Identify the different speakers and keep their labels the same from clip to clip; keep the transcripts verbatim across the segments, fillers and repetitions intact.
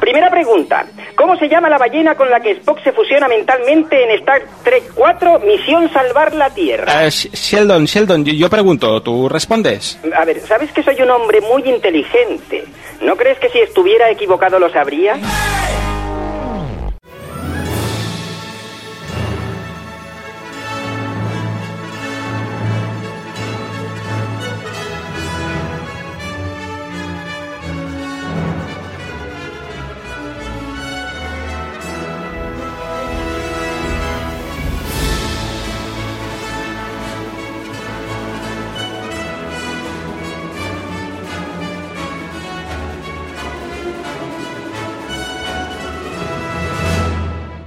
Speaker 1: Primera pregunta. ¿Cómo se llama la ballena con la que Spock se fusiona mentalmente en Star Trek cuatro, Misión Salvar la Tierra?
Speaker 2: Uh, Sheldon, Sheldon, yo pregunto, ¿tú respondes?
Speaker 1: A ver, ¿sabes que soy un hombre muy inteligente? ¿No crees que si estuviera equivocado lo sabría?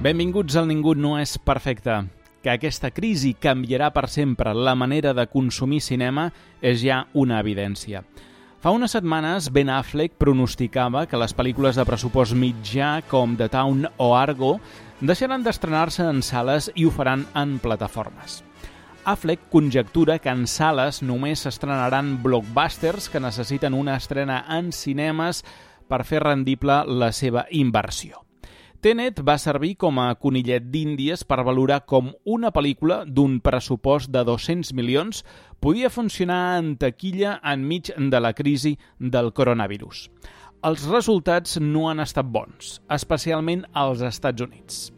Speaker 3: Benvinguts al Ningú no és perfecte. Que aquesta crisi canviarà per sempre la manera de consumir cinema és ja una evidència. Fa unes setmanes, Ben Affleck pronosticava que les pel·lícules de pressupost mitjà com The Town o Argo deixaran d'estrenar-se en sales i ho faran en plataformes. Affleck conjectura que en sales només s'estrenaran blockbusters que necessiten una estrena en cinemes per fer rendible la seva inversió. Tenet va servir com a conillet d'Índies per valorar com una pel·lícula d'un pressupost de dos-cents milions podia funcionar en taquilla enmig de la crisi del coronavirus. Els resultats no han estat bons, especialment als Estats Units.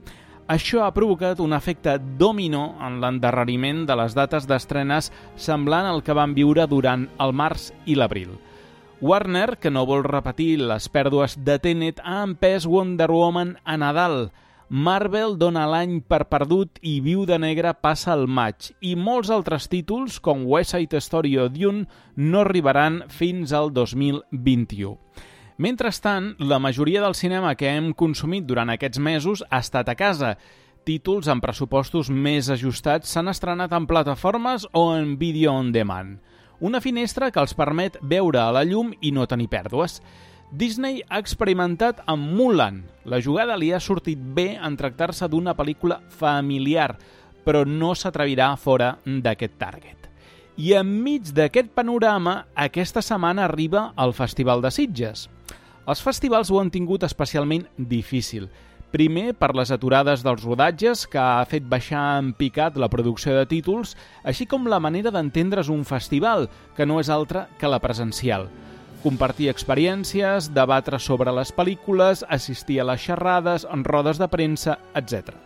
Speaker 3: Això ha provocat un efecte dominó en l'endarreriment de les dates d'estrenes semblant al que van viure durant el març i l'abril. Warner, que no vol repetir les pèrdues de Tenet, ha empès Wonder Woman a Nadal. Marvel dona l'any per perdut i Viuda Negra passa al maig. I molts altres títols, com West Side Story o Dune, no arribaran fins al dos mil vint-i-u. Mentrestant, la majoria del cinema que hem consumit durant aquests mesos ha estat a casa. Títols amb pressupostos més ajustats s'han estrenat en plataformes o en vídeo on demand. Una finestra que els permet veure a la llum i no tenir pèrdues. Disney ha experimentat amb Mulan. La jugada li ha sortit bé en tractar-se d'una pel·lícula familiar, però no s'atrevirà fora d'aquest target. I enmig d'aquest panorama, aquesta setmana arriba el Festival de Sitges. Els festivals ho han tingut especialment difícil. Primer, per les aturades dels rodatges, que ha fet baixar en picat la producció de títols, així com la manera d'entendre's un festival, que no és altra que la presencial. Compartir experiències, debatre sobre les pel·lícules, assistir a les xerrades, en rodes de premsa, etcètera.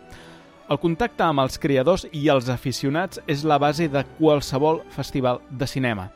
Speaker 3: El contacte amb els creadors i els aficionats és la base de qualsevol festival de cinema.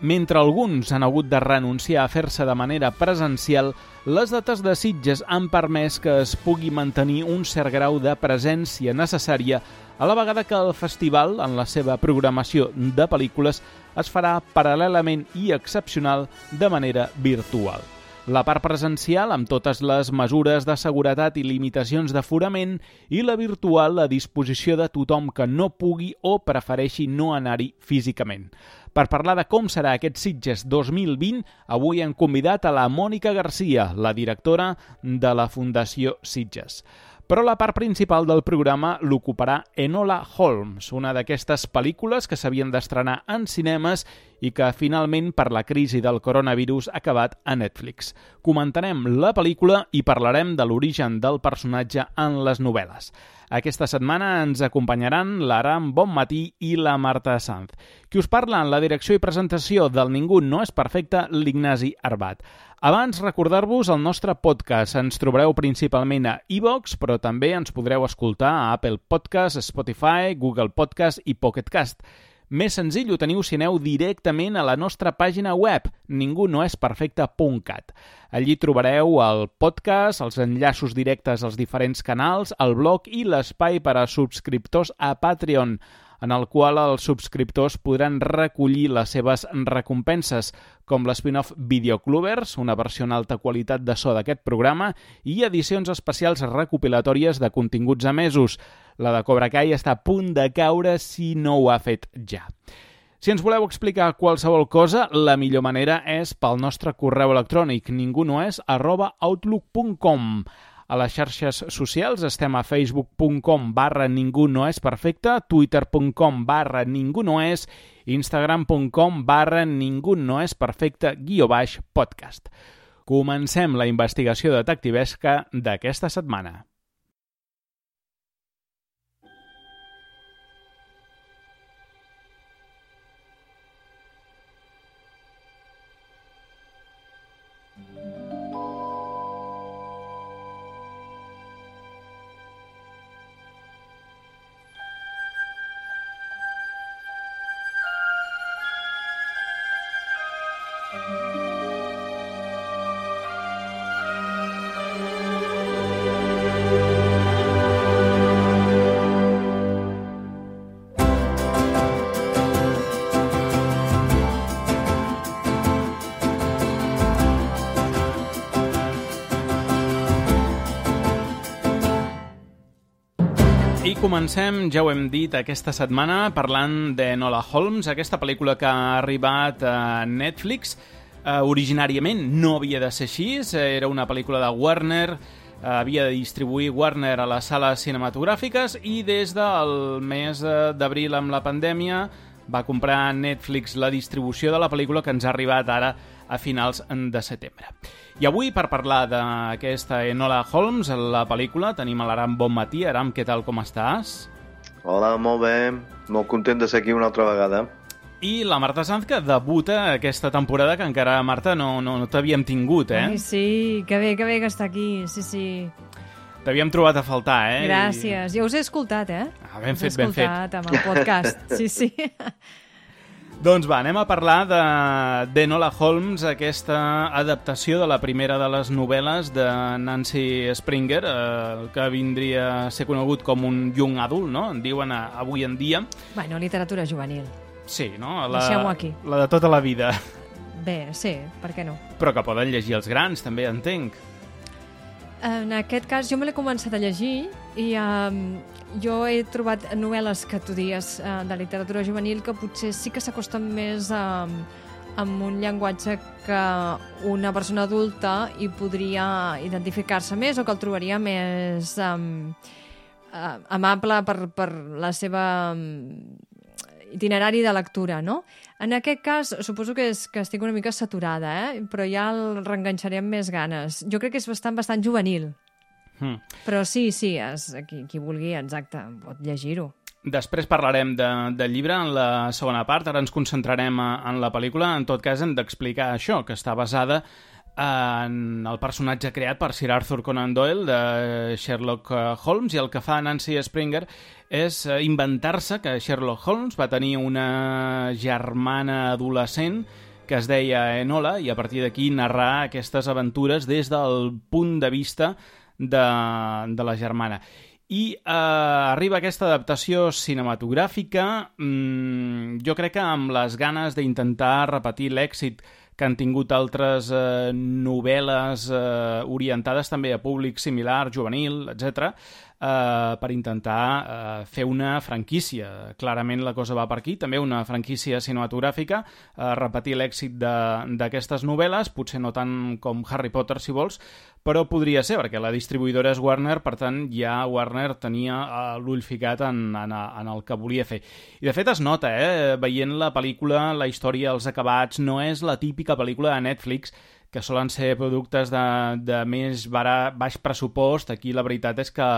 Speaker 3: Mentre alguns han hagut de renunciar a fer-se de manera presencial, les dates de Sitges han permès que es pugui mantenir un cert grau de presència necessària a la vegada que el festival, en la seva programació de pel·lícules, es farà paral·lelament i excepcional de manera virtual. La part presencial, amb totes les mesures de seguretat i limitacions d'aforament, i la virtual a disposició de tothom que no pugui o prefereixi no anar-hi físicament. Per parlar de com serà aquest Sitges dos mil vint, avui hem convidat a la Mònica Garcia, la directora de la Fundació Sitges. Però la part principal del programa l'ocuparà Enola Holmes, una d'aquestes pel·lícules que s'havien d'estrenar en cinemes i que finalment per la crisi del coronavirus ha acabat a Netflix. Comentarem la pel·lícula i parlarem de l'origen del personatge en les novel·les. Aquesta setmana ens acompanyaran l'Aram Bonmatí i la Marta Sanz. Qui us parla en la direcció i presentació del Ningú no és perfecte, l'Ignasi Arbat. Abans, recordar-vos el nostre podcast. Ens trobareu principalment a iVoox, però també ens podreu escoltar a Apple Podcast, Spotify, Google Podcast i Pocket Cast. Més senzill ho teniu si aneu directament a la nostra pàgina web, ningú no és perfecte punt cat. Allí trobareu el podcast, els enllaços directes als diferents canals, el blog i l'espai per a subscriptors a Patreon, en el qual els subscriptors podran recollir les seves recompenses, com l'spin-off Videoclubers, una versió en alta qualitat de so d'aquest programa, i edicions especials recopilatòries de continguts emesos. La de Cobra Kai està a punt de caure si no ho ha fet ja. Si ens voleu explicar qualsevol cosa, la millor manera és pel nostre correu electrònic ningunoes arroba outlook punt com. A les xarxes socials estem a facebook punt com barra ningú no és perfecte, twitter punt com barra ningú no és, instagram punt com barra ningú no és perfecte guió baix podcast. Comencem la investigació detectivesca d'aquesta setmana. I comencem, ja ho hem dit, aquesta setmana parlant de Enola Holmes, aquesta pel·lícula que ha arribat a Netflix. Uh, originàriament no havia de ser així, era una pel·lícula de Warner, uh, havia de distribuir Warner a les sales cinematogràfiques i des del mes d'abril amb la pandèmia va comprar Netflix la distribució de la pel·lícula que ens ha arribat ara a finals de setembre. I avui, per parlar d'aquesta Enola Holmes, la pel·lícula, tenim a l'Aram Bonmatí. Aram, què tal, com estàs?
Speaker 4: Hola, molt bé. Molt content de ser aquí una altra vegada.
Speaker 3: I la Marta Sanz, que debuta aquesta temporada, que encara, Marta, no, no, no t'havíem tingut, eh?
Speaker 5: Ai, sí, que bé, que bé que està aquí, sí, sí.
Speaker 3: T'havíem trobat a faltar, eh?
Speaker 5: Gràcies. Jo us he escoltat, eh?
Speaker 3: Ah, ben fet, ben fet.
Speaker 5: Us he escoltat amb el podcast, sí, sí.
Speaker 3: Doncs va, anem a parlar de d'Enola Holmes, aquesta adaptació de la primera de les novel·les de Nancy Springer, eh, que vindria a ser conegut com un young adult, no? En diuen a, avui en dia.
Speaker 5: Bueno, literatura juvenil.
Speaker 3: Sí, no? La,
Speaker 5: Deixem-ho aquí.
Speaker 3: La de tota la vida.
Speaker 5: Bé, sí, per què no?
Speaker 3: Però que poden llegir els grans, també, entenc.
Speaker 5: En aquest cas, jo me l'he començat a llegir i um, jo he trobat novel·les que tu dies uh, de literatura juvenil que potser sí que s'acosten més a, amb un llenguatge que una persona adulta hi podria identificar-se més o que el trobaria més um, uh, amable per, per la seva um, itinerari de lectura, no? En aquest cas, suposo que, és, que estic una mica saturada, eh? Però ja el reenganxaré amb més ganes. Jo crec que és bastant, bastant juvenil. Mm. Però sí, sí, és, qui, qui vulgui, exacte, pot llegir-ho.
Speaker 3: Després parlarem de, del llibre en la segona part, ara ens concentrarem a, en la pel·lícula. En tot cas, hem d'explicar això, que està basada en el personatge creat per Sir Arthur Conan Doyle de Sherlock Holmes, i el que fa Nancy Springer és inventar-se que Sherlock Holmes va tenir una germana adolescent que es deia Enola, i a partir d'aquí narrar aquestes aventures des del punt de vista de, de la germana. I eh, arriba aquesta adaptació cinematogràfica, mmm, jo crec que amb les ganes d'intentar repetir l'èxit que han tingut altres eh, novel·les eh, orientades també a públic similar, juvenil, etcètera, eh, per intentar eh, fer una franquícia. Clarament la cosa va per aquí, també una franquícia cinematogràfica, eh, repetir l'èxit d'aquestes novel·les, potser no tant com Harry Potter, si vols, però podria ser, perquè la distribuïdora és Warner, per tant ja Warner tenia uh, l'ull ficat en, en, en el que volia fer. I de fet es nota, eh? Veient la pel·lícula, la història, els acabats, no és la típica pel·lícula de Netflix, que solen ser productes de, de més bara, baix pressupost. Aquí la veritat és que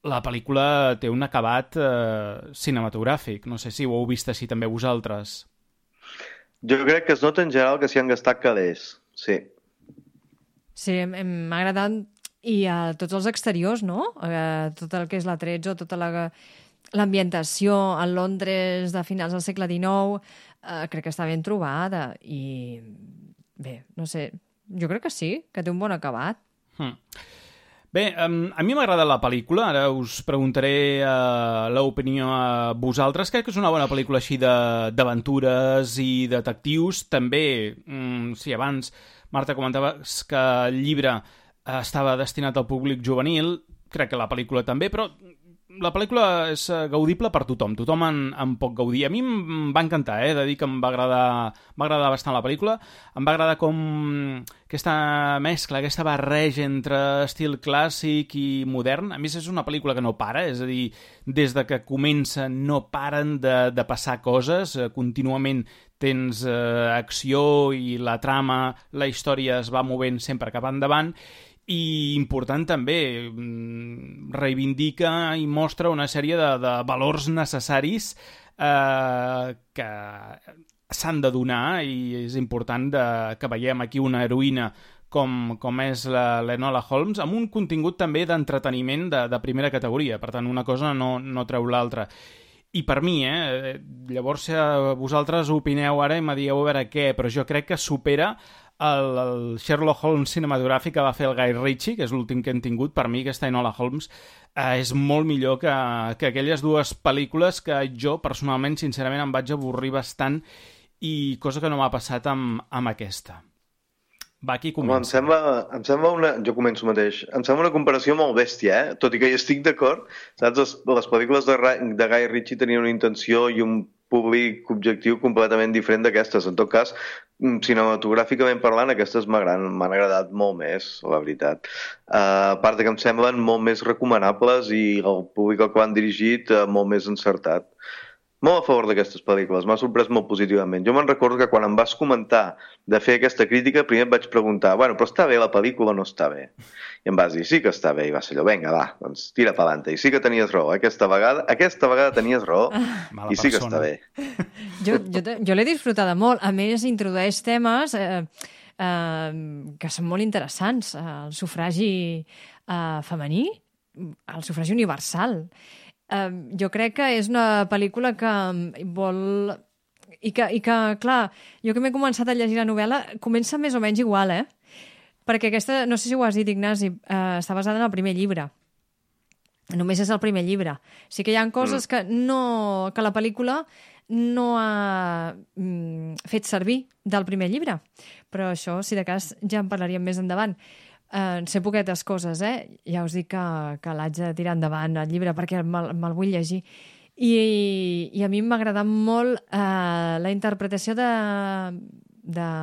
Speaker 3: la pel·lícula té un acabat eh, cinematogràfic. No sé si ho heu vist així també vosaltres.
Speaker 4: Jo crec que es nota en general que s'hi han gastat calés, sí.
Speaker 5: Sí, m'ha agradat, i a tots els exteriors, no? Eh, tot el que és la tretze, tota l'ambientació a Londres de finals del segle dinou, eh, crec que està ben trobada, i bé, no sé, jo crec que sí, que té un bon acabat.
Speaker 3: Hmm. Bé, um, a mi m'agrada la pel·lícula, ara us preguntaré uh, l'opinió a vosaltres. Crec que és una bona pel·lícula així d'aventures i detectius. També, um, sí, abans Marta comentaves que el llibre uh, estava destinat al públic juvenil, crec que la pel·lícula també, però la pel·lícula és gaudible per tothom, tothom en, en pot gaudir. A mi em va encantar, eh, de dir que em va agradar, va agradar bastant la pel·lícula, em va agradar com aquesta mescla, aquesta barreja entre estil clàssic i modern. A més, és una pel·lícula que no para, és a dir, des de que comença no paren de, de passar coses, contínuament tens eh, acció i la trama, la història es va movent sempre cap endavant, i important també, reivindica i mostra una sèrie de, de valors necessaris eh, que s'han de donar, i és important de, que veiem aquí una heroïna com, com és l'Enola Holmes, amb un contingut també d'entreteniment de, de primera categoria. Per tant, una cosa no, no treu l'altra. I per mi, eh, llavors vosaltres opineu ara i me dieu a veure què, però jo crec que supera el, el Sherlock Holmes cinematogràfic que va fer el Guy Ritchie, que és l'últim que hem tingut. Per mi aquesta Enola Holmes eh, és molt millor que, que aquelles dues pel·lícules que jo personalment, sincerament, em vaig avorrir bastant, i cosa que no m'ha passat amb, amb aquesta. Va, qui comença?
Speaker 4: Home, em sembla, em sembla una... Jo començo mateix. Em sembla una comparació molt bèstia, eh? Tot i que hi estic d'acord. Saps? Les, les pel·lícules de, de Guy Ritchie tenien una intenció i un públic objectiu completament diferent d'aquestes. En tot cas, cinematogràficament parlant, aquestes m'han agradat molt més, la veritat. Uh, a part de que em semblen molt més recomanables i el públic al que van dirigit uh, molt més encertat. Molt a favor d'aquestes pel·lícules, m'ha sorprès molt positivament. Jo me'n recordo que quan em vas comentar de fer aquesta crítica, primer et vaig preguntar, bueno, però està bé la pel·lícula o no està bé? I em vas dir, sí que està bé, i va ser allò, vinga, va, doncs tira pa'lante. I sí que tenies raó, aquesta vegada, aquesta vegada tenies raó, ah, i sí que està bé.
Speaker 5: Jo, jo, jo l'he disfrutada molt. A més, introdueix temes eh, eh, que són molt interessants. El sufragi eh, femení, el sufragi universal. Uh, jo crec que és una pel·lícula que vol... I que, i que clar, jo que m'he començat a llegir la novel·la, comença més o menys igual, eh? Perquè aquesta, no sé si ho has dit, Ignasi, uh, està basada en el primer llibre. Només és el primer llibre. Sí que hi ha coses que, no, que la pel·lícula no ha mm, fet servir del primer llibre. Però això, si de cas, ja en parlaríem més endavant. Uh, sé poquetes coses, eh? Ja us dic que, que l'haig de tirar endavant el llibre perquè me'l me vull llegir. I, i a mi m'ha agradat molt uh, la interpretació de, de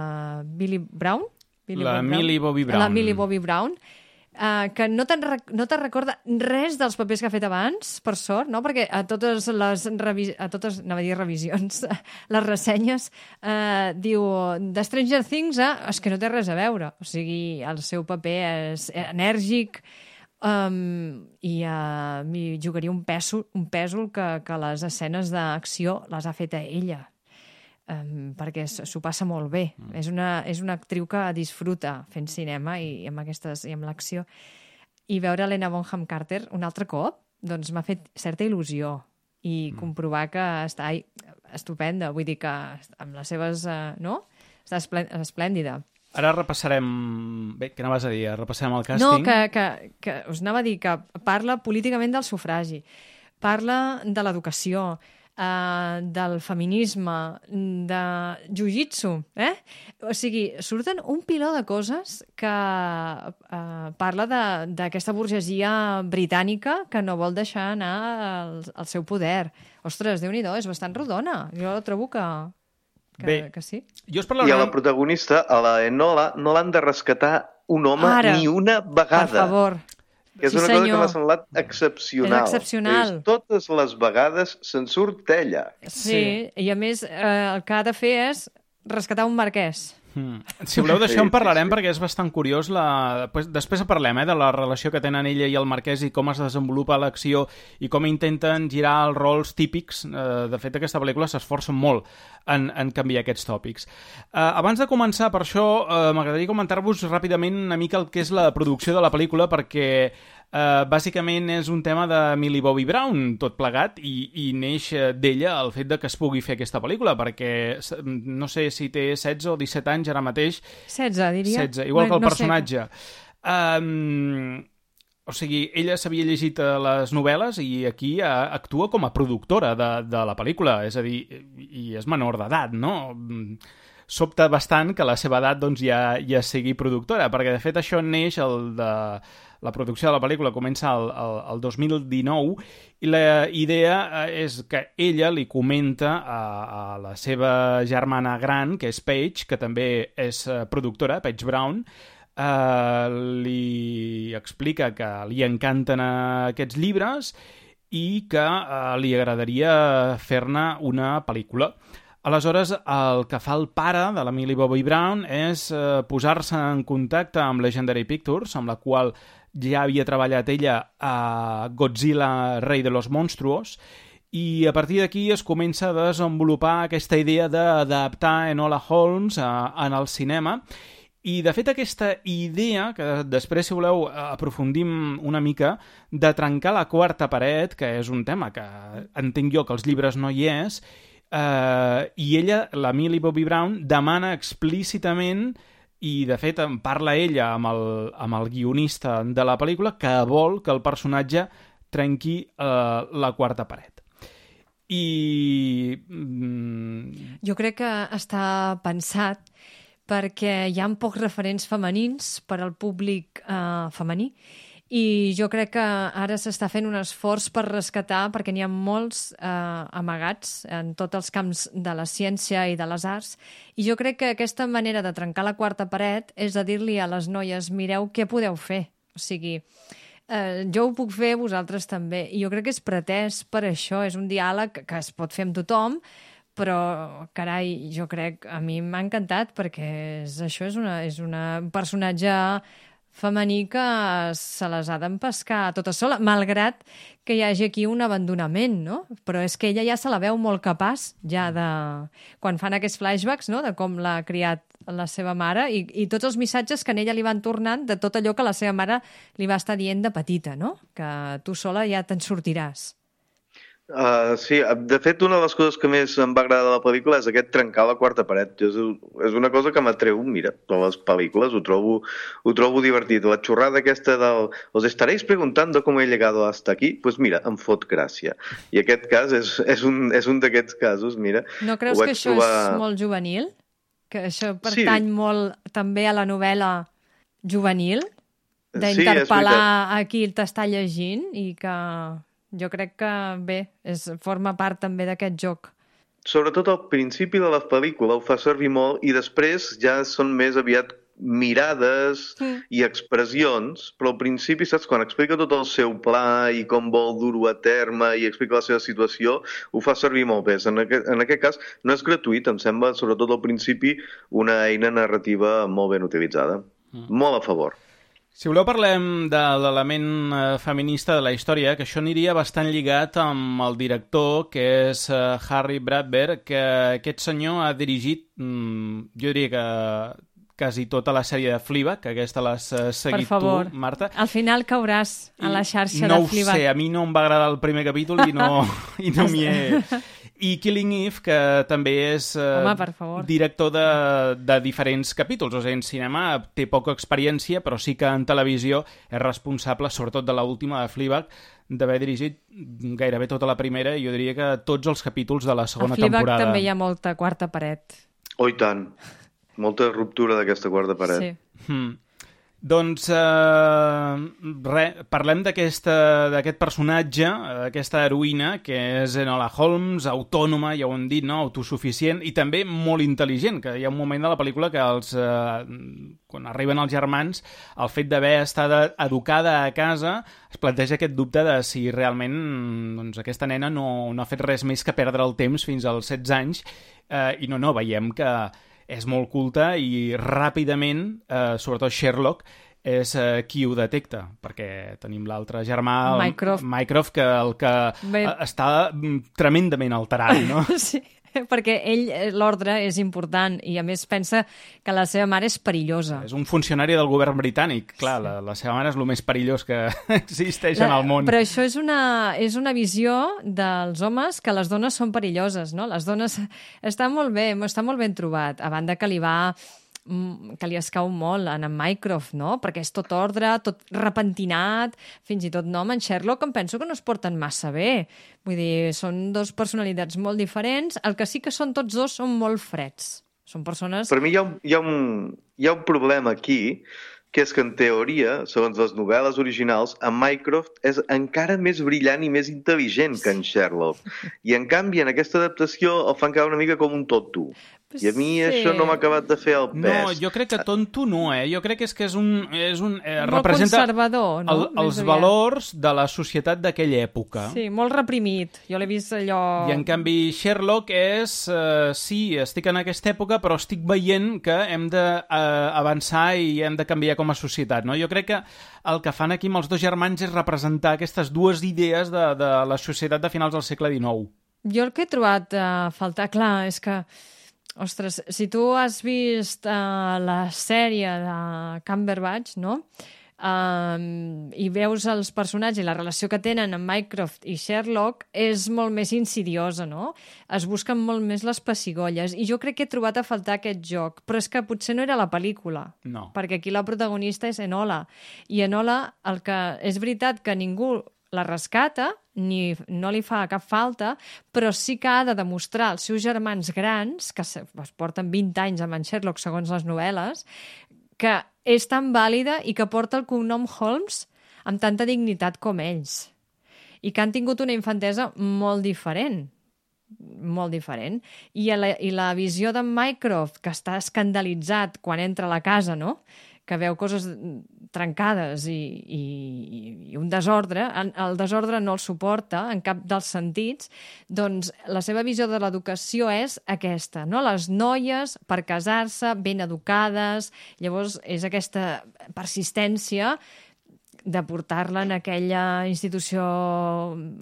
Speaker 5: Billy Brown. Billy
Speaker 3: la
Speaker 5: Brown.
Speaker 3: Millie Bobby Brown.
Speaker 5: La Millie Bobby Brown. Uh, que no te'n no te recorda res dels papers que ha fet abans, per sort, no? Perquè a totes les revis a totes, anava a dir revisions, les ressenyes, uh, diu de Stranger Things, eh? És que no té res a veure. O sigui, el seu paper és enèrgic, um, i uh, m'hi jugaria un pèsol, un pèsol que, que les escenes d'acció les ha fet a ella. Um, perquè s'ho passa molt bé. Mm. És, una, és una actriu que disfruta fent cinema i, i amb aquestes i amb l'acció. I veure Helena Bonham Carter un altre cop, doncs m'ha fet certa il·lusió. I mm. comprovar que està estupenda, vull dir que amb les seves... Uh, no? Està esplèndida.
Speaker 3: Ara repassarem... Bé, què anaves a dir? Repassarem el càsting?
Speaker 5: No, que, que, que us anava a dir que parla políticament del sufragi, parla de l'educació, Uh, del feminisme, de jiu-jitsu, eh? O sigui, surten un piló de coses que uh, parla d'aquesta burgesia britànica que no vol deixar anar el, el seu poder. Ostres, Déu-n'hi-do, és bastant rodona. Jo trobo que, que,
Speaker 3: Bé,
Speaker 5: que sí.
Speaker 3: Jo us parlaré...
Speaker 4: I a la protagonista, a la Enola, no l'han de rescatar un home
Speaker 5: Ara,
Speaker 4: ni una vegada.
Speaker 5: Per favor.
Speaker 4: Que és
Speaker 5: Sí,
Speaker 4: una cosa
Speaker 5: senyor.
Speaker 4: que m'ha semblat excepcional.
Speaker 5: És excepcional.
Speaker 4: És, totes les vegades se'n surt ella.
Speaker 5: Sí, sí, i a més eh, el que ha de fer és rescatar un marquès.
Speaker 3: Hmm. Si voleu d'això en parlarem, perquè és bastant curiós. La... Després parlem eh, de la relació que tenen ella i el marquès i com es desenvolupa l'acció i com intenten girar els rols típics. Eh, de fet, aquesta pel·lícula s'esforça molt en, en canviar aquests tòpics. Eh, abans de començar, per això, eh, m'agradaria comentar-vos ràpidament una mica el que és la producció de la pel·lícula, perquè Uh, bàsicament és un tema de Millie Bobby Brown, tot plegat, i, i neix d'ella el fet de que es pugui fer aquesta pel·lícula, perquè no sé si té setze o disset anys ara mateix.
Speaker 5: setze, diria.
Speaker 3: setze, igual que el
Speaker 5: no
Speaker 3: personatge. Sé. Um, o sigui, ella s'havia llegit les novel·les i aquí uh, actua com a productora de, de la pel·lícula, és a dir, i és menor d'edat, no? Sobta bastant que a la seva edat doncs, ja, ja sigui productora, perquè de fet això neix el de... La producció de la pel·lícula comença el, el, el dos mil dinou i la idea és que ella li comenta a, a la seva germana gran, que és Paige, que també és productora, Paige Brown, eh, li explica que li encanten aquests llibres i que eh, li agradaria fer-ne una pel·lícula. Aleshores, el que fa el pare de la Millie Bobby Brown és eh, posar-se en contacte amb Legendary Pictures, amb la qual ja havia treballat ella a Godzilla, Rei de los Monstruos, i a partir d'aquí es comença a desenvolupar aquesta idea d'adaptar Enola Holmes a, en el cinema. I, de fet, aquesta idea, que després, si voleu, aprofundim una mica, de trencar la quarta paret, que és un tema que entenc jo que als llibres no hi és, eh, i ella, la Millie Bobby Brown, demana explícitament, i, de fet, en parla ella amb el, amb el guionista de la pel·lícula, que vol que el personatge trenqui eh, la quarta paret. I... Mm...
Speaker 5: Jo crec que està pensat perquè hi ha pocs referents femenins per al públic eh, femení i jo crec que ara s'està fent un esforç per rescatar, perquè n'hi ha molts eh, amagats en tots els camps de la ciència i de les arts, i jo crec que aquesta manera de trencar la quarta paret és de dir-li a les noies, mireu què podeu fer. O sigui, eh, jo ho puc fer, vosaltres també. I jo crec que és pretès per això, és un diàleg que es pot fer amb tothom, però, carai, jo crec, a mi m'ha encantat perquè és, això és, una, és una, un personatge femení que se les ha d'empescar tota sola, malgrat que hi hagi aquí un abandonament, no? Però és que ella ja se la veu molt capaç, ja de... quan fan aquests flashbacks, no?, de com l'ha criat la seva mare i, i tots els missatges que en ella li van tornant de tot allò que la seva mare li va estar dient de petita, no? Que tu sola ja te'n sortiràs.
Speaker 4: Uh, sí, de fet, una de les coses que més em va agradar de la pel·lícula és aquest trencar la quarta paret. És, és una cosa que m'atreu, mira, de les pel·lícules, ho trobo, ho trobo divertit. La xorrada aquesta del... Os estaréis preguntando cómo he llegado hasta aquí? Pues mira, em fot gràcia. I aquest cas és, és un, és un d'aquests casos, mira.
Speaker 5: No creus que això trobar... és molt juvenil? Que això pertany sí. molt també a la novel·la juvenil? D'interpel·lar sí, a qui t'està llegint i que... Jo crec que, bé, és, forma part també d'aquest joc.
Speaker 4: Sobretot al principi de la pel·lícula ho fa servir molt i després ja són més aviat mirades mm. i expressions, però al principi, saps, quan explica tot el seu pla i com vol dur-ho a terme i explica la seva situació, ho fa servir molt bé. En aquest, en aquest cas no és gratuït, em sembla, sobretot al principi, una eina narrativa molt ben utilitzada. Mm. Molt a favor.
Speaker 3: Si voleu parlem de l'element feminista de la història, que això aniria bastant lligat amb el director, que és Harry Bradbeer, que aquest senyor ha dirigit, jo diria que quasi tota la sèrie de Fleabag, que aquesta l'has seguit
Speaker 5: per favor,
Speaker 3: tu, Marta.
Speaker 5: Al final cauràs a la xarxa
Speaker 3: no
Speaker 5: de Fleabag.
Speaker 3: No ho sé, a mi no em va agradar el primer capítol i no, i no m'hi he... I Killing Eve, que també és eh,
Speaker 5: Home,
Speaker 3: director de, de diferents capítols. O sigui, en cinema té poca experiència, però sí que en televisió és responsable, sobretot de l'última de Fleabag, d'haver dirigit gairebé tota la primera i jo diria que tots els capítols de la segona temporada.
Speaker 5: A Fleabag també hi ha molta quarta paret.
Speaker 4: Oh, i tant. Molta ruptura d'aquesta quarta paret.
Speaker 5: Sí.
Speaker 3: Hmm. Doncs, eh, re, parlem d'aquest personatge, aquesta heroïna, que és Enola Holmes, autònoma, ja ho hem dit, no? Autosuficient, i també molt intel·ligent, que hi ha un moment de la pel·lícula que els, eh, quan arriben els germans, el fet d'haver estat educada a casa es planteja aquest dubte de si realment doncs, aquesta nena no, no ha fet res més que perdre el temps fins als setze anys, eh, i no, no, veiem que és molt culta i ràpidament, eh, sobretot Sherlock, és eh, qui ho detecta, perquè tenim l'altre germà, el
Speaker 5: Mycroft.
Speaker 3: Mycroft, que el que Bé... està tremendament alterat, no?
Speaker 5: Sí, perquè ell, l'ordre és important i a més pensa que la seva mare és perillosa.
Speaker 3: És un funcionari del govern britànic, clar, sí. la, la seva mare és el més perillós que existeix
Speaker 5: la,
Speaker 3: en el món.
Speaker 5: Però això és una, és una visió dels homes que les dones són perilloses, no? Les dones... Està molt bé, està molt ben trobat, a banda que li va... que li escau molt en en Mycroft, no? Perquè és tot ordre, tot repentinat, fins i tot no, en Sherlock em penso que no es porten massa bé. Vull dir, són dos personalitats molt diferents, el que sí que són tots dos són molt freds. Són persones...
Speaker 4: Per mi hi ha un, hi ha un, hi ha un problema aquí, que és que en teoria, segons les novel·les originals, en Mycroft és encara més brillant i més intel·ligent que en Sherlock. I en canvi, en aquesta adaptació el fan quedar una mica com un tonto. I a mi
Speaker 5: Sí.
Speaker 4: això no m'ha acabat de fer el pes.
Speaker 3: No, jo crec que tonto no, eh? Jo crec que és que és un... És un eh,
Speaker 5: Molt
Speaker 3: representa
Speaker 5: conservador, no?
Speaker 3: el,
Speaker 5: Més
Speaker 3: els
Speaker 5: aviat.
Speaker 3: valors de la societat d'aquella època.
Speaker 5: Sí, molt reprimit. Jo l'he vist allò...
Speaker 3: I en canvi Sherlock és... Eh, sí, estic en aquesta època, però estic veient que hem d'avançar eh, i hem de canviar com a societat, no? Jo crec que el que fan aquí amb els dos germans és representar aquestes dues idees de, de la societat de finals del segle dinou.
Speaker 5: Jo el que he trobat a uh, faltar, clar, és que, ostres, si tu has vist uh, la sèrie de Cumberbatch, no?, Um, i veus els personatges i la relació que tenen amb Mycroft i Sherlock, és molt més insidiosa, no? Es busquen molt més les pessigolles, i jo crec que he trobat a faltar aquest joc, però és que potser no era la pel·lícula,
Speaker 3: No.
Speaker 5: perquè aquí la protagonista és Enola, i Enola, el que és veritat que ningú la rescata, ni no li fa cap falta, però sí que ha de demostrar als seus germans grans, que es porten vint anys amb en Sherlock segons les novel·les, que és tan vàlida i que porta el cognom Holmes amb tanta dignitat com ells. I que han tingut una infantesa molt diferent. Molt diferent. I la, i la visió d'en Mycroft, que està escandalitzat quan entra a la casa, no?, que veu coses trencades i, i, i un desordre, el desordre no el suporta en cap dels sentits, doncs la seva visió de l'educació és aquesta, no? Les noies, per casar-se, ben educades, llavors és aquesta persistència de portar-la en aquella institució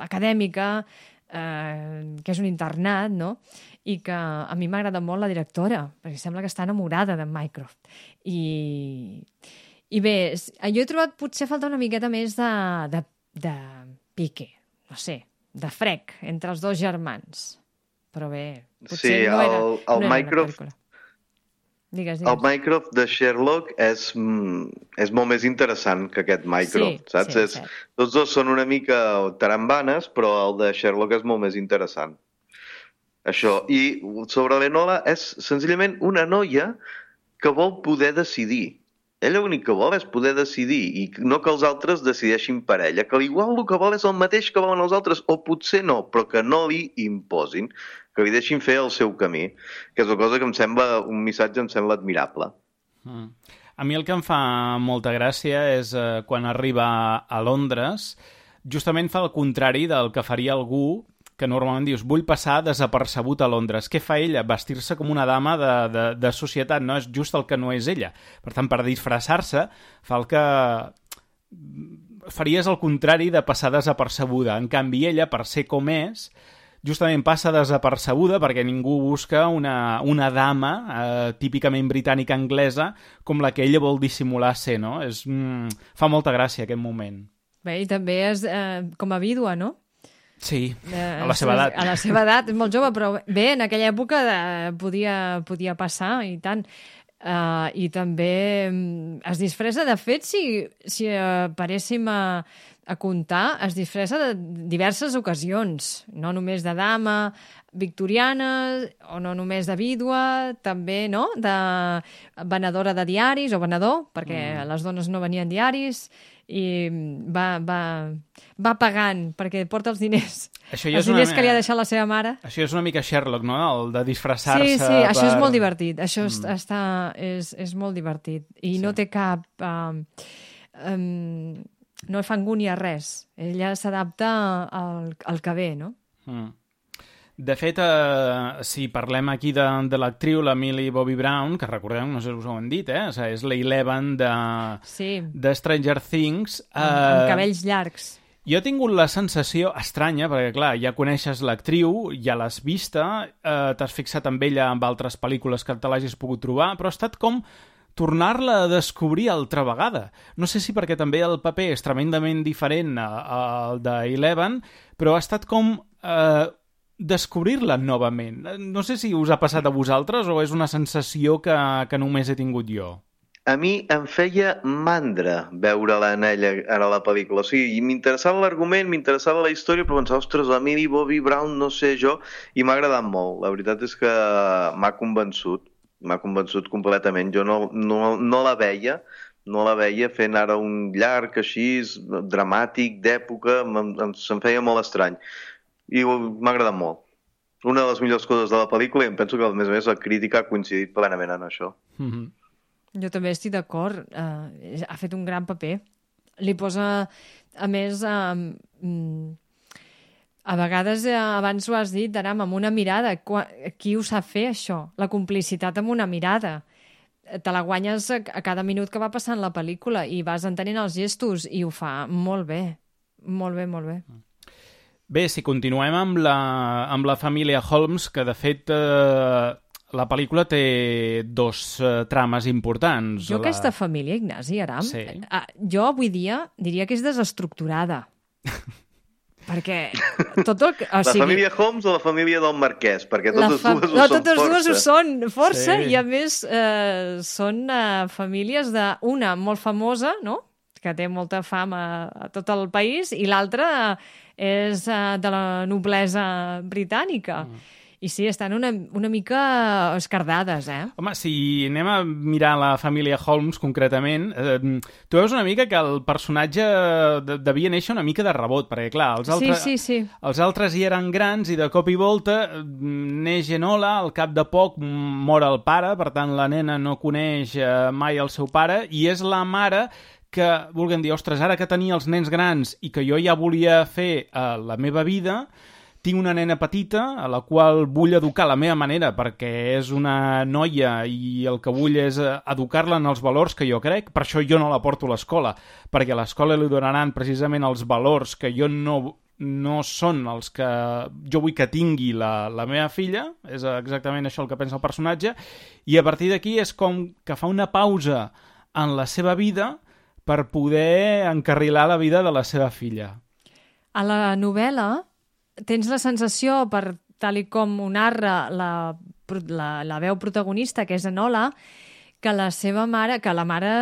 Speaker 5: acadèmica, eh, que és un internat, no?, i que a mi m'agrada molt la directora, perquè sembla que està enamorada de Mycroft. I, i bé, jo he trobat potser falta una miqueta més de, de, de pique, no sé, de frec entre els dos germans. Però bé, potser
Speaker 4: sí,
Speaker 5: no era,
Speaker 4: el, el
Speaker 5: no era
Speaker 4: Mycroft,
Speaker 5: una pel·lícula. Digues, digues.
Speaker 4: El Mycroft de Sherlock és, és molt més interessant que aquest Mycroft,
Speaker 5: sí,
Speaker 4: saps?
Speaker 5: Sí,
Speaker 4: és,
Speaker 5: sí.
Speaker 4: Tots dos són una mica tarambanes, però el de Sherlock és molt més interessant. Això. I sobre l'Enola és senzillament una noia que vol poder decidir. Ella l'únic que vol és poder decidir i no que els altres decideixin per ella, que igual el que vol és el mateix que volen els altres, o potser no, però que no li imposin, que li deixin fer el seu camí, que és una cosa que em sembla, un missatge em sembla admirable.
Speaker 3: Mm. A mi el que em fa molta gràcia és eh, quan arriba a Londres, justament fa el contrari del que faria algú que normalment dius, vull passar desapercebut a Londres. Què fa ella? Vestir-se com una dama de, de, de societat, no és just el que no és ella. Per tant, per disfressar-se, fa el que faries el contrari de passar desapercebuda. En canvi, ella, per ser com és, justament passa desapercebuda perquè ningú busca una, una dama eh, típicament britànica anglesa com la que ella vol dissimular ser, no? És, mm, fa molta gràcia aquest moment.
Speaker 5: Bé, i també és eh, com a vídua, no?
Speaker 3: Sí,
Speaker 5: Eh,
Speaker 3: a la seva edat.
Speaker 5: A la seva edat, és molt jove, però bé, en aquella època eh, podia, podia passar, i tant. Uh, I també mm, es disfressa, de fet, si, si uh, paréssim a, a comptar, es disfressa de diverses ocasions, no només de dama victoriana, o no només de vídua, també, no?, de venedora de diaris, o venedor, perquè mm. les dones no venien diaris, i va, va, va pagant perquè porta els diners,
Speaker 3: Això ja
Speaker 5: els
Speaker 3: és una
Speaker 5: diners
Speaker 3: me-
Speaker 5: que li ha deixat la seva mare.
Speaker 3: Això és una mica Sherlock, no? El de disfressar-se.
Speaker 5: Sí, sí, això és
Speaker 3: per-
Speaker 5: molt divertit, això
Speaker 3: Mm.
Speaker 5: mm. està, és, és molt divertit, i
Speaker 3: Sí.
Speaker 5: no té cap um, um, no fa angúnia res, ella s'adapta al, al que ve, no?
Speaker 3: Mm. De fet, eh, si parlem aquí de, de l'actriu, la Millie Bobby Brown, que recordeu, no sé si us ho han dit, eh? O sigui, és la Eleven de,
Speaker 5: Sí,
Speaker 3: de Stranger Things.
Speaker 5: amb, amb
Speaker 3: eh,
Speaker 5: cabells llargs.
Speaker 3: Jo he tingut la sensació estranya, perquè, clar, ja coneixes l'actriu, ja l'has vista, eh, t'has fixat amb ella amb altres pel·lícules que te l'hagis pogut trobar, però ha estat com tornar-la a descobrir altra vegada. No sé si perquè també el paper és tremendament diferent al d'Eleven, però ha estat com eh, descobrir-la novament. No sé si us ha passat a vosaltres o és una sensació que, que només he tingut jo.
Speaker 4: A mi em feia mandra veure-la en ella ara a la pel·lícula. O sigui, m'interessava l'argument, m'interessava la història, però pensava, ostres, la Millie Bobby Brown, no sé jo, i m'ha agradat molt. La veritat és que m'ha convençut, m'ha convençut completament. Jo no, no, no la veia, no la veia fent ara un llarg així, dramàtic, d'època, em, em, se'm feia molt estrany. I m'ha agradat molt. una de les millors coses de la pel·lícula i em penso que, a més a més, la crítica ha coincidit plenament en això.
Speaker 3: Mm-hmm.
Speaker 5: Jo també estic d'acord. Uh, ha fet un gran paper. Li posa, a més, uh, a vegades, uh, abans ho has dit, Aram, amb una mirada. Qui ho sap fer, això? La complicitat amb una mirada. Te la guanyes a, a cada minut que va passant la pel·lícula i vas entenent els gestos i ho fa molt bé. Molt bé, molt bé.
Speaker 3: Bé, si continuem amb la, amb la família Holmes, que de fet eh, la pel·lícula té dos eh, trames importants.
Speaker 5: Jo
Speaker 3: la...
Speaker 5: aquesta família, Ignasi, Aram,
Speaker 3: sí.
Speaker 5: eh, jo avui dia diria que és desestructurada. Perquè tot el... O
Speaker 4: la
Speaker 5: sigui,
Speaker 4: família Holmes o la família del Marquès? Perquè totes
Speaker 5: fa...
Speaker 4: dues ho
Speaker 5: no,
Speaker 4: són
Speaker 5: totes
Speaker 4: força.
Speaker 5: dues ho són força
Speaker 3: Sí.
Speaker 5: i a més eh, són eh, famílies de una molt famosa, no?, que té molta fama a tot el país, i l'altra és uh, de la noblesa britànica. Mm. I sí, estan una, una mica escardades, eh?
Speaker 3: Home, si anem a mirar la família Holmes concretament, eh, tu veus una mica que el personatge de, devia néixer una mica de rebot, perquè clar, els altres,
Speaker 5: sí, sí, sí.
Speaker 3: els altres hi eren grans i de cop i volta neix Enola, al cap de poc mor el pare, per tant la nena no coneix eh, mai el seu pare, i és la mare que vulguem dir, ostres, ara que tenia els nens grans i que jo ja volia fer uh, la meva vida, tinc una nena petita a la qual vull educar a la meva manera perquè és una noia i el que vull és educar-la en els valors que jo crec, per això jo no la porto a l'escola, perquè a l'escola li donaran precisament els valors que jo no, no són els que jo vull que tingui la, la meva filla, és exactament això el que pensa el personatge, i a partir d'aquí és com que fa una pausa en la seva vida per poder encarrilar la vida de la seva filla.
Speaker 5: A la novel·la tens la sensació, per tal i com ho narra la, la, la veu protagonista, que és Enola, que la seva mare, que la mare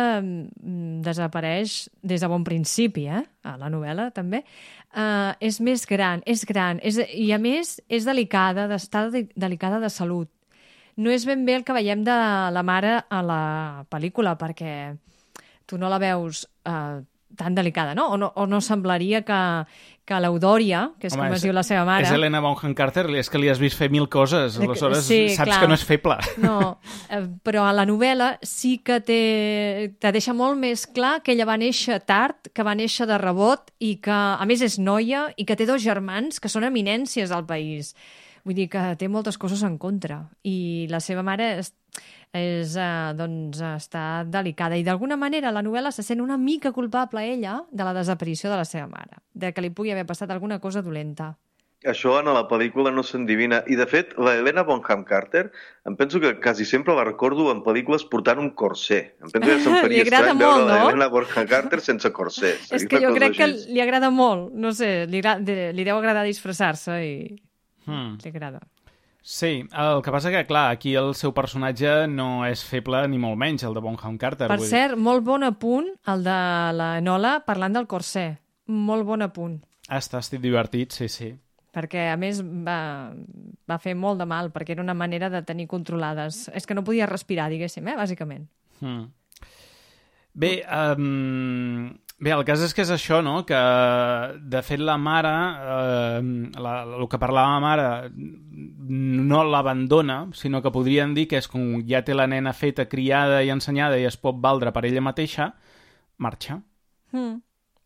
Speaker 5: desapareix des de bon principi, eh? A la novel·la també, uh, és més gran, és gran, és, i a més és delicada, està delicada de salut. No és ben bé el que veiem de la mare a la pel·lícula, perquè tu no la veus eh, tan delicada, no? O no, o no semblaria que, que l'Eudòria, que és Home, com es diu la seva mare...
Speaker 3: És Helena Bonham Carter, és que li has vist fer mil coses, aleshores
Speaker 5: sí,
Speaker 3: saps
Speaker 5: clar.
Speaker 3: Que no és feble.
Speaker 5: No, eh, però a la novel·la sí que té, te deixa molt més clar que ella va néixer tard, que va néixer de rebot i que, a més, és noia i que té dos germans que són eminències al país. Vull dir que té moltes coses en contra. I la seva mare és, és, uh, doncs, està delicada. I d'alguna manera la novel·la se sent una mica culpable ella de la desaparició de la seva mare, de que li pugui haver passat alguna cosa dolenta.
Speaker 4: Això en la pel·lícula no s'endivina. I, de fet, la Helena Bonham Carter, em penso que quasi sempre la recordo en pel·lícules portant un corsé. Em penso que se'm faria estrany
Speaker 5: molt,
Speaker 4: veure
Speaker 5: no?
Speaker 4: la Helena Bonham Carter sense corsé.
Speaker 5: És que jo crec que li agrada molt. No sé, li, li deu agradar disfressar-se i... Hmm. Li agrada.
Speaker 3: Sí, el que passa que, clar, aquí el seu personatge no és feble ni molt menys, el de Bonham Carter.
Speaker 5: Per cert, dir. Molt bon apunt, el de la Enola parlant del corsé. Molt bon apunt.
Speaker 3: Ah, està, estic divertit, sí, sí.
Speaker 5: Perquè, a més, va, va fer molt de mal, perquè era una manera de tenir controlades. És que no podia respirar, diguéssim, eh, bàsicament. Hmm.
Speaker 3: Bé, um, bé, el cas és que és això, no?, que, de fet, la mare, eh, la, el que parlava la mare, no l'abandona, sinó que podríem dir que és com ja té la nena feta, criada i ensenyada i es pot valdre per ella mateixa, marxa.
Speaker 5: Hmm.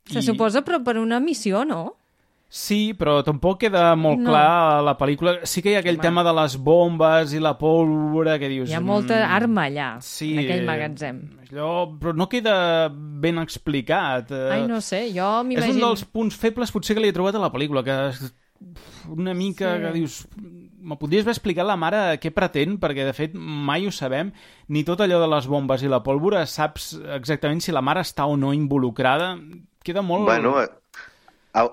Speaker 5: Se I... suposa, però per una missió, no?
Speaker 3: Sí, però tampoc queda molt no. clar a la pel·lícula. Sí que hi ha aquell Home. tema de les bombes i la pólvora que dius...
Speaker 5: Hi ha molta arma allà,
Speaker 3: sí,
Speaker 5: en aquell magatzem.
Speaker 3: Allò, però no queda ben explicat.
Speaker 5: Ai, no sé, jo m'imagino...
Speaker 3: És un dels punts febles potser que li he trobat a la pel·lícula, que una mica sí. que dius... Me podries haver explicat la mare què pretén, perquè de fet mai ho sabem, ni tot allò de les bombes i la pólvora saps exactament si la mare està o no involucrada. Queda molt...
Speaker 4: Bueno,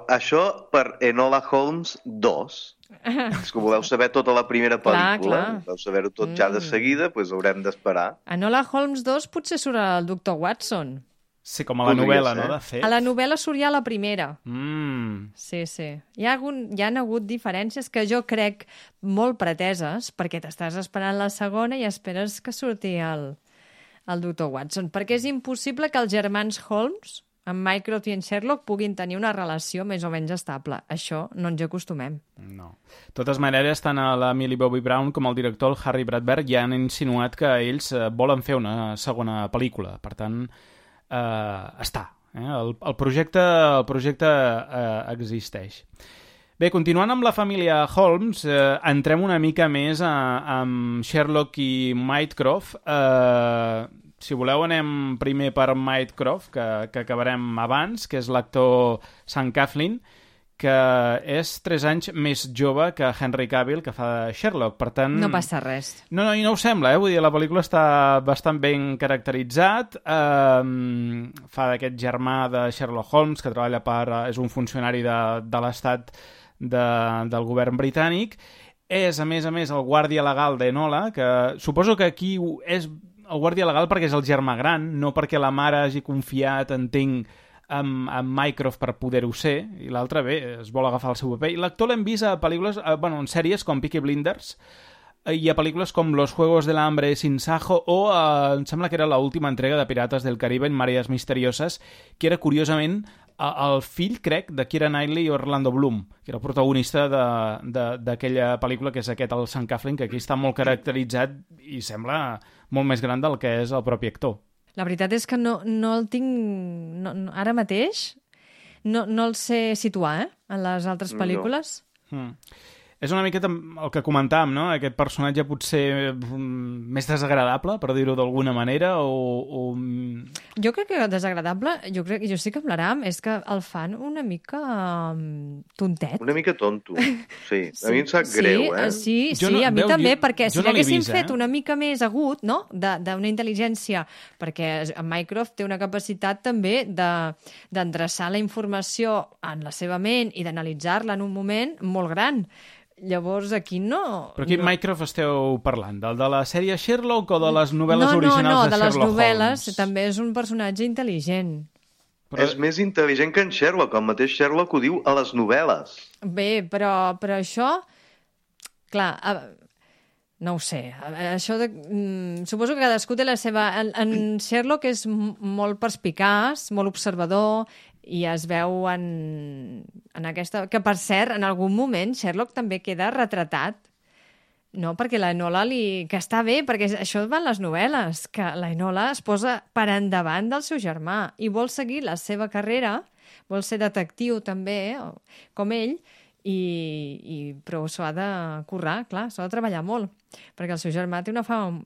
Speaker 4: això per Enola Holmes dos. És que voleu saber tota la primera pel·lícula, clar, clar. Voleu saber-ho tot mm. ja de seguida, doncs haurem d'esperar.
Speaker 5: Enola Holmes dos potser surt el doctor Watson.
Speaker 3: Sí, com a la Podria novel·la, ser. No? De fet.
Speaker 5: A la novel·la surt ja la primera.
Speaker 3: Mm.
Speaker 5: Sí, sí. Hi ha, hagut, hi ha hagut diferències que jo crec molt preteses, perquè t'estàs esperant la segona i esperes que surti el, el doctor Watson. Perquè és impossible que els germans Holmes en Mycroft i en Sherlock puguin tenir una relació més o menys estable. Això no ens hi acostumem.
Speaker 3: No. De totes maneres, tant a la Millie Bobby Brown com al director, el Harry Bradberg, ja han insinuat que ells eh, volen fer una segona pel·lícula. Per tant, eh, està. Eh? El, el projecte, el projecte eh, existeix. Bé, continuant amb la família Holmes, eh, entrem una mica més a, amb Sherlock i Mycroft. Eh, si voleu, anem primer per Mycroft, que, que acabarem abans, que és l'actor Sam Claflin, que és tres anys més jove que Henry Cavill, que fa de Sherlock. Per tant...
Speaker 5: No passa res.
Speaker 3: No, no, i no ho sembla, eh? Vull dir, la pel·lícula està bastant ben caracteritzat. Eh, fa d'aquest germà de Sherlock Holmes, que treballa per... és un funcionari de, de l'Estat de, del govern britànic. És, a més a més, el guàrdia legal d'Enola, que suposo que aquí és el guàrdia legal perquè és el germà gran, no perquè la mare hagi confiat, entenc, amb, amb Mycroft per poder-ho ser, i l'altre, bé, es vol agafar el seu paper. I l'actor l'hem vist a pel·lícules, a, bueno, en sèries com Peaky Blinders, i a pel·lícules com Los Juegos del Hambre sin Sajo, o eh, em sembla que era l'última entrega de Pirates del Caribe en Mareas Misterioses, que era, curiosament, el fill, crec, de Keira Knightley i Orlando Bloom, que era el protagonista d'aquella pel·lícula, que és aquest, el Sam Claflin, que aquí està molt caracteritzat i sembla molt més gran del que és el propi actor.
Speaker 5: La veritat és que no, no el tinc... No, no, ara mateix no, no el sé situar, eh? En les altres pel·lícules.
Speaker 3: No. Mm. És una miqueta el que comentàvem, no? Aquest personatge potser més desagradable, per dir-ho d'alguna manera, o, o...
Speaker 5: Jo crec que desagradable, jo crec, jo sí que parlarem, és que el fan una mica um, tontet.
Speaker 4: Una mica tonto, sí. A mi em sap
Speaker 5: sí,
Speaker 4: greu, eh?
Speaker 5: Sí,
Speaker 3: jo
Speaker 5: sí,
Speaker 3: no,
Speaker 5: a mi
Speaker 3: veu,
Speaker 5: també,
Speaker 3: jo,
Speaker 5: perquè si
Speaker 3: no
Speaker 5: l'haguessin
Speaker 3: vist,
Speaker 5: fet
Speaker 3: eh?
Speaker 5: una mica més agut, no?, d'una intel·ligència, perquè en Mycroft té una capacitat també d'endreçar la informació en la seva ment i d'analitzar-la en un moment molt gran. Llavors, aquí no...
Speaker 3: Però quin
Speaker 5: no...
Speaker 3: Mycroft esteu parlant? Del de la sèrie Sherlock o de les novel·les
Speaker 5: no,
Speaker 3: originals
Speaker 5: no, no,
Speaker 3: de,
Speaker 5: de
Speaker 3: Sherlock Holmes?
Speaker 5: No, no, de les novel·les també és un personatge intel·ligent.
Speaker 4: Però... És més intel·ligent que en Sherlock. El mateix Sherlock ho diu a les novel·les.
Speaker 5: Bé, però, però això... Clar, a... no ho sé. Això de... mm, suposo que cadascú té la seva... En, en Sherlock és molt perspicaç, molt observador, i es veu en, en aquesta... Que, per cert, en algun moment Sherlock també queda retratat, no? Perquè la Enola li... Que està bé, perquè això van les novel·les, que la Enola es posa per endavant del seu germà i vol seguir la seva carrera, vol ser detectiu també, com ell, i, i però s'ho ha de currar, clar, s'ha de treballar molt, perquè el seu germà té una fama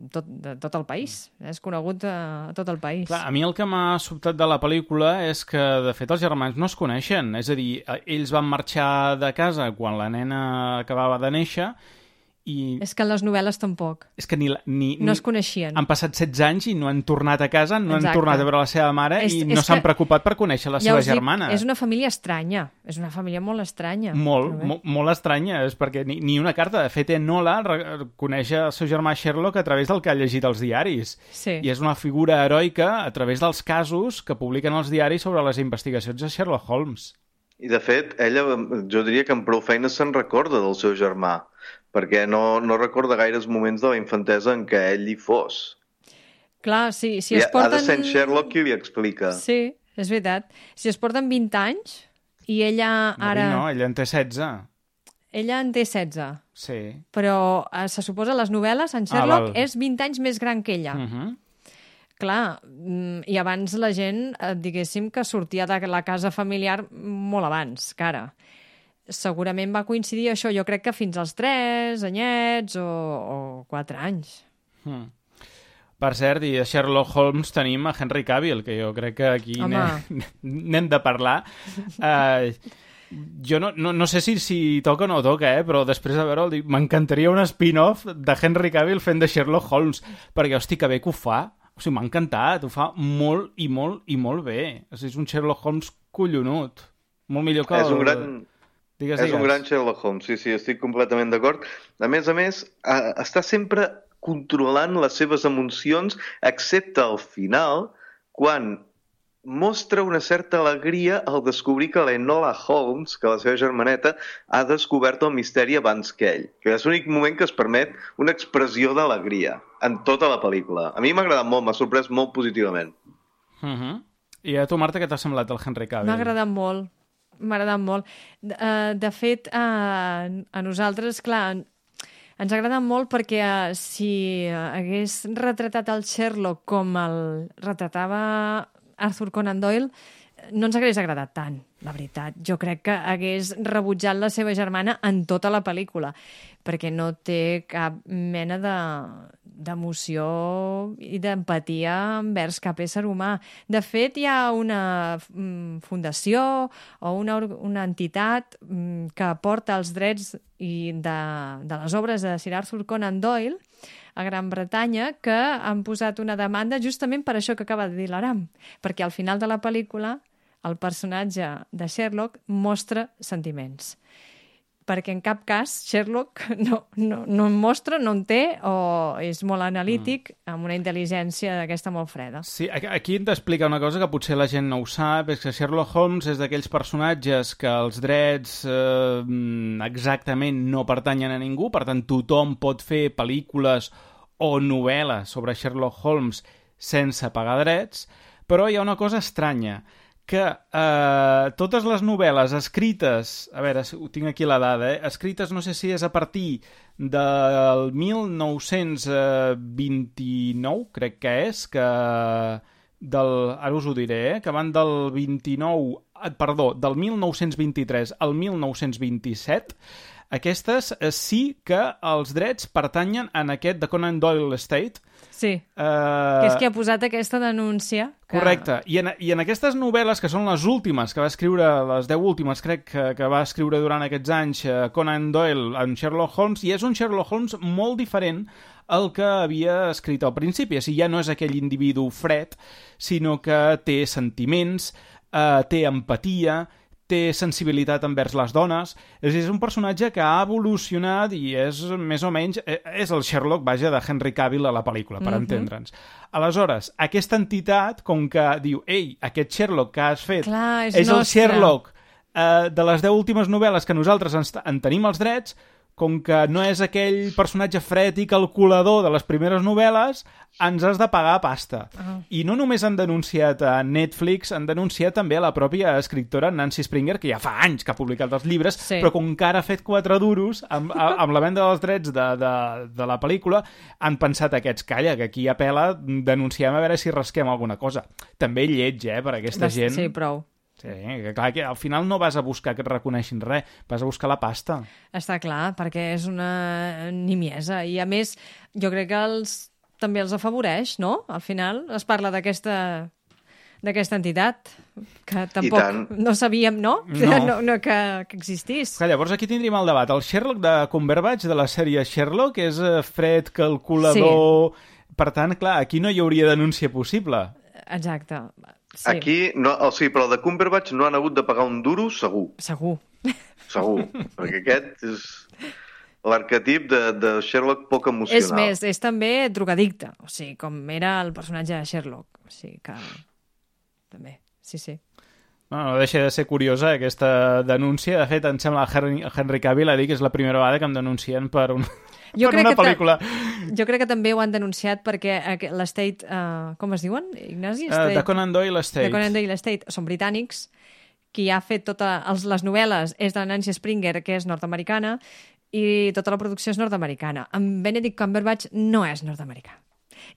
Speaker 5: tot, de tot el país, és conegut a tot el país.
Speaker 3: Clar, a mi el que m'ha sobtat de la pel·lícula és que, de fet, els germans no es coneixen, és a dir, ells van marxar de casa quan la nena acabava de néixer i...
Speaker 5: És que en les novel·les tampoc.
Speaker 3: És que ni, ni,
Speaker 5: no es coneixien.
Speaker 3: Han passat setze anys i no han tornat a casa, no
Speaker 5: Exacte.
Speaker 3: Han tornat a veure la seva mare
Speaker 5: és,
Speaker 3: i no s'han preocupat per conèixer la
Speaker 5: ja
Speaker 3: seva
Speaker 5: dic,
Speaker 3: germana.
Speaker 5: És una família estranya, és una família molt estranya.
Speaker 3: Molt, mo, molt estranya, és perquè ni, ni una carta. De fet, Enola coneix el seu germà Sherlock a través del que ha llegit als diaris.
Speaker 5: Sí.
Speaker 3: I és una figura heroica a través dels casos que publiquen els diaris sobre les investigacions de Sherlock Holmes.
Speaker 4: I, de fet, ella, jo diria que amb prou feina se'n recorda del seu germà, perquè no, no recorda gaires moments de la infantesa en què ell hi fos.
Speaker 5: Clar, sí, si
Speaker 4: I
Speaker 5: es porten...
Speaker 4: ha de ser en Sherlock qui li explica.
Speaker 5: Sí, és veritat. Si es porten vint anys i ella ara...
Speaker 3: No, no, ella en té setze.
Speaker 5: Ella en té setze.
Speaker 3: Sí.
Speaker 5: Però eh, se suposa a les novel·les, en Sherlock
Speaker 3: ah,
Speaker 5: és vint anys més gran que ella.
Speaker 3: Uh -huh.
Speaker 5: Clar, i abans la gent, diguéssim, que sortia de la casa familiar molt abans, que ara. Segurament va coincidir això, jo crec que fins als tres anyets o, o quatre anys.
Speaker 3: Hmm. Per cert, i a Sherlock Holmes tenim a Henry Cavill, que jo crec que aquí n'hem de parlar. Uh, jo no, no, no sé si, si toca o no toca, eh? Però després de veure'l, m'encantaria un spin-off de Henry Cavill fent de Sherlock Holmes, perquè, hosti, que bé que ho fa. O sigui, m'ha encantat, ho fa molt i molt i molt bé. O sigui, és un Sherlock Holmes collonut. Molt millor que el...
Speaker 4: És un gran...
Speaker 3: Digues,
Speaker 4: és
Speaker 3: digues.
Speaker 4: un gran Sherlock Holmes, sí, sí, estic completament d'acord. A més a més, eh, està sempre controlant les seves emocions, excepte al final, quan mostra una certa alegria al descobrir que l'Enola Holmes, que la seva germaneta, ha descobert el misteri abans que ell. Que és l'únic moment que es permet una expressió d'alegria en tota la pel·lícula. A mi m'ha agradat molt, m'ha sorprès molt positivament.
Speaker 3: Uh-huh. I a tu, Marta, què t'ha semblat el Henry Cavill?
Speaker 5: M'ha agradat molt, m'ha agradat molt. De, uh, de fet, uh, a nosaltres, clar, ens ha agradat molt perquè uh, si hagués retratat el Sherlock com el retratava Arthur Conan Doyle, no ens hagués agradat tant, la veritat. Jo crec que hagués rebutjat la seva germana en tota la pel·lícula, perquè no té cap mena de d'emoció i d'empatia envers cap ésser humà. De fet, hi ha una fundació o una, una entitat que porta els drets i de, de les obres de Sir Arthur Conan Doyle a Gran Bretanya, que han posat una demanda justament per això que acaba de dir l'Aram, perquè al final de la pel·lícula el personatge de Sherlock mostra sentiments. Perquè en cap cas Sherlock no, no, no en mostra, no en té, o és molt analític, mm. amb una intel·ligència d'aquesta molt freda.
Speaker 3: Sí, aquí hem d'explicar una cosa que potser la gent no ho sap, és que Sherlock Holmes és d'aquells personatges que els drets eh, exactament no pertanyen a ningú, per tant tothom pot fer pel·lícules o novel·les sobre Sherlock Holmes sense pagar drets, però hi ha una cosa estranya, que eh, totes les novel·les escrites, a veure, ho tinc aquí la dada, eh, escrites no sé si és a partir del mil nou-cents vint-i-nou, crec que és, que del, ara us ho diré, eh, que van del vint-i-nou, perdó, del mil nou-cents vint-i-tres al mil nou-cents vint-i-set, aquestes eh, sí que els drets pertanyen en aquest de Conan Doyle Estate.
Speaker 5: Sí, uh, que és qui ha posat aquesta denúncia. Que...
Speaker 3: Correcte, I en, i en aquestes novel·les, que són les últimes, que va escriure, les deu últimes, crec que, que va escriure durant aquests anys uh, Conan Doyle en Sherlock Holmes, i és un Sherlock Holmes molt diferent al que havia escrit al principi. O sigui, ja no és aquell individu fred, sinó que té sentiments, uh, té empatia, té sensibilitat envers les dones. És, és un personatge que ha evolucionat i és més o menys... És el Sherlock, vaja, de Henry Cavill a la pel·lícula, per mm-hmm. entendre'ns. Aleshores, aquesta entitat, com que diu, ei, aquest Sherlock que has fet
Speaker 5: Clar, és,
Speaker 3: és el
Speaker 5: nostre.
Speaker 3: Sherlock eh, de les deu últimes novel·les que nosaltres ens, en tenim els drets, com que no és aquell personatge fred i calculador de les primeres novel·les, ens has de pagar pasta. Uh-huh. I no només han denunciat a Netflix, han denunciat també a la pròpia escriptora Nancy Springer, que ja fa anys que ha publicat els llibres, sí. però com que ara ha fet quatre duros amb, amb la venda dels drets de, de, de la pel·lícula, han pensat aquests, calla, que aquí apela, denunciem a veure si rasquem alguna cosa. També lleig, eh, per aquesta
Speaker 5: Des,
Speaker 3: gent.
Speaker 5: Sí, prou.
Speaker 3: Sí, que clar, que al final no vas a buscar que et reconeixin res, vas a buscar la pasta.
Speaker 5: Està clar, perquè és una nimiesa. I a més, jo crec que els, també els afavoreix, no? Al final es parla d'aquesta d'aquesta entitat, que tampoc no sabíem, no?
Speaker 3: No.
Speaker 5: no, no que, que existís.
Speaker 3: Clar, llavors aquí tindríem el debat. El Sherlock de Cumberbatch, de la sèrie Sherlock, és fred, calculador... Sí. Per tant, clar, aquí no hi hauria denúncia possible.
Speaker 5: Exacte. Sí.
Speaker 4: Aquí, no, o sigui, però el de Cumberbatch no han hagut de pagar un duro, segur.
Speaker 5: Segur.
Speaker 4: Segur, perquè aquest és l'arquetip de, de Sherlock poc emocional.
Speaker 5: És més, és també drogadicte, o sigui, com era el personatge de Sherlock. O sigui que... també, sí, sí.
Speaker 3: No, no deixa de ser curiosa aquesta denúncia. De fet, em sembla que Henry Cavill ha dit que és la primera vegada que em denuncien per un...
Speaker 5: Jo
Speaker 3: per
Speaker 5: crec
Speaker 3: una
Speaker 5: que
Speaker 3: pel·lícula.
Speaker 5: Jo crec que també ho han denunciat perquè l'Estate, uh, com es diuen, Ignasi?
Speaker 3: Uh, de Conan Doyle Estate.
Speaker 5: De Conan Doyle Estate, són britànics, qui ha fet totes les novel·les és de Nancy Springer, que és nord-americana, i tota la producció és nord-americana. En Benedict Cumberbatch no és nord-americà.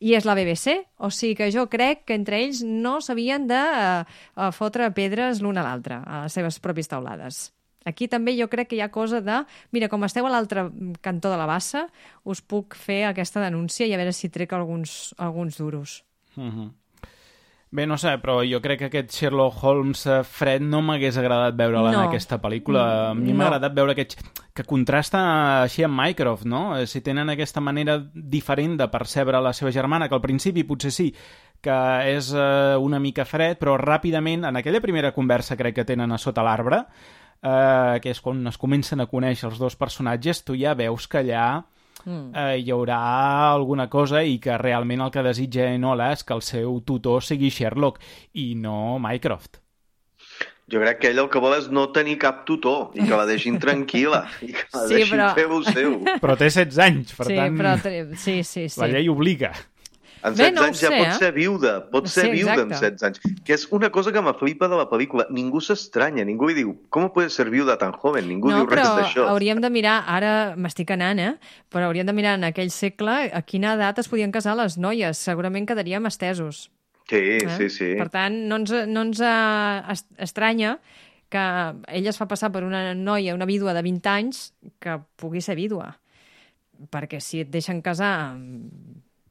Speaker 5: I és la B B C, o sigui que jo crec que entre ells no s'havien de uh, fotre pedres l'un a l'altre, a les seves pròpies taulades. Aquí també jo crec que hi ha cosa de... Mira, com esteu a l'altre cantó de la bassa, us puc fer aquesta denúncia i a veure si trec alguns, alguns duros.
Speaker 3: Mm-hmm. Bé, no sé, però jo crec que aquest Sherlock Holmes fred no m'hagués agradat veure-la
Speaker 5: no.
Speaker 3: en aquesta pel·lícula. A mi m'ha
Speaker 5: no.
Speaker 3: agradat veure aquest... que contrasta així amb Mycroft, no? Si tenen aquesta manera diferent de percebre la seva germana, que al principi potser sí que és uh, una mica fred, però ràpidament, en aquella primera conversa crec que tenen a sota l'arbre, Uh, que és quan es comencen a conèixer els dos personatges, tu ja veus que allà uh, hi haurà alguna cosa i que realment el que desitja Enola és que el seu tutor sigui Sherlock i no Mycroft.
Speaker 4: Jo crec que ell el que vol és no tenir cap tutor i que la deixin tranquil·la i que la sí, deixin però... fer el seu.
Speaker 3: Però té setze anys, per
Speaker 5: sí,
Speaker 3: tant
Speaker 5: però... sí, sí, sí.
Speaker 3: la llei obliga.
Speaker 4: En
Speaker 5: Bé,
Speaker 4: setze
Speaker 5: no ho
Speaker 4: anys ja
Speaker 5: sé,
Speaker 4: pot
Speaker 5: eh?
Speaker 4: ser viuda, pot ser
Speaker 5: Sí,
Speaker 4: viuda en
Speaker 5: exacte.
Speaker 4: setze anys. Que és una cosa que m'aflipa de la pel·lícula. Ningú s'estranya, ningú li diu, com puede ser viuda tan joven? Ningú
Speaker 5: No,
Speaker 4: diu res
Speaker 5: però
Speaker 4: d'això.
Speaker 5: hauríem de mirar, ara m'estic anant, eh? Però hauríem de mirar en aquell segle a quina edat es podien casar les noies. Segurament quedaríem estesos.
Speaker 4: Sí,
Speaker 5: Eh?
Speaker 4: sí, sí.
Speaker 5: Per tant, no ens, no ens eh, est- estranya que ella es fa passar per una noia, una vídua de vint anys, que pugui ser vídua. Perquè si et deixen casar amb,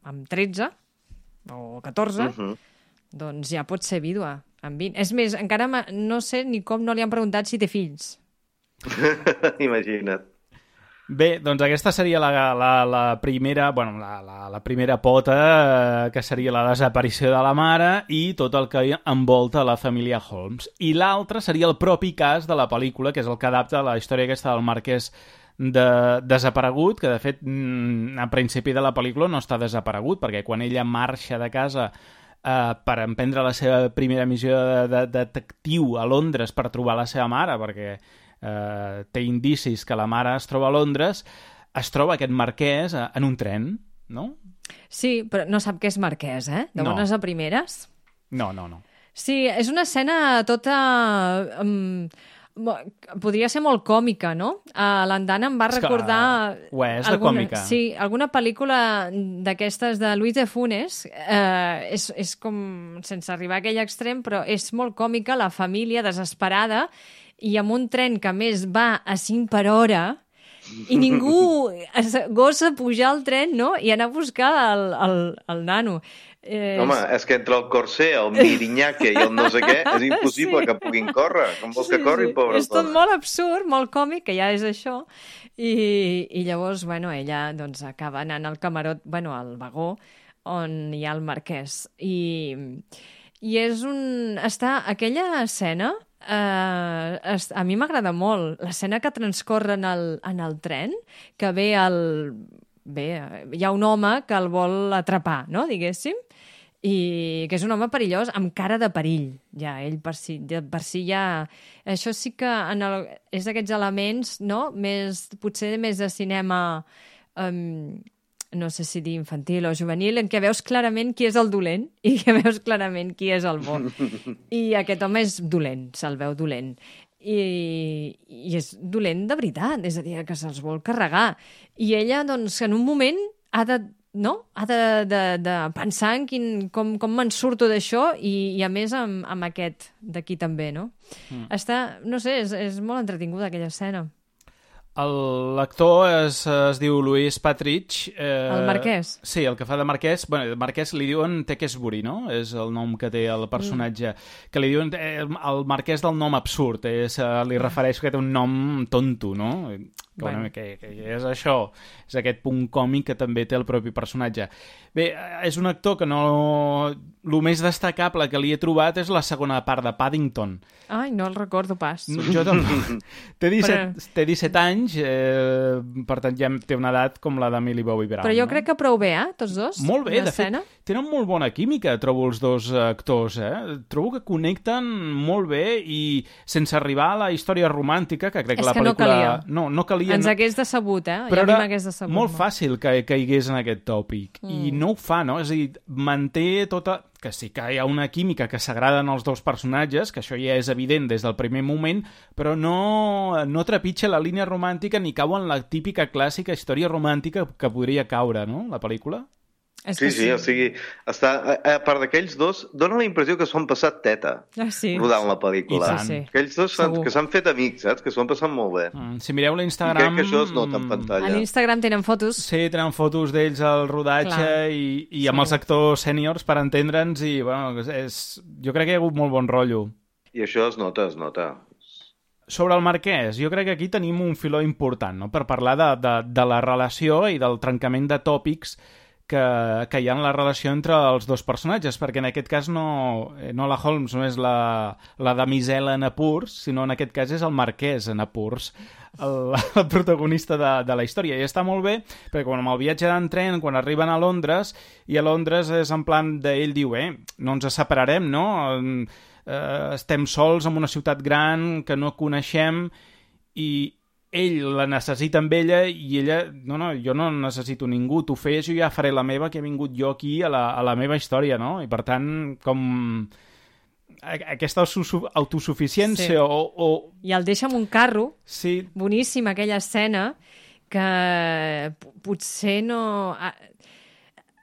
Speaker 5: amb tretze o catorze,
Speaker 4: Uh -huh.
Speaker 5: doncs ja pot ser vídua amb vint. És més, encara ma- no sé ni com no li han preguntat si té fills.
Speaker 4: Imagina't.
Speaker 3: Bé, doncs aquesta seria la, la, la primera, bueno, la, la, la primera pota, eh, que seria la desaparició de la mare i tot el que envolta la família Holmes. I l'altre seria el propi cas de la pel·lícula, que és el que adapta la història aquesta del marquès de, desaparegut, que de fet mm, a principi de la pel·lícula no està desaparegut, perquè quan ella marxa de casa eh, per emprendre la seva primera missió de, de, de detectiu a Londres per trobar la seva mare, perquè eh, té indicis que la mare es troba a Londres, es troba aquest marquès eh, en un tren, no?
Speaker 5: Sí, però no sap què és marquès, eh? De
Speaker 3: No.
Speaker 5: bones a primeres.
Speaker 3: No, no, no.
Speaker 5: Sí, és una escena tota... Um, mo- podria ser molt còmica, no? Uh, L'Andana em va
Speaker 3: És que,
Speaker 5: recordar...
Speaker 3: ho és, de còmica.
Speaker 5: Sí, alguna pel·lícula d'aquestes de Luis de Funes. Uh, és, és com, sense arribar a aquell extrem, però és molt còmica, la família desesperada i amb un tren que a més va a cinc per hora i ningú es gosa pujar al tren, no? I anar a buscar el, el, el nano. Eh,
Speaker 4: Home, és que entre el Corser, el Mirinyaque i el no sé què, és impossible
Speaker 5: Sí.
Speaker 4: que puguin córrer. Com vols que corrin, pobres
Speaker 5: És tot
Speaker 4: dones?
Speaker 5: molt absurd, molt còmic, que ja és això. I, i llavors, bueno, ella doncs, acaba anant al camarot, bueno, al vagó, on hi ha el marquès. I, i és un... Està... Aquella escena... Uh, es, a mi m'agrada molt l'escena que transcorre en el, en el tren, que ve el... Bé, hi ha un home que el vol atrapar, no?, diguéssim, i que és un home perillós amb cara de perill, ja, ell per si, ja- per si ja... Això sí que en el, és d'aquests elements, no?, més, potser més de cinema, um, no sé si dir infantil o juvenil, en què veus clarament qui és el dolent i que veus clarament qui és el bo. I aquest home és dolent, se'l veu dolent. I, i és dolent de veritat, és a dir, que se'ls vol carregar. I ella, doncs, en un moment ha de, no? ha de, de, de pensar en quin, com, com me'n surto d'això i, i a més amb, amb aquest d'aquí també, no? Mm. Està, no sé, és, és molt entretinguda aquella escena.
Speaker 3: El- L'actor es, es diu Louis Patridge. Eh,
Speaker 5: El marquès.
Speaker 3: Sí, el que fa de marquès. Bueno, el marquès li diuen Tequesbury, no? És el nom que té el personatge. Mm. Que li diuen eh, el marquès del nom absurd. És, eh, li refereix que té un nom tonto, no? Que, bueno. Bueno, que, que és això. És aquest punt còmic que també té el propi personatge. Bé, eh, és un actor que no... El més destacable que li he trobat és la segona part de Paddington.
Speaker 5: Ai, no el recordo pas.
Speaker 3: No, jo tampoc. Té disset,
Speaker 5: Però-
Speaker 3: té disset anys, eh, per tant ja té una edat com la de Millie Bobby Brown.
Speaker 5: Però jo
Speaker 3: no?
Speaker 5: crec que prou bé, eh, tots dos?
Speaker 3: Molt bé, de
Speaker 5: l'escena.
Speaker 3: fet, tenen molt bona química, trobo, els dos actors, eh? Trobo que connecten molt bé i sense arribar a la història romàntica, que crec
Speaker 5: És
Speaker 3: que la
Speaker 5: que no
Speaker 3: pel·lícula...
Speaker 5: calia.
Speaker 3: No, no calia.
Speaker 5: Ens
Speaker 3: no...
Speaker 5: hagués decebut, eh?
Speaker 3: Però
Speaker 5: I a mi
Speaker 3: era
Speaker 5: m'hagués decebut.
Speaker 3: molt fàcil que caigués en aquest tòpic. Mm. I no ho fa, no? És a dir, manté tota... Que sí que hi ha una química que s'agraden els dos personatges, que això ja és evident des del primer moment, però no, no trepitja la línia romàntica ni cau en la típica clàssica història romàntica que podria caure, no?, la pel·lícula.
Speaker 5: És
Speaker 4: Sí,
Speaker 5: que
Speaker 4: sí, o sigui, està, a, a part d'aquells dos, dona la impressió que s'ho han passat teta
Speaker 5: Ah, sí.
Speaker 4: rodant la pel·lícula.
Speaker 3: I tant.
Speaker 5: Sí, sí.
Speaker 4: Aquells dos s'han-
Speaker 5: Segur.
Speaker 4: que s'han fet amics, saps? Que s'ho han passat molt bé.
Speaker 3: Mm, si mireu
Speaker 4: I
Speaker 3: l'Instagram...
Speaker 4: crec que això es nota en
Speaker 5: A
Speaker 4: pantalla.
Speaker 5: l'Instagram tenen fotos.
Speaker 3: Sí, tenen fotos d'ells al rodatge
Speaker 5: Clar.
Speaker 3: i, i amb els actors sèniors per entendre'ns i, bueno, és, jo crec que hi ha hagut molt bon rotllo.
Speaker 4: I això es nota, es nota.
Speaker 3: Sobre el marquès, jo crec que aquí tenim un filó important, no?, per parlar de, de, de la relació i del trencament de tòpics que, que hi ha en la relació entre els dos personatges, perquè en aquest cas no, no la Holmes no és la, la damisela en apurs, sinó en aquest cas és el marquès en apurs, el, el protagonista de, de la història. I està molt bé, perquè quan amb el viatge d'en tren, quan arriben a Londres, i a Londres és en plan d'ell diu, eh, no ens separarem, no?, eh, estem sols en una ciutat gran que no coneixem, i ell la necessita amb ella i ella, no, no, jo no necessito ningú, tu fes, jo ja faré la meva, que he vingut jo aquí a la, a la meva història, no? I per tant, com aquesta autosuficiència sí. o, o...
Speaker 5: I el deixa amb un carro,
Speaker 3: sí.
Speaker 5: boníssima aquella escena, que potser no...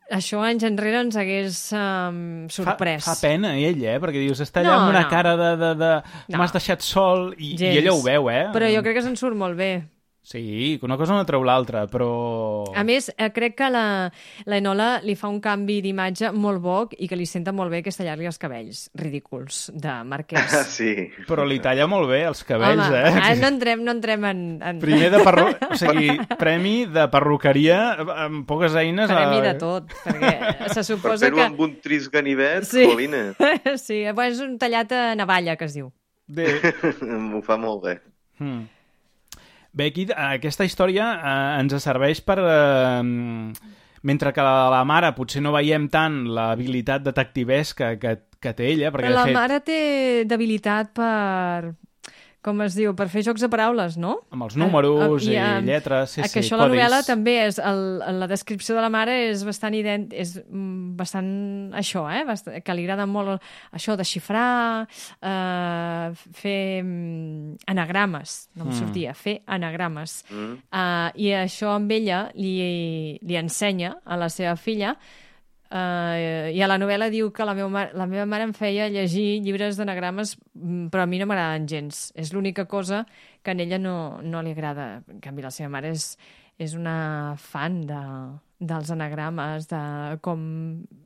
Speaker 5: Això anys enrere ens hagués um, sorprès.
Speaker 3: Fa, fa pena ell, eh? Perquè dius, està allà
Speaker 5: no,
Speaker 3: amb una
Speaker 5: no.
Speaker 3: cara de... de, de...
Speaker 5: No.
Speaker 3: M'has deixat sol i, i ella ho veu, eh?
Speaker 5: Però jo crec que se'n surt molt bé.
Speaker 3: Sí, una cosa no treu l'altra, però...
Speaker 5: A més, crec que la, la Enola li fa un canvi d'imatge molt bo i que li senta molt bé que es tallar-li els cabells ridículs de Marquès.
Speaker 4: Sí.
Speaker 3: Però li talla molt bé els cabells,
Speaker 5: Home,
Speaker 3: eh?
Speaker 5: Home, no entrem, no entrem en... en...
Speaker 3: Primer de perru... o sigui, premi de perruqueria amb poques eines...
Speaker 5: Premi
Speaker 3: a...
Speaker 5: de tot, perquè se suposa
Speaker 4: per fer-ho
Speaker 5: que...
Speaker 4: amb un tris ganivet,
Speaker 5: sí.
Speaker 4: Colina.
Speaker 5: Sí, bueno, és un tallat a navalla, que es diu.
Speaker 3: Bé.
Speaker 4: Ho fa molt bé.
Speaker 3: Hmm. Bé, aquí aquesta història eh, ens serveix per... Eh, mentre que la, la mare potser no veiem tant l'habilitat detectivesca que, que té ella, perquè
Speaker 5: Però la
Speaker 3: de fet...
Speaker 5: mare té debilitat per... com es diu, per fer jocs de paraules, no?
Speaker 3: Amb els números
Speaker 5: uh, uh,
Speaker 3: i, i lletres, sí,
Speaker 5: que
Speaker 3: sí,
Speaker 5: això a la novel·la també és, el, la descripció de la mare és bastant ident, és bastant això, eh? Bastant, que li agrada molt això de xifrar, uh, fer um, anagrames, no em
Speaker 3: Mm.
Speaker 5: sortia, fer anagrames.
Speaker 4: Mm.
Speaker 5: Uh, I això amb ella li, li ensenya a la seva filla. Uh, I a la novel·la diu que la meva, mare, la meva mare em feia llegir llibres d'anagrames, però a mi no m'agraden gens. És l'única cosa que a ella no, no li agrada. En canvi, la seva mare és, és una fan de, dels anagrames, de com...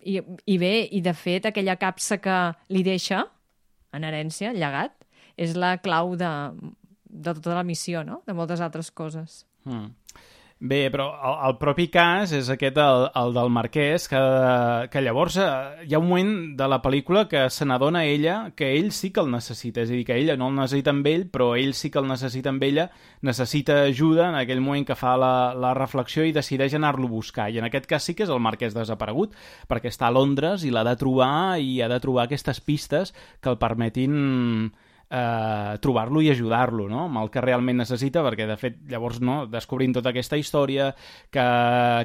Speaker 5: I, I bé, i de fet, aquella capsa que li deixa en herència, llegat, és la clau de, de tota la missió, no? De moltes altres coses.
Speaker 3: Mm. Bé, però el, el propi cas és aquest, el, el del Marquès, que, que llavors eh, hi ha un moment de la pel·lícula que se n'adona ella que ell sí que el necessita, és a dir, que ella no el necessita amb ell, però ell sí que el necessita amb ella, necessita ajuda en aquell moment que fa la, la reflexió i decideix anar-lo a buscar. I en aquest cas sí que és el Marquès desaparegut, perquè està a Londres i l'ha de trobar i ha de trobar aquestes pistes que el permetin... Eh, trobar-lo i ajudar-lo, no? Amb el que realment necessita, perquè de fet llavors no, descobrint tota aquesta història que,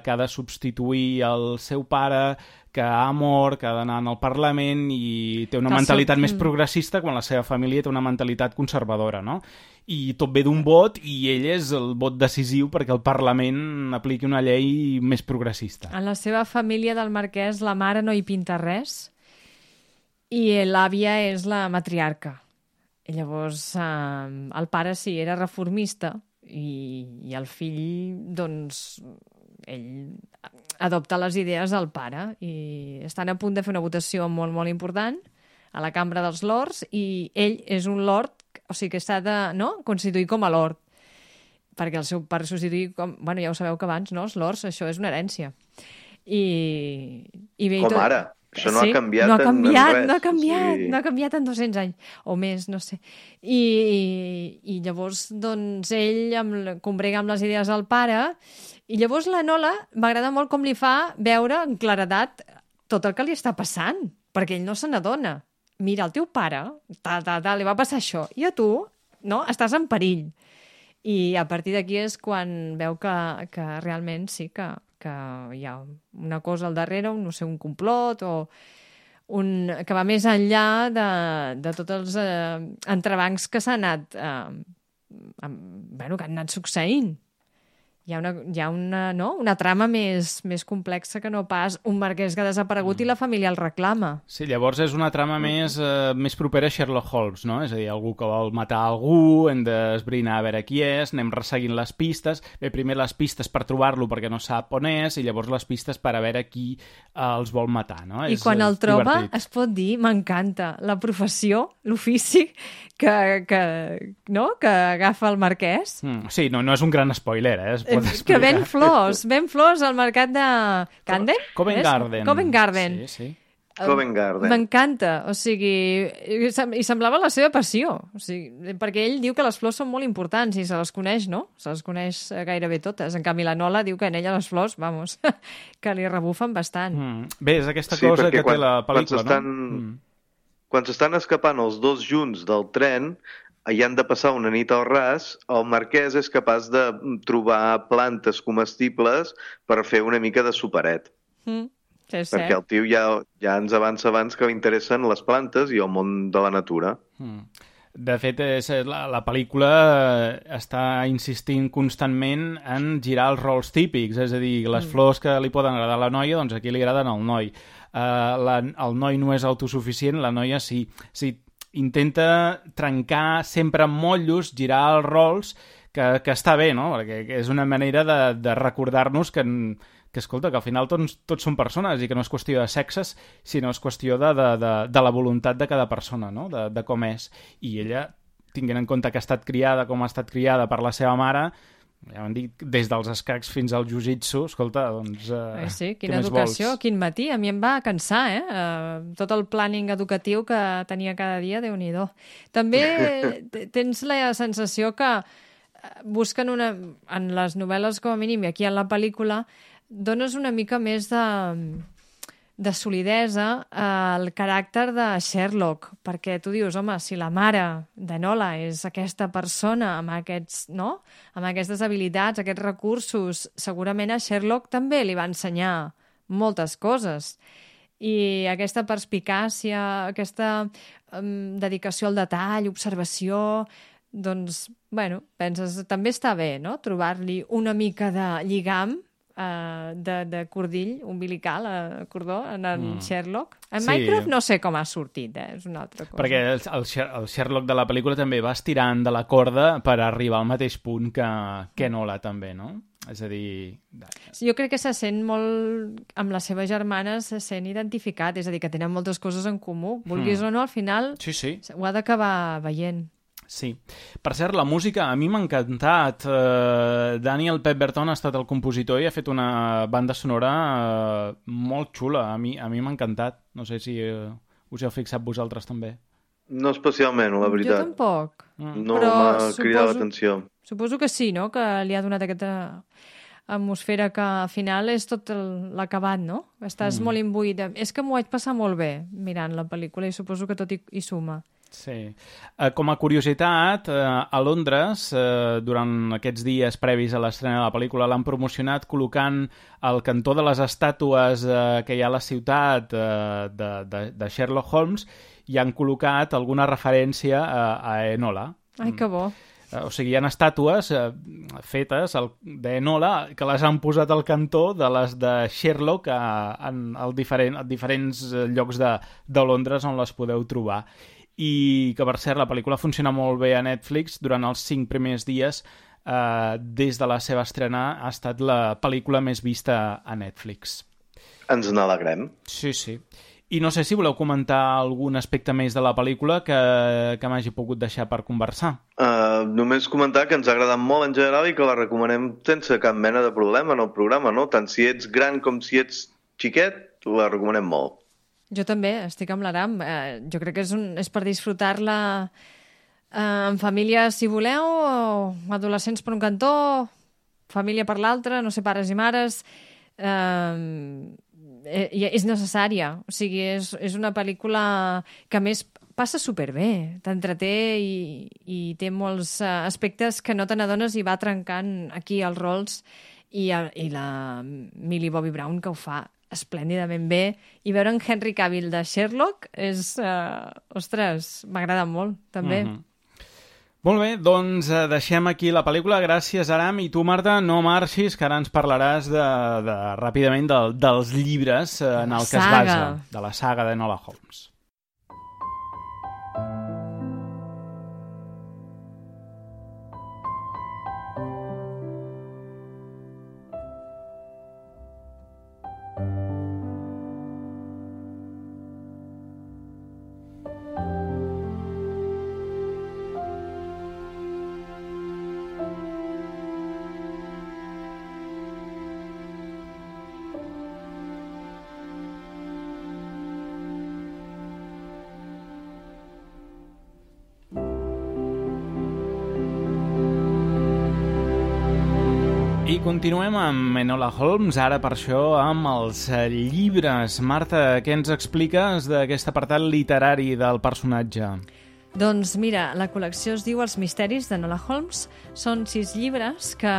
Speaker 3: que ha de substituir el seu pare, que ha mort, que ha d'anar al Parlament i té una que mentalitat seu... més progressista quan la seva família té una mentalitat conservadora, no? I tot ve d'un vot i ell és el vot decisiu perquè el Parlament apliqui una llei més progressista.
Speaker 5: En la seva família del Marquès la mare no hi pinta res i l'àvia és la matriarca. I llavors eh, el pare sí, era reformista i, i el fill, doncs, ell adopta les idees del pare i estan a punt de fer una votació molt, molt important a la Cambra dels Lords i ell és un lord, o sigui que s'ha de no? constituir com a lord, perquè el seu pare substituir com... Bueno, ja ho sabeu que abans, no? Els lords, això és una herència. I, i bé,
Speaker 4: com
Speaker 5: tot...
Speaker 4: ara. Això no
Speaker 5: sí,
Speaker 4: ha canviat,
Speaker 5: no ha canviat
Speaker 4: en, en res.
Speaker 5: No ha canviat,
Speaker 4: sí.
Speaker 5: no ha canviat en dos-cents anys, o més, no sé. I, i llavors, doncs, ell amb, combrega amb les idees del pare, i llavors la Enola m'agrada molt com li fa veure en claredat tot el que li està passant, perquè ell no se n'adona. Mira, el teu pare, ta, ta, ta, li va passar això, i a tu, no, estàs en perill. I a partir d'aquí és quan veu que, que realment sí que... que hi ha una cosa al darrere, un, no sé, un complot o un, que va més enllà de, de tots els eh, entrebancs que s'han anat eh, amb, bueno, que han anat succeint. Hi ha una, hi ha una, no? una trama més, més complexa que no pas un marquès que ha desaparegut mm. i la família el reclama.
Speaker 3: Sí, llavors és una trama mm. més, eh, més propera a Sherlock Holmes, no? És a dir, algú que vol matar algú, hem d'esbrinar a veure qui és, anem resseguint les pistes. Bé, primer les pistes per trobar-lo perquè no sap on és, i llavors les pistes per a veure qui eh, els vol matar, no?
Speaker 5: I
Speaker 3: és,
Speaker 5: quan el troba,
Speaker 3: divertit.
Speaker 5: Es pot dir, m'encanta, la professió, l'ofici que, que, no? que agafa el marquès.
Speaker 3: Mm, sí, no, no és un gran spoiler, eh? Es pot explicar.
Speaker 5: Que ven flors, ven flors al mercat de Camden?
Speaker 3: Covent Garden.
Speaker 5: Covent Garden.
Speaker 3: Sí, sí.
Speaker 4: Covent Garden.
Speaker 5: M'encanta, o sigui, i semblava la seva passió, o sigui, perquè ell diu que les flors són molt importants i se les coneix, no? Se les coneix gairebé totes. En canvi, la Nola diu que en ella les flors, vamos, que li rebufen bastant.
Speaker 3: Mm. Bé, és aquesta
Speaker 4: sí,
Speaker 3: cosa que
Speaker 4: quan,
Speaker 3: té la pel·lícula,
Speaker 4: quan
Speaker 3: no? Mm.
Speaker 4: Quan s'estan escapant els dos junts del tren, hi han de passar una nit al ras, el marquès és capaç de trobar plantes comestibles per fer una mica de superet.
Speaker 5: Mm, sí, és
Speaker 4: Perquè
Speaker 5: cert.
Speaker 4: el tio ja, ja ens avança abans que li interessen les plantes i el món de la natura.
Speaker 3: Mm. De fet, és, la, la pel·lícula està insistint constantment en girar els rols típics, és a dir, les mm. flors que li poden agradar a la noia, doncs aquí li agraden al noi. Uh, la, el noi no és autosuficient, la noia sí. sí intenta trencar sempre amb motllos, girar els rols, que, que està bé, no? Perquè és una manera de, de recordar-nos que, que, escolta, que al final tots, tots són persones i que no és qüestió de sexes, sinó és qüestió de, de, de, de la voluntat de cada persona, no? De, de com és. I ella, tinguent en compte que ha estat criada com ha estat criada per la seva mare, ja ho han dit, des dels escacs fins al jiu-jitsu, escolta, doncs... Eh,
Speaker 5: eh sí, quina educació, quin matí. A mi em va cansar, eh? Uh, tot el planning educatiu que tenia cada dia, Déu-n'hi-do. També tens la sensació que busquen una... En les novel·les, com a mínim, i aquí en la pel·lícula, dones una mica més de, de solidesa al caràcter de Sherlock, perquè tu dius, home, si la mare de Nola és aquesta persona amb aquests, no? amb aquestes habilitats, aquests recursos, segurament a Sherlock també li va ensenyar moltes coses. I aquesta perspicàcia, aquesta um, dedicació al detall, observació, doncs, bueno, penses, també està bé, no?, trobar-li una mica de lligam, Uh, de, de cordill umbilical, uh, cordó, en el mm. Sherlock. En sí. Mycroft no sé com ha sortit, eh? És una altra cosa.
Speaker 3: Perquè el, el, el Sherlock de la pel·lícula també va estirant de la corda per arribar al mateix punt que, que Nola també, no? És a dir...
Speaker 5: Jo crec que se sent molt... Amb les seves germanes se sent identificat, és a dir, que tenen moltes coses en comú. Vulguis mm. o no, al final
Speaker 3: sí, sí.
Speaker 5: ho ha d'acabar veient.
Speaker 3: Sí. Per cert, la música a mi m'ha encantat. Uh, Daniel Pemberton ha estat el compositor i ha fet una banda sonora uh, molt xula. A mi, a mi m'ha encantat. No sé si uh, us heu fixat vosaltres també.
Speaker 4: No especialment, la veritat.
Speaker 5: Jo tampoc.
Speaker 4: Mm. No m'ha cridat l'atenció.
Speaker 5: Suposo que sí, no?, que li ha donat aquesta atmosfera que al final és tot l'acabat, no? Estàs mm. molt imbuït. És que m'ho vaig passar molt bé mirant la pel·lícula i suposo que tot hi, hi suma.
Speaker 3: Sí. Uh, com a curiositat, uh, a Londres, uh, durant aquests dies previs a l'estrena de la pel·lícula, l'han promocionat col·locant al cantó de les estàtues uh, que hi ha a la ciutat uh, de, de, de Sherlock Holmes i han col·locat alguna referència a, a Enola.
Speaker 5: Ai, que bo.
Speaker 3: Uh, o sigui, hi ha estàtues uh, fetes d'Enola que les han posat al cantó de les de Sherlock a, en, al diferent, a diferents llocs de, de Londres on les podeu trobar. I que, per cert, la pel·lícula funciona molt bé a Netflix. Durant els cinc primers dies, eh, des de la seva estrena, ha estat la pel·lícula més vista a Netflix.
Speaker 4: Ens n'alegrem.
Speaker 3: Sí, sí. I no sé si voleu comentar algun aspecte més de la pel·lícula que, que m'hagi pogut deixar per conversar.
Speaker 4: Uh, només comentar que ens ha agradat molt en general i que la recomanem sense cap mena de problema en el programa, no? Tant si ets gran com si ets xiquet, la recomanem molt.
Speaker 5: Jo també, estic amb l'Aram. Eh, jo crec que és, un, és per disfrutar-la eh, en família, si voleu, o adolescents per un cantó, família per l'altre, no sé, pares i mares. Eh, eh, és necessària. O sigui, és, és una pel·lícula que, a més, passa superbé. T'entreté i, i té molts aspectes que no te n'adones i va trencant aquí els rols. I, i la Millie Bobby Brown, que ho fa esplèndidament bé, i veure en Henry Cavill de Sherlock és... Uh, ostres, m'agrada molt, també.
Speaker 3: Mm-hmm. Molt bé, doncs eh, deixem aquí la pel·lícula. Gràcies, Aram. I tu, Marta, no marxis, que ara ens parlaràs de, de, ràpidament de, dels llibres eh, en el que es basa, de la saga de Enola Holmes. I continuem amb Enola Holmes, ara per això amb els llibres. Marta, què ens expliques d'aquest apartat literari del personatge?
Speaker 5: Doncs mira, la col·lecció es diu Els misteris d'Enola Holmes. Són sis llibres que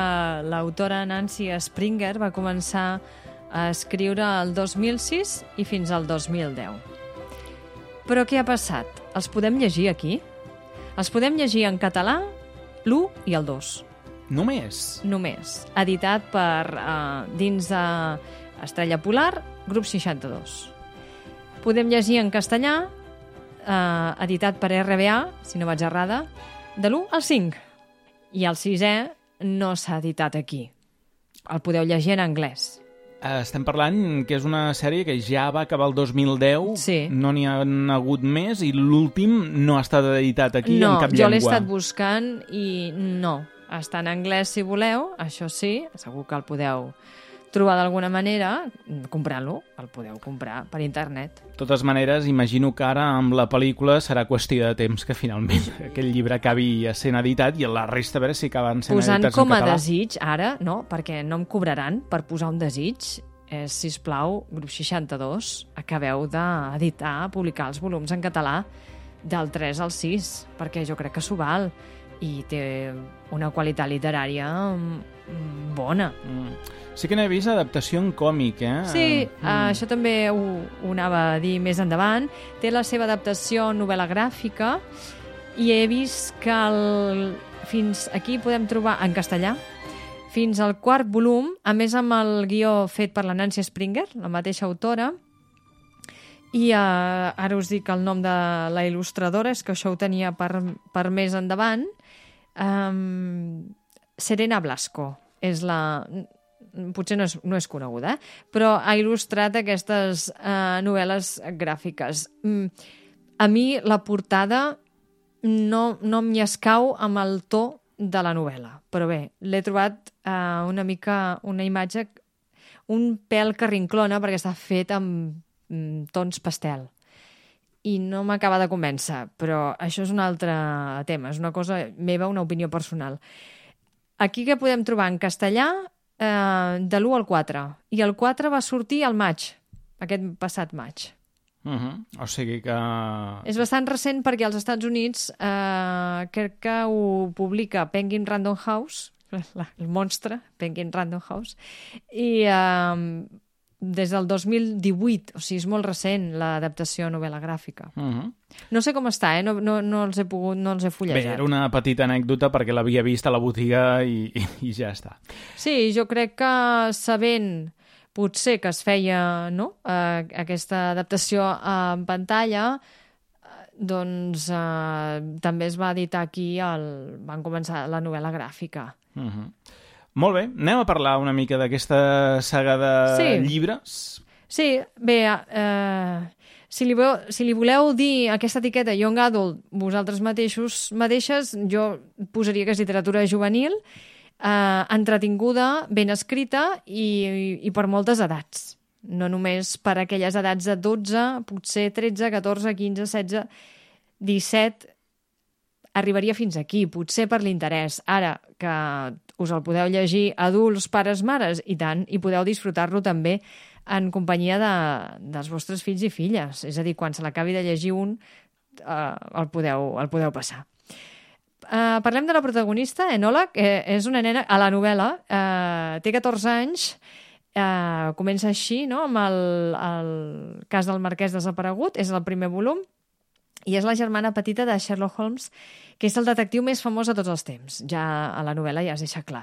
Speaker 5: l'autora Nancy Springer va començar a escriure el dos mil sis i fins al dos mil deu. Però què ha passat? Els podem llegir aquí? Els podem llegir en català, l'u i el dos.
Speaker 3: Només?
Speaker 5: Només. Editat per uh, dins de Estrella Polar, grup seixanta-dos. Podem llegir en castellà, uh, editat per R B A, si no vaig errada, de l'u al cinc. I el sisè no s'ha editat aquí. El podeu llegir en anglès.
Speaker 3: Estem parlant que és una sèrie que ja va acabar el dos mil deu,
Speaker 5: sí.
Speaker 3: No n'hi ha hagut més i l'últim no ha estat editat aquí
Speaker 5: no,
Speaker 3: en cap llengua.
Speaker 5: No, jo l'he estat buscant i no. Està en anglès si voleu, això sí, segur que el podeu trobar d'alguna manera, comprant-lo, el podeu comprar per internet.
Speaker 3: De totes maneres, imagino que ara amb la pel·lícula serà qüestió de temps que finalment aquell llibre acabi sent editat i la resta a veure si acaben sent
Speaker 5: Posant
Speaker 3: editats en català.
Speaker 5: Posant com a desig, ara, no, perquè no em cobraran per posar un desig, és, sisplau, grup seixanta-dos, acabeu d'editar, publicar els volums en català del tres al sis, perquè jo crec que s'ho val i té una qualitat literària bona.
Speaker 3: Mm. Sí que n'he vist adaptació en còmic, eh?
Speaker 5: Sí, mm. uh, això també ho, ho anava a dir més endavant. Té la seva adaptació en novel·la gràfica i he vist que el, fins aquí podem trobar en castellà fins al quart volum, a més amb el guió fet per la Nancy Springer, la mateixa autora, i uh, ara us dic el nom de la il·lustradora, és que això ho tenia per, per més endavant. Um, Serena Blasco és la... potser no és, no és coneguda, eh? Però ha il·lustrat aquestes uh, novel·les gràfiques. Mm, a mi la portada no, no m'hi escau amb el to de la novel·la, però bé, l'he trobat uh, una mica, una imatge un pèl que rinclona perquè està fet amb mm, tons pastel i no m'acaba de convèncer, però això és un altre tema, és una cosa meva, una opinió personal. Aquí que podem trobar en castellà eh, de l'u al quatre, i el quatre va sortir al maig, aquest passat maig.
Speaker 3: Uh-huh. O sigui que...
Speaker 5: És bastant recent perquè als Estats Units eh, crec que ho publica Penguin Random House, el monstre, Penguin Random House, i eh, des del dos mil divuit, o sigui, és molt recent l'adaptació a novel·la gràfica.
Speaker 3: Uh-huh.
Speaker 5: No sé com està, eh? no, no, no els he pogut, no els he fullejat.
Speaker 3: Bé, era una petita anècdota perquè l'havia vist a la botiga i, i, i ja està.
Speaker 5: Sí, jo crec que sabent potser que es feia no? eh, aquesta adaptació en pantalla, doncs eh, també es va editar aquí, el... van començar la novel·la gràfica.
Speaker 3: Uh-huh. Molt bé, anem a parlar una mica d'aquesta saga de
Speaker 5: sí.
Speaker 3: llibres.
Speaker 5: Sí, bé, eh, si, li veu, si li voleu dir aquesta etiqueta Young Adult vosaltres mateixos, mateixes, jo posaria que és literatura juvenil, eh, entretinguda, ben escrita i, i, i per moltes edats. No només per aquelles edats de dotze, potser tretze, catorze, quinze, setze, disset, arribaria fins aquí, potser per l'interès. Ara, que us el podeu llegir adults, pares, mares, i tant, i podeu disfrutar-lo també en companyia de, dels vostres fills i filles. És a dir, quan se l'acabi de llegir un, eh, el, podeu, el podeu passar. Eh, parlem de la protagonista, Enola, que és una nena a la novel·la, eh, té catorze anys, eh, comença així, no?, amb el, el cas del marquès desaparegut, és el primer volum, i és la germana petita de Sherlock Holmes, que és el detectiu més famós de tots els temps. Ja a la novel·la ja es deixa clar.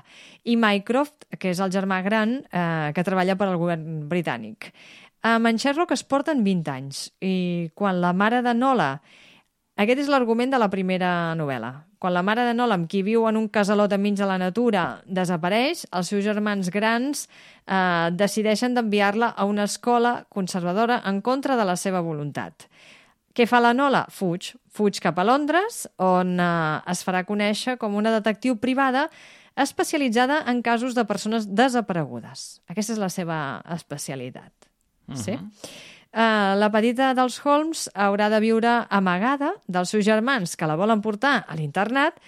Speaker 5: I Mycroft, que és el germà gran, eh, que treballa per al govern britànic. Amb en Sherlock es porten vint anys, i quan la mare de Nola... Aquest és l'argument de la primera novel·la. Quan la mare de Nola, amb qui viu en un casalot enmig de la natura, desapareix, els seus germans grans eh, decideixen d'enviar-la a una escola conservadora en contra de la seva voluntat. Què fa la Nola? Fuig. Fuig cap a Londres, on eh, es farà conèixer com una detectiu privada especialitzada en casos de persones desaparegudes. Aquesta és la seva especialitat. Uh-huh. Sí? Uh, la petita dels Holmes haurà de viure amagada dels seus germans que la volen portar a l'internat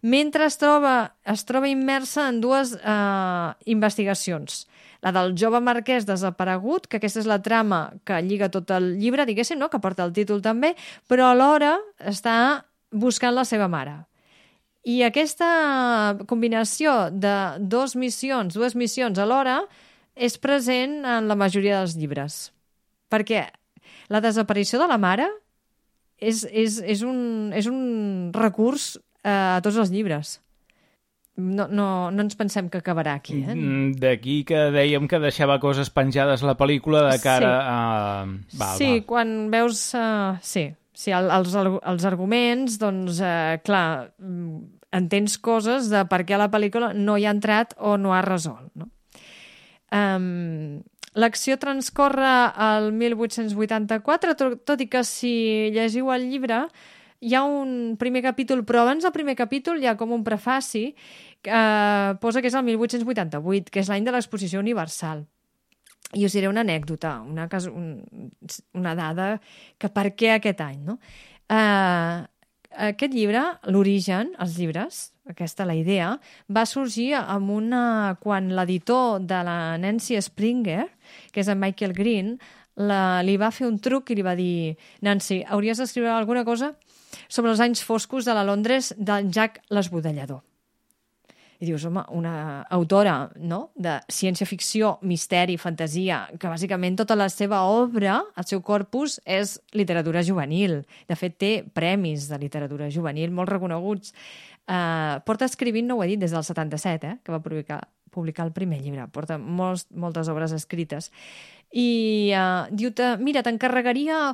Speaker 5: mentre es troba, es troba immersa en dues uh, investigacions. La del jove marquès desaparegut, que aquesta és la trama que lliga tot el llibre, diguéssim, no? Que porta el títol també, però alhora està buscant la seva mare. I aquesta combinació de dos missions, dues missions alhora, és present en la majoria dels llibres. Perquè la desaparició de la mare és, és, és, un, és un recurs eh, a tots els llibres. No, no, no ens pensem que acabarà aquí. Eh?
Speaker 3: D'aquí que dèiem que deixava coses penjades la pel·lícula de cara sí. a... Val,
Speaker 5: sí,
Speaker 3: val.
Speaker 5: Quan veus... Uh, sí, sí el, els, els arguments, doncs, uh, clar, entens coses de per què la pel·lícula no hi ha entrat o no ha resolt. No? Um, L'acció transcorre al mil vuit-cents vuitanta-quatre, tot, tot i que si llegiu el llibre hi ha un primer capítol, però abans del primer capítol hi ha com un prefaci que eh, posa que és el mil vuit-cents vuitanta-vuit, que és l'any de l'Exposició Universal. I us diré una anècdota, una, un, una dada, que per què aquest any, no? Eh, aquest llibre, l'origen, els llibres, aquesta la idea, va sorgir amb una... quan l'editor de la Nancy Springer, que és en Michael Green, la, li va fer un truc i li va dir: Nancy, hauries d'escriure alguna cosa sobre els anys foscos de la Londres del Jack l'Esbudellador. I dius, home, una autora, no?, de ciència-ficció, misteri, fantasia, que bàsicament tota la seva obra, el seu corpus, és literatura juvenil. De fet, té premis de literatura juvenil molt reconeguts. Uh, porta escrivint, no ho he dit, des del setanta-set, eh?, que va publicar, publicar el primer llibre. Porta molts, moltes obres escrites. I uh, diu, mira, t'encarregaria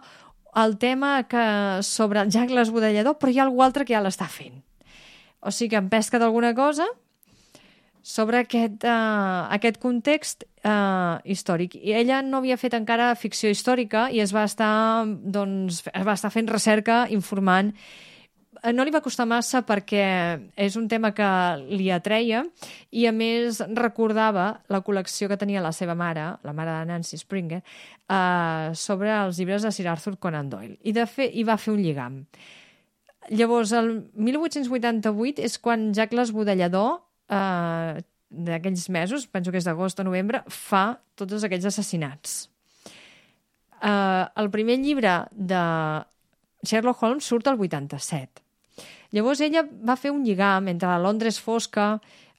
Speaker 5: el tema que sobre el Jack l'Esbudellador, però hi ha algú altre que ja l'està fent. O sigui que em pesca d'alguna cosa sobre aquest, uh, aquest context uh, històric. I ella no havia fet encara ficció històrica i es va estar, doncs, es va estar fent recerca, informant. No li va costar massa perquè és un tema que li atreia i, a més, recordava la col·lecció que tenia la seva mare, la mare de Nancy Springer, uh, sobre els llibres de Sir Arthur Conan Doyle. I, de fet, hi va fer un lligam. Llavors, el mil vuit-cents vuitanta-vuit és quan Jack l'Esbudellador, eh, d'aquells mesos, penso que és d'agost o novembre, fa tots aquells assassinats. Eh, el primer llibre de Sherlock Holmes surt al vuitanta-set. Llavors ella va fer un lligam entre la Londres fosca,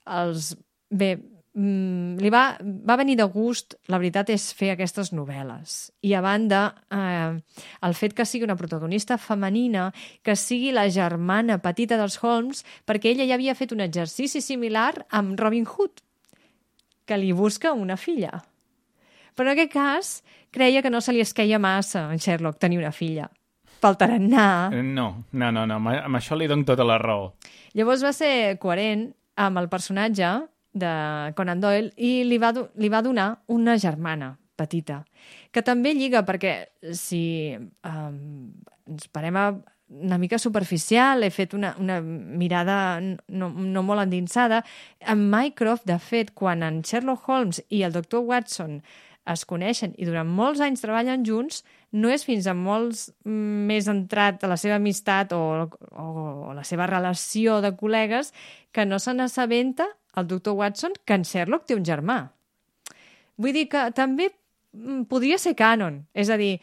Speaker 5: els... Bé, li va, va venir de gust, la veritat, és fer aquestes novel·les. I a banda, eh, el fet que sigui una protagonista femenina, que sigui la germana petita dels Holmes, perquè ella ja havia fet un exercici similar amb Robin Hood, que li busca una filla. Però en aquest cas, creia que no se li esqueia massa a en Sherlock tenir una filla. Pel tarannà...
Speaker 3: No, no, no, no, amb això li dono tota la raó.
Speaker 5: Llavors va ser coherent amb el personatge de Conan Doyle i li va, li va donar una germana petita, que també lliga, perquè si um, ens parem a una mica superficial, he fet una, una mirada no, no molt endinsada. En Mycroft, de fet, quan en Sherlock Holmes i el doctor Watson es coneixen i durant molts anys treballen junts, no és fins a molts més entrat a la seva amistat o, o, o la seva relació de col·legues que no se n'assabenta el doctor Watson que en Sherlock té un germà. Vull dir que també podria ser canon. És a dir,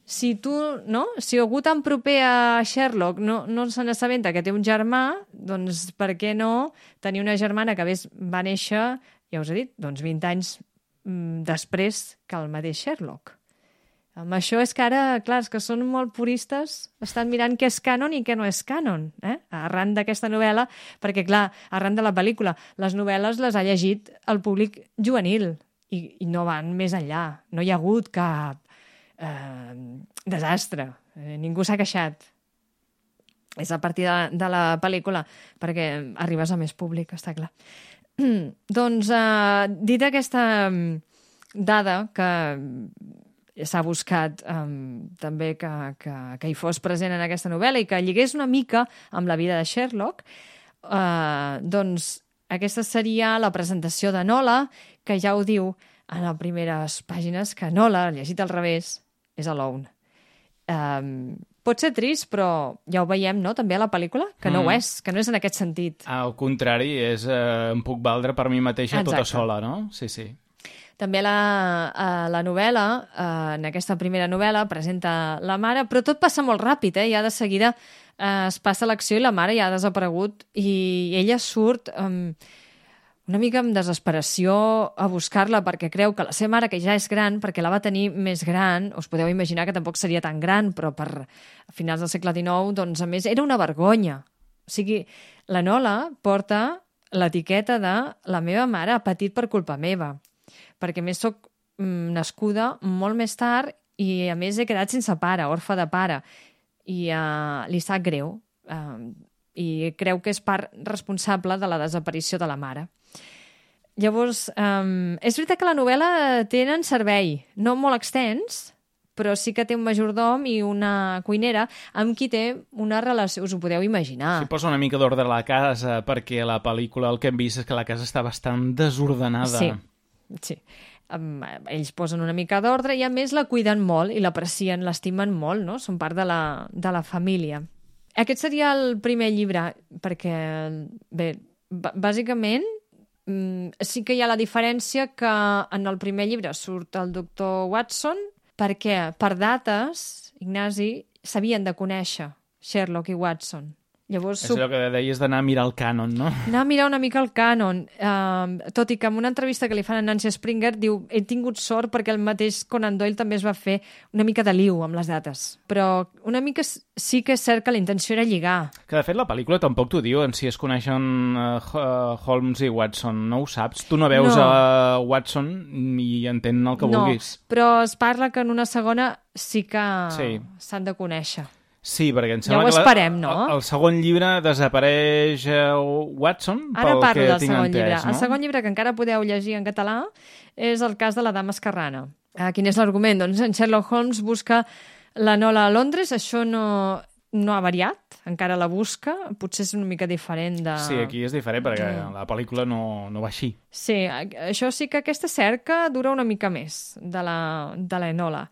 Speaker 5: si tu, no? Si algú tan proper a Sherlock no, no se n'assabenta que té un germà, doncs per què no tenir una germana que va néixer, ja us he dit, doncs vint anys després que el mateix Sherlock. Amb això és que ara, clar, és que són molt puristes, estan mirant què és canon i què no és canon, eh? Arran d'aquesta novel·la, perquè, clar, arran de la pel·lícula, les novel·les les ha llegit el públic juvenil i, i no van més enllà. No hi ha hagut cap eh, desastre. Eh, ningú s'ha queixat. És a partir de, de la pel·lícula, perquè arribes a més públic, està clar. Doncs, eh, dit aquesta dada que s'ha buscat um, també que, que, que hi fos present en aquesta novel·la i que lligués una mica amb la vida de Sherlock, uh, doncs aquesta seria la presentació de Nola, que ja ho diu en les primeres pàgines, que Nola, llegit al revés, és alone. Um, pot ser trist, però ja ho veiem, no?, també a la pel·lícula, que no mm. ho és, que no és en aquest sentit.
Speaker 3: Al contrari, és, eh, em puc valdre per mi mateixa Exacte. Tota sola, no? Sí, sí.
Speaker 5: També la, uh, la novel·la, uh, en aquesta primera novel·la, presenta la mare, però tot passa molt ràpid, eh? Ja de seguida eh, es passa l'acció i la mare ja ha desaparegut i ella surt um, una mica amb desesperació a buscar-la perquè creu que la seva mare, que ja és gran, perquè la va tenir més gran, us podeu imaginar que tampoc seria tan gran, però per a finals del segle dinou, doncs a més era una vergonya. O sigui, la Nola porta l'etiqueta de la meva mare ha patit per culpa meva, perquè a més soc mm, nascuda molt més tard i a més he quedat sense pare, orfa de pare, i uh, li sap greu. Uh, i creu que és part responsable de la desaparició de la mare. Llavors, um, és veritat que la novel·la tenen servei, no molt extens, però sí que té un majordom i una cuinera amb qui té una relació, us ho podeu imaginar.
Speaker 3: Sí, posa una mica d'ordre a la casa, perquè a la pel·lícula el que hem vist és que la casa està bastant desordenada.
Speaker 5: Sí, sí. Um, ells posen una mica d'ordre i a més la cuiden molt i l'aprecien, l'estimen molt, no? Són part de la, de la família. Aquest seria el primer llibre, perquè, bé, bàsicament, sí que hi ha la diferència que en el primer llibre surt el doctor Watson, perquè per dates, Ignasi, s'havien de conèixer Sherlock i Watson. Llavors,
Speaker 3: és allò que deies d'anar a mirar el cànon, no?
Speaker 5: Anar a mirar una mica el cànon. Uh, tot i que en una entrevista que li fan a Nancy Springer diu he tingut sort perquè el mateix Conan Doyle també es va fer una mica de liu amb les dates. Però una mica sí que és cert que la intenció era lligar.
Speaker 3: Que de fet la pel·lícula tampoc t'ho diu en si es coneixen uh, Holmes i Watson. No ho saps? Tu no veus
Speaker 5: no.
Speaker 3: a Watson i entén el que
Speaker 5: no,
Speaker 3: vulguis.
Speaker 5: Però es parla que en una segona sí que
Speaker 3: sí.
Speaker 5: s'han de conèixer.
Speaker 3: Sí, perquè em
Speaker 5: ja
Speaker 3: sembla
Speaker 5: ho esperem,
Speaker 3: que la,
Speaker 5: no?
Speaker 3: el, el segon llibre desapareix uh, Watson,
Speaker 5: Ara
Speaker 3: pel
Speaker 5: parlo
Speaker 3: que
Speaker 5: del
Speaker 3: tinc
Speaker 5: segon
Speaker 3: entès,
Speaker 5: llibre.
Speaker 3: no?
Speaker 5: El segon llibre, que encara podeu llegir en català, és el cas de la dama esquerrana. Uh, quin és l'argument? Doncs en Sherlock Holmes busca la Nola a Londres, això no, no ha variat, encara la busca, potser és una mica diferent de...
Speaker 3: Sí, aquí és diferent, perquè mm. la pel·lícula no, no va així.
Speaker 5: Sí, això sí que aquesta cerca dura una mica més de la, de la Enola.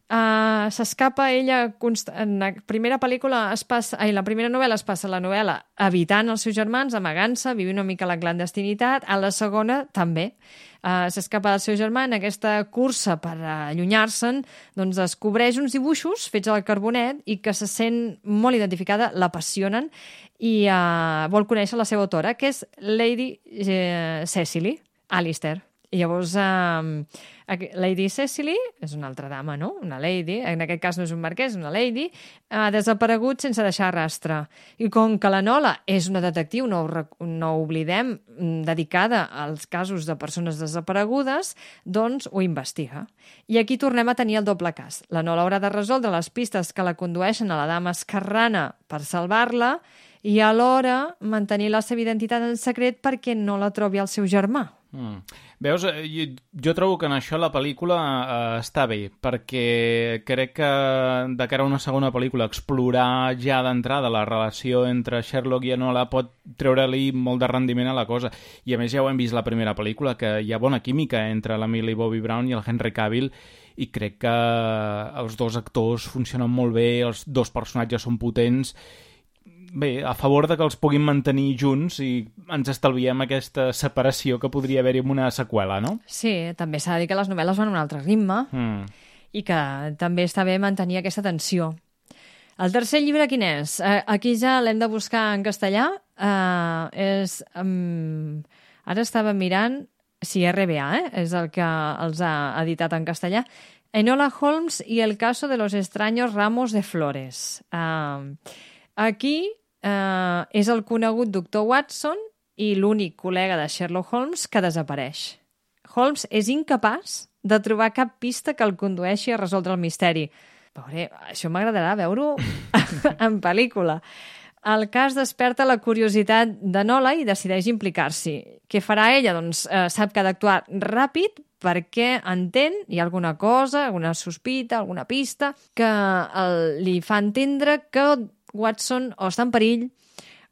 Speaker 5: Uh, s'escapa ella const... en la primera pel·lícula es passa, ai, la primera novel·la es passa la novel·la evitant els seus germans, amagant-se, vivint una mica la clandestinitat. A la segona també uh, s'escapa del seu germà en aquesta cursa per allunyar-se'n, doncs descobreix uns dibuixos fets al carbonet i que se sent molt identificada, l'apassionen i uh, vol conèixer la seva autora, que és Lady uh, Cecily Alistair. I llavors, um, Lady Cecily, és una altra dama, no? Una lady, en aquest cas no és un marquès, una lady, ha desaparegut sense deixar rastre. I com que la Nola és una detectiu, no ho, no ho oblidem, dedicada als casos de persones desaparegudes, doncs ho investiga. I aquí tornem a tenir el doble cas. La Nola haurà de resoldre les pistes que la condueixen a la dama esquerrana per salvar-la i alhora mantenir la seva identitat en secret perquè no la trobi el seu germà.
Speaker 3: Mm. Veus, jo, jo trobo que en això la pel·lícula eh, està bé, perquè crec que de cara a una segona pel·lícula explorar ja d'entrada la relació entre Sherlock i Enola pot treure-li molt de rendiment a la cosa. I a més ja ho hem vist la primera pel·lícula, que hi ha bona química entre la Millie Bobby Brown i el Henry Cavill, i crec que els dos actors funcionen molt bé, els dos personatges són potents. Bé, a favor de que els puguin mantenir junts i ens estalviem aquesta separació que podria haver-hi amb una seqüela, no?
Speaker 5: Sí, també s'ha de dir que les novel·les van a un altre ritme mm. i que també està bé mantenir aquesta tensió. El tercer llibre quin és? Eh, aquí ja l'hem de buscar en castellà. Eh, és, um, ara estava mirant si R B A, eh? És el que els ha editat en castellà. Enola Holmes y el caso de los extraños ramos de flores. Uh, aquí uh, és el conegut doctor Watson i l'únic col·lega de Sherlock Holmes que desapareix. Holmes és incapaç de trobar cap pista que el condueixi a resoldre el misteri. Pobre, això m'agradarà veure-ho en pel·lícula. El cas desperta la curiositat de Nola i decideix implicar-s'hi. Què farà ella? Doncs eh, sap que ha d'actuar ràpid perquè entén, hi ha alguna cosa, alguna sospita, alguna pista, que el, li fa entendre que Watson o està en perill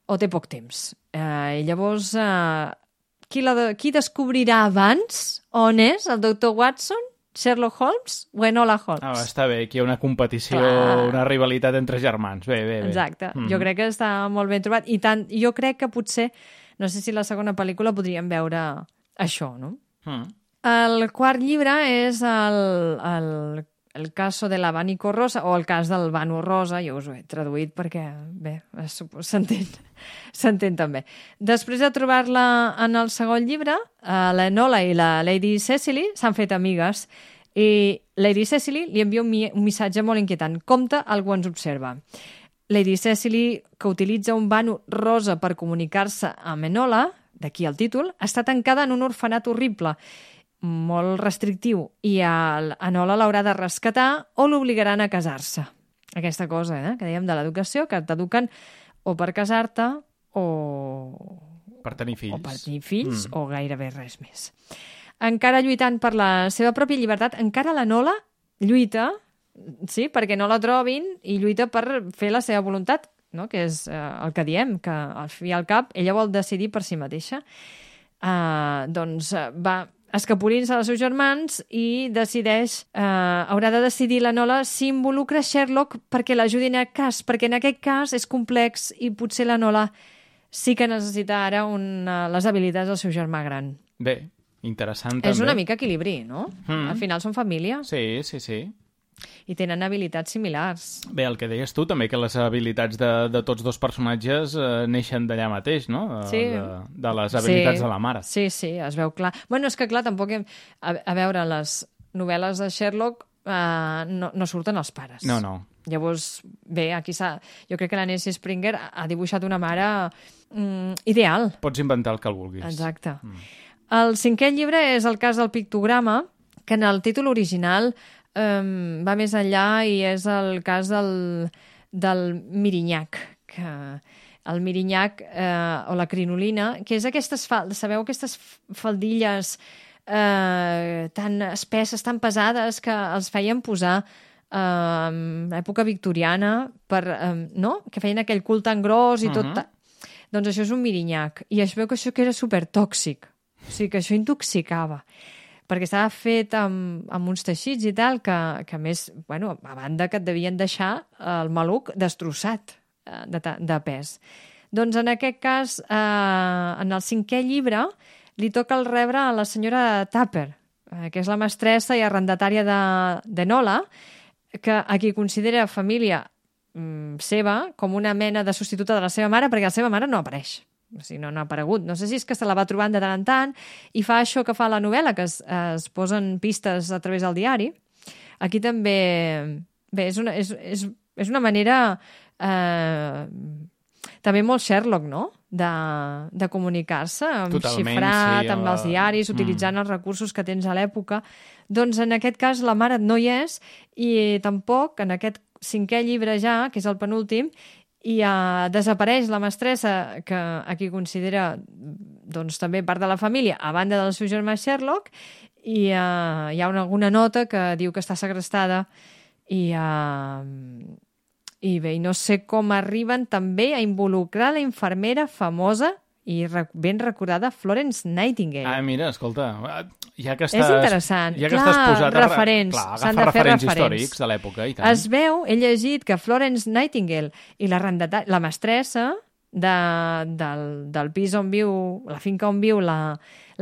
Speaker 5: o té poc temps. Eh, I llavors, eh, qui, la de, qui descobrirà abans on és el doctor Watson? Sherlock Holmes o Enola Holmes?
Speaker 3: Ah, està bé, aquí hi ha una competició,
Speaker 5: Clar.
Speaker 3: una rivalitat entre germans. Bé, bé, bé.
Speaker 5: Exacte,
Speaker 3: mm.
Speaker 5: jo crec que està molt ben trobat. I tant, jo crec que potser, no sé si la segona pel·lícula podríem veure això, no?
Speaker 3: Mm.
Speaker 5: El quart llibre és el, el el caso de l'Abanico Rosa, o el cas del Banu Rosa, jo us ho he traduït perquè, bé, s'entén, s'entén també. Després de trobar-la en el segon llibre, l'Enola i la Lady Cecily s'han fet amigues, i Lady Cecily li envia un, mi un missatge molt inquietant. Compte, algú ens observa. Lady Cecily, que utilitza un Banu rosa per comunicar-se amb Enola, d'aquí el títol, està tancada en un orfenat horrible, molt restrictiu, i Enola l'haurà de rescatar o l'obligaran a casar-se. Aquesta cosa, eh, que dèiem de l'educació, que t'eduquen o per casar-te o...
Speaker 3: Per tenir fills.
Speaker 5: O per tenir fills, mm. o gairebé res més. Encara lluitant per la seva pròpia llibertat, encara l'Enola lluita, sí, perquè no la trobin, i lluita per fer la seva voluntat, no? Que és eh, el que diem, que al fi i al cap ella vol decidir per si mateixa. Uh, doncs va escapolint-se dels seus germans i decideix, eh, haurà de decidir l'Enola si involucra Sherlock perquè l'ajudin a cas, perquè en aquest cas és complex i potser l'Enola sí que necessita ara una, les habilitats del seu germà gran.
Speaker 3: Bé, interessant també.
Speaker 5: És una mica equilibri, no?
Speaker 3: Mm.
Speaker 5: Al final són família.
Speaker 3: Sí, sí, sí.
Speaker 5: I tenen habilitats similars.
Speaker 3: Bé, el que deies tu també, que les habilitats de, de tots dos personatges eh, neixen d'allà mateix, no? De,
Speaker 5: sí.
Speaker 3: de, de les habilitats
Speaker 5: sí.
Speaker 3: de la mare.
Speaker 5: Sí, sí, es veu clar. Bueno, és que clar, tampoc hem... A, a veure, les novel·les de Sherlock eh, no, no surten els pares.
Speaker 3: No, no.
Speaker 5: Llavors, bé, aquí s'ha... Jo crec que la Nancy Springer ha dibuixat una mare mm, ideal.
Speaker 3: Pots inventar el que el vulguis.
Speaker 5: Exacte.
Speaker 3: Mm.
Speaker 5: El cinquè llibre és el cas del pictograma, que en el títol original Um, va més enllà i és el cas del, del mirinyac, que el mirinyac eh, o la crinolina, que és aquestes, sabeu, aquestes faldilles eh, tan espesses, tan pesades, que els feien posar eh, en època victoriana, per, eh, no? Que feien aquell cul tan gros i tot... Uh -huh. Doncs això és un mirinyac. I es veu que això que era supertòxic. O sigui, que això intoxicava. Perquè estava fet amb, amb uns teixits i tal, que, que a més, bueno, a banda que et devien deixar el maluc destrossat de, de pes. Doncs en aquest cas, eh, en el cinquè llibre, li toca el rebre a la senyora Tupper, eh, que és la mestressa i arrendatària d'Enola, que a qui considera família mm, seva com una mena de substituta de la seva mare, perquè la seva mare no apareix. O sigui, no, no ha aparegut. No sé si és que se la va trobant de tant en tant i fa això que fa la novel·la, que es, es posen pistes a través del diari. Aquí també... Bé, és una, és, és, és una manera eh, també molt Sherlock, no? De, de comunicar-se, amb
Speaker 3: Totalment,
Speaker 5: xifrat,
Speaker 3: sí,
Speaker 5: amb
Speaker 3: la...
Speaker 5: els diaris, utilitzant mm. els recursos que tens a l'època. Doncs en aquest cas la mare no hi és i tampoc en aquest cinquè llibre ja, que és el penúltim, i uh, desapareix la mestressa, que aquí considera doncs, també part de la família, a banda del seu germà Sherlock, i uh, hi ha una, alguna nota que diu que està segrestada, i, uh, i bé, i no sé com arriben també a involucrar la infermera famosa i ben recordada Florence Nightingale.
Speaker 3: Ah, mira, escolta, ja que estàs...
Speaker 5: És interessant.
Speaker 3: Ja que
Speaker 5: clar,
Speaker 3: estàs posat
Speaker 5: referents.
Speaker 3: Clar,
Speaker 5: s'han
Speaker 3: agafa
Speaker 5: de fer
Speaker 3: referents
Speaker 5: referents
Speaker 3: històrics de l'època, i tant.
Speaker 5: Es veu, he llegit que Florence Nightingale i la, la mestressa de, del, del pis on viu, la finca on viu la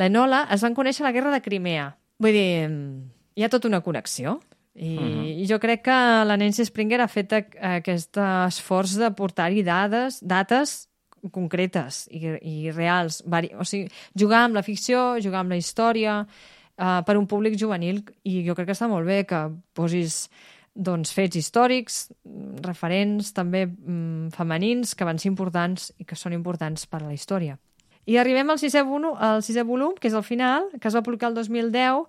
Speaker 5: l'Enola, es van conèixer a la Guerra de Crimea. Vull dir, hi ha tota una connexió. I, uh-huh. i jo crec que la Nancy Springer ha fet aquest esforç de portar-hi dades, dates concretes i, i reals. O sigui, jugar amb la ficció, jugar amb la història, uh, per un públic juvenil, i jo crec que està molt bé que posis doncs, fets històrics, referents també mm, femenins, que van ser importants i que són importants per a la història. I arribem al sisè, volum, al sisè volum, que és el final, que es va publicar el dos mil deu.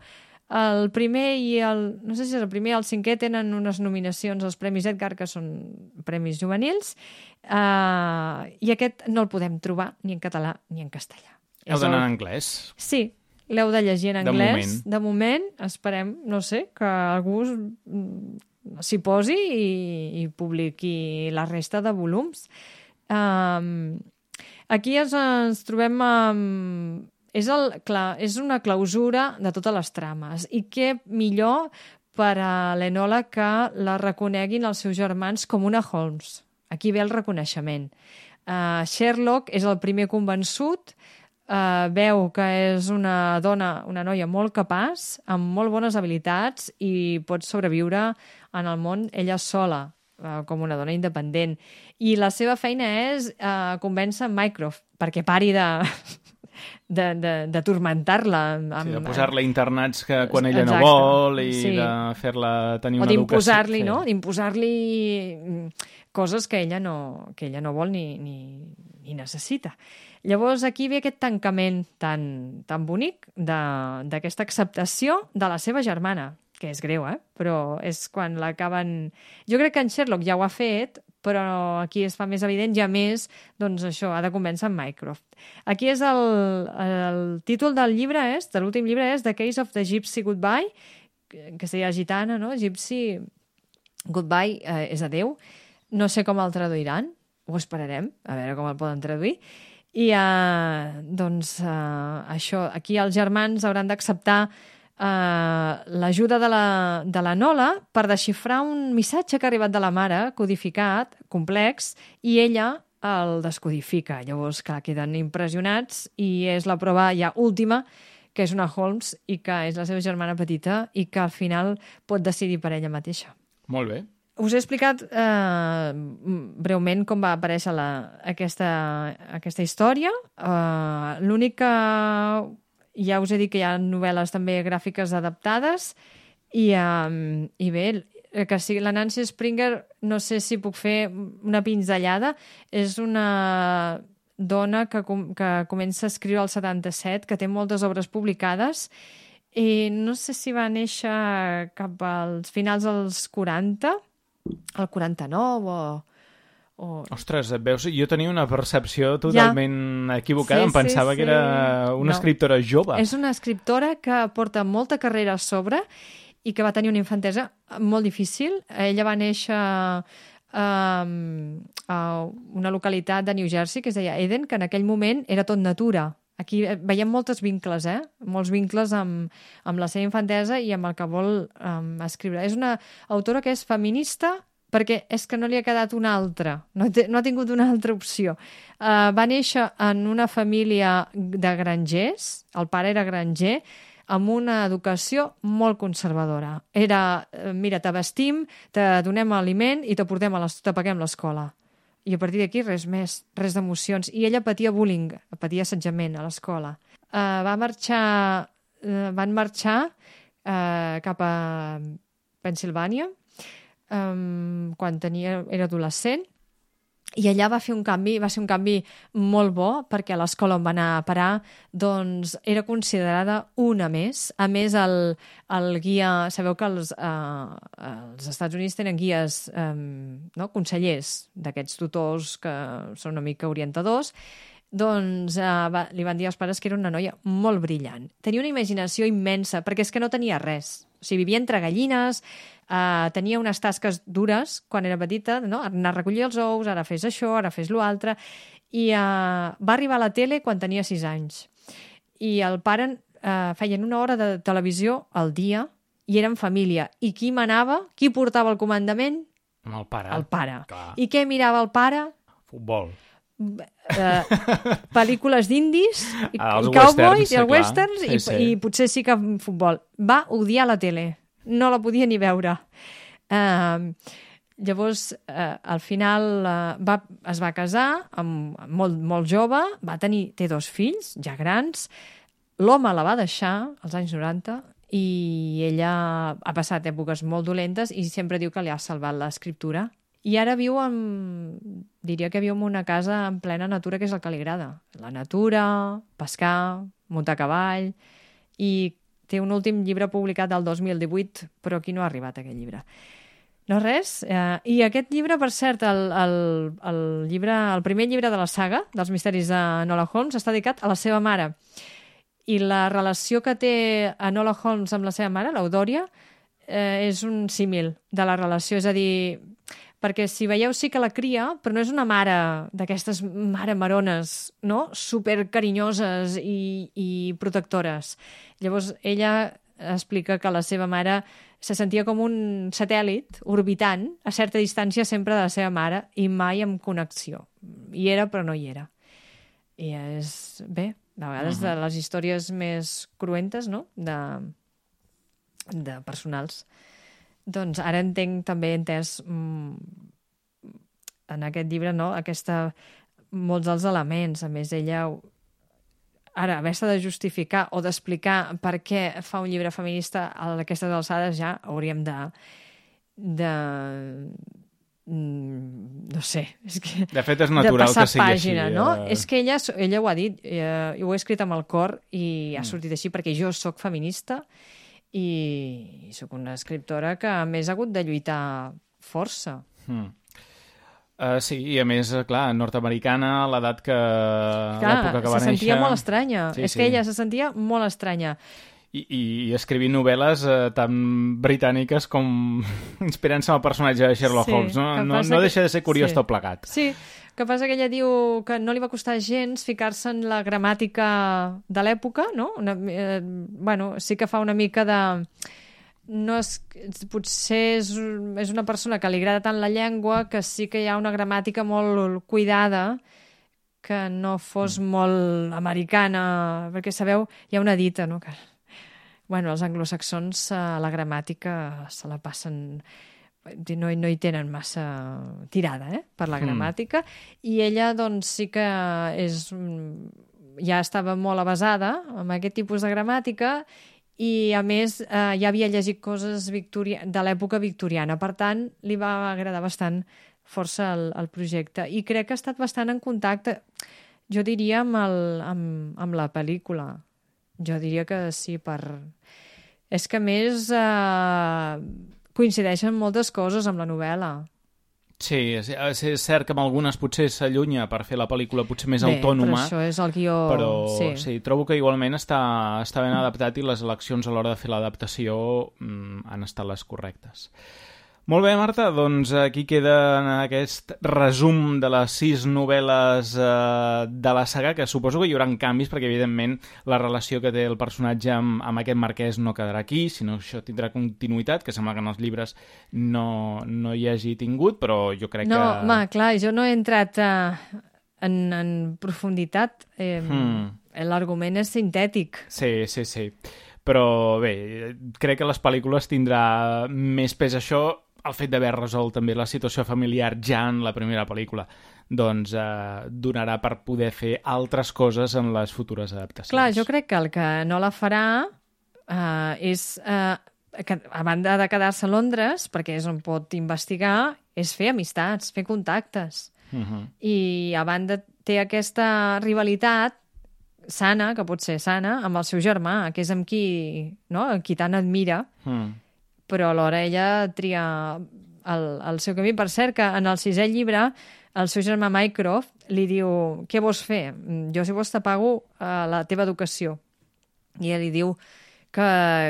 Speaker 5: El primer i el... No sé si és el primer i el cinquè tenen unes nominacions als Premis Edgar, que són premis juvenils, uh, i aquest no el podem trobar ni en català ni en castellà.
Speaker 3: Heu d'anar en anglès?
Speaker 5: Sí, l'heu de llegir en anglès.
Speaker 3: De moment.
Speaker 5: De moment, esperem, no sé, que algú s'hi posi i, i publiqui la resta de volums. Um, aquí ens, ens trobem amb... És, el, clar, és una clausura de totes les trames. I què millor per a l'Enola que la reconeguin els seus germans com una Holmes. Aquí ve el reconeixement. Uh, Sherlock és el primer convençut eh, veu que és una dona, una noia molt capaç, amb molt bones habilitats i pot sobreviure en el món ella sola, eh, com una dona independent. I la seva feina és eh, convèncer Mycroft perquè pari de... de, de, de tormentar-la. Amb,
Speaker 3: sí, de posar-la a internats que quan ella
Speaker 5: exacte,
Speaker 3: no vol i
Speaker 5: sí.
Speaker 3: de fer-la tenir
Speaker 5: o
Speaker 3: una educació.
Speaker 5: O d'imposar-li,
Speaker 3: sí.
Speaker 5: no? D'imposar-li coses que ella no, que ella no vol ni, ni, ni necessita. Llavors aquí ve aquest tancament tan, tan bonic d'aquesta acceptació de la seva germana, que és greu, eh? Però és quan l'acaben... Jo crec que en Sherlock ja ho ha fet, però aquí es fa més evident i a més, doncs això, ha de convèncer en Mycroft. Aquí és el, el títol del llibre, és, de l'últim llibre és The Case of the Gypsy Goodbye, que seria gitana, no? Gypsy Goodbye eh, és adeu. No sé com el traduiran, ho esperarem, a veure com el poden traduir. I, eh, doncs, eh, això, aquí els germans hauran d'acceptar Uh, l'ajuda de, la, de la Nola per desxifrar un missatge que ha arribat de la mare, codificat, complex, i ella el descodifica. Llavors, clar, queden impressionats i és la prova ja última, que és una Holmes i que és la seva germana petita i que al final pot decidir per ella mateixa.
Speaker 3: Molt bé.
Speaker 5: Us he explicat eh, breument com va aparèixer la, aquesta, aquesta història. Uh, L'únic que... Ja us he dit que hi ha novel·les també gràfiques adaptades i, um, i bé, que sigui la Nancy Springer, no sé si puc fer una pinzellada, és una dona que, com, que comença a escriure al setanta-set, que té moltes obres publicades i no sé si va néixer cap als finals dels quaranta, el quaranta-nou o... O...
Speaker 3: Ostres, veus, jo tenia una percepció totalment ja. equivocada, sí, em pensava sí, sí. que era una no. escriptora jove.
Speaker 5: És una escriptora que porta molta carrera a sobre i que va tenir una infantesa molt difícil. Ella va néixer um, a una localitat de New Jersey que es deia Eden, que en aquell moment era tot natura. Aquí veiem molts vincles, eh? Molts vincles amb, amb la seva infantesa i amb el que vol um, escriure. És una autora que és feminista perquè és que no li ha quedat una altra, no, té, no ha tingut una altra opció. Uh, va néixer en una família de grangers, el pare era granger, amb una educació molt conservadora. Era, mira, t'abastim, te donem aliment i te portem a les, te paguem l'escola. I a partir d'aquí res més, res d'emocions. I ella patia bullying, patia assetjament a l'escola. Uh, va marxar, uh, van marxar uh, cap a Pennsilvània, Um, quan tenia, era adolescent, i allà va fer un canvi, va ser un canvi molt bo, perquè a l'escola on va anar a parar doncs era considerada una més. A més, el, el guia, sabeu que els, uh, els Estats Units tenen guies, um, no? consellers d'aquests tutors que són una mica orientadors, doncs uh, va, li van dir als pares que era una noia molt brillant. Tenia una imaginació immensa, perquè és que no tenia res. O sigui, vivia entre gallines, uh, tenia unes tasques dures quan era petita, no? Anar a recollir els ous, ara fes això, ara fes l'altre, i uh, va arribar a la tele quan tenia sis anys. I el pare uh, feien una hora de televisió al dia i eren família. I qui manava? Qui portava el comandament?
Speaker 3: El pare.
Speaker 5: El pare.
Speaker 3: Clar.
Speaker 5: I què mirava el pare?
Speaker 3: Futbol.
Speaker 5: Uh, pel·lícules d'indis i,
Speaker 3: ah,
Speaker 5: i cowboys i
Speaker 3: el
Speaker 5: westerns
Speaker 3: sí,
Speaker 5: i,
Speaker 3: sí.
Speaker 5: i potser sí que futbol. Va odiar la tele, no la podia ni veure. Uh, llavors, uh, al final uh, va, es va casar amb, molt, molt jove, va tenir, té dos fills, ja grans, l'home la va deixar als anys noranta i ella ha passat èpoques molt dolentes i sempre diu que li ha salvat l'escriptura. I ara viu en... diria que viu en una casa en plena natura, que és el que li agrada. La natura, pescar, muntar a cavall... I té un últim llibre publicat del dos mil divuit, però aquí no ha arribat aquest llibre. No res. Eh, I aquest llibre, per cert, el, el, el, llibre, el primer llibre de la saga, dels misteris de Enola Holmes, està dedicat a la seva mare. I la relació que té Enola Holmes amb la seva mare, l'Eudòria, eh, és un símil de la relació. És a dir... perquè si veieu sí que la cria, però no és una mare d'aquestes mare marones, no? Super carinyoses i, i protectores. Llavors, ella explica que la seva mare se sentia com un satèl·lit orbitant a certa distància sempre de la seva mare i mai amb connexió. Hi era, però no hi era. i és, bé, de vegades uh-huh. de les històries més cruentes, no?, de, de personals. Doncs ara entenc, també he entès mm, en aquest llibre, no?, aquesta, molts dels elements. A més, ella ara, haver-se de justificar o d'explicar per què fa un llibre feminista a aquestes alçades, ja hauríem de... de no sé, és que...
Speaker 3: De fet, és natural que sigui
Speaker 5: pàgina,
Speaker 3: així.
Speaker 5: No?
Speaker 3: Eh...
Speaker 5: És que ella, ella ho ha dit, eh, ho he escrit amb el cor i ha sortit així perquè jo sóc feminista i sóc una escriptora que, a més, ha hagut de lluitar força.
Speaker 3: Mm. Uh, sí, i a més, clar, nord-americana, a l'edat que...
Speaker 5: Clar,
Speaker 3: l'època que va
Speaker 5: se sentia
Speaker 3: néixer...
Speaker 5: molt estranya.
Speaker 3: Sí,
Speaker 5: és
Speaker 3: sí.
Speaker 5: que ella se sentia molt estranya.
Speaker 3: I, i, i escrivint novel·les eh, tan britàniques com inspirant-se en el personatge de Sherlock
Speaker 5: sí,
Speaker 3: Holmes. No, no, no
Speaker 5: que...
Speaker 3: deixa de ser curiós
Speaker 5: sí.
Speaker 3: tot plegat.
Speaker 5: Sí, que passa que ella diu que no li va costar gens ficar-se en la gramàtica de l'època, no? Una, eh, bueno, sí que fa una mica de... No és, potser és, és una persona que li agrada tant la llengua que sí que hi ha una gramàtica molt cuidada que no fos mm. molt americana, perquè sabeu, hi ha una dita, no?, que bueno, els anglosaxons eh, la gramàtica se la passen, no, no hi tenen massa tirada, eh, per la gramàtica, mm. i ella doncs sí que és, ja estava molt avasada amb aquest tipus de gramàtica i, a més, eh, ja havia llegit coses victoria... de l'època victoriana. Per tant, li va agradar bastant força el, el projecte. I crec que ha estat bastant en contacte, jo diria, amb, el, amb, amb la pel·lícula. Jo diria que sí, per... És que, a més, eh, coincideixen moltes coses amb la novel·la.
Speaker 3: Sí, és, és cert que amb algunes potser s'allunya per fer la pel·lícula potser més
Speaker 5: Bé,
Speaker 3: autònoma.
Speaker 5: Però això és el guió...
Speaker 3: Però
Speaker 5: sí.
Speaker 3: sí, trobo que igualment està, està ben adaptat i les eleccions a l'hora de fer l'adaptació mm, han estat les correctes. Molt bé, Marta, doncs aquí queda aquest resum de les sis novel·les eh, de la saga, que suposo que hi haurà canvis, perquè evidentment la relació que té el personatge amb, amb aquest marquès no quedarà aquí, sinó que això tindrà continuïtat, que sembla que en els llibres no, no hi hagi tingut, però jo crec
Speaker 5: no,
Speaker 3: que...
Speaker 5: No, home, clar, jo no he entrat eh, en, en profunditat. Eh, hmm. L'argument és sintètic.
Speaker 3: Sí, sí, sí. Però bé, crec que les pel·lícules tindrà més pes això, el fet d'haver resolt també la situació familiar ja en la primera pel·lícula, doncs eh, donarà per poder fer altres coses en les futures adaptacions.
Speaker 5: Clar, jo crec que el que no la farà eh, és, eh, que, a banda de quedar-se a Londres, perquè és on pot investigar, és fer amistats, fer contactes. Uh-huh. I a banda té aquesta rivalitat sana, que pot ser sana, amb el seu germà, que és amb qui, no? Amb qui tant admira. Uh-huh. Però alhora ella tria el, el seu camí. Per cert, que en el sisè llibre el seu germà Mycroft li diu: què vols fer? Jo, si vols, te pago uh, la teva educació. I ell li diu que,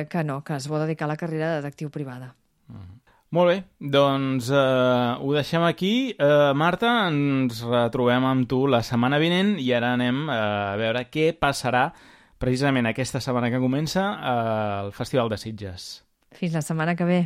Speaker 5: que no, que es vol dedicar a la carrera de detectiu privada.
Speaker 3: Uh-huh. Molt bé, doncs uh, ho deixem aquí. Uh, Marta, ens retrobem amb tu la setmana vinent i ara anem uh, a veure què passarà precisament aquesta setmana que comença uh, el Festival de Sitges.
Speaker 5: Fins la setmana que ve.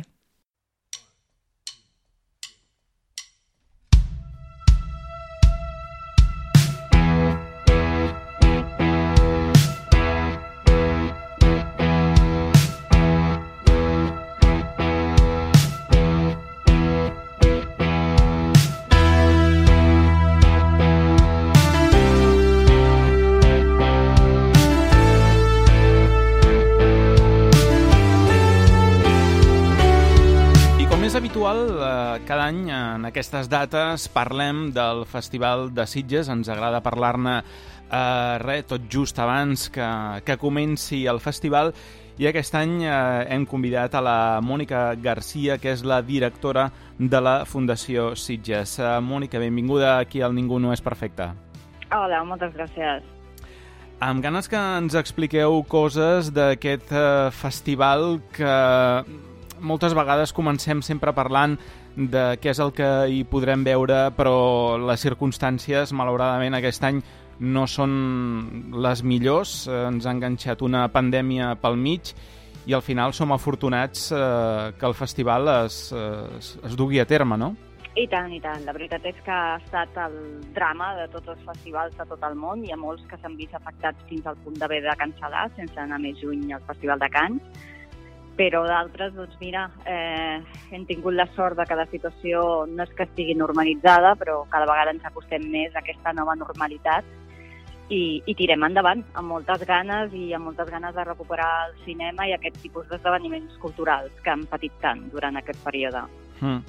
Speaker 3: Cada any en aquestes dates parlem del Festival de Sitges, ens agrada parlar-ne eh, res, tot just abans que, que comenci el festival, i aquest any eh, hem convidat a la Mònica Garcia, que és la directora de la Fundació Sitges. Eh, Mònica, benvinguda aquí al Ningú no és perfecte.
Speaker 6: Hola, moltes gràcies.
Speaker 3: Amb ganes que ens expliqueu coses d'aquest eh, festival que moltes vegades comencem sempre parlant de què és el que hi podrem veure, però les circumstàncies, malauradament, aquest any no són les millors. Ens ha enganxat una pandèmia pel mig i i al final som afortunats eh, que el festival es, es, es dugui a terme, no?
Speaker 6: I tant, i tant. La veritat és que ha estat el drama de tots els festivals de tot el món. Hi ha molts que s'han vist afectats fins al punt d'haver de cancel·lar sense anar més lluny al Festival de Cannes. Però d'altres, doncs mira, eh, hem tingut la sort de que la situació no és que estigui normalitzada, però cada vegada ens acostem més a aquesta nova normalitat i, i tirem endavant amb moltes ganes i amb moltes ganes de recuperar el cinema i aquest tipus d'esdeveniments culturals que han patit tant durant aquest període.
Speaker 3: Mm.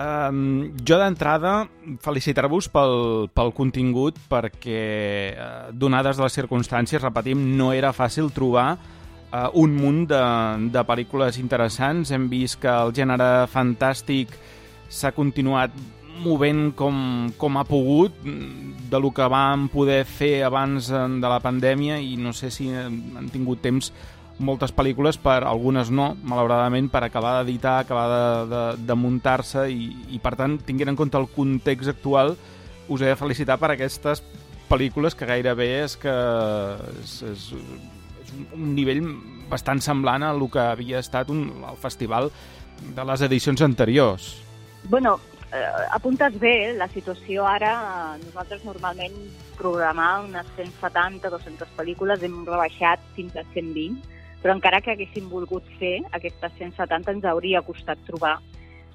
Speaker 3: Um, jo d'entrada felicitar-vos pel, pel contingut perquè, uh, donades les circumstàncies, repetim, no era fàcil trobar uh, un munt de, de pel·lícules interessants. Hem vist que el gènere fantàstic s'ha continuat movent com, com ha pogut de lo que vam poder fer abans de la pandèmia i no sé si han tingut temps moltes pel·lícules, per algunes no, malauradament, per acabar d'editar, acabar de, de, de muntar-se i, i, per tant, tinguent en compte el context actual, us he de felicitar per aquestes pel·lícules que gairebé és que és, és, és un nivell bastant semblant a el que havia estat un, el festival de les edicions anteriors.
Speaker 6: Bueno, eh, apuntes bé, la situació ara, nosaltres normalment programar unes cent setanta a dues-centes pel·lícules hem rebaixat fins a cent vint, però encara que haguéssim volgut fer aquestes cent setanta ens hauria costat trobar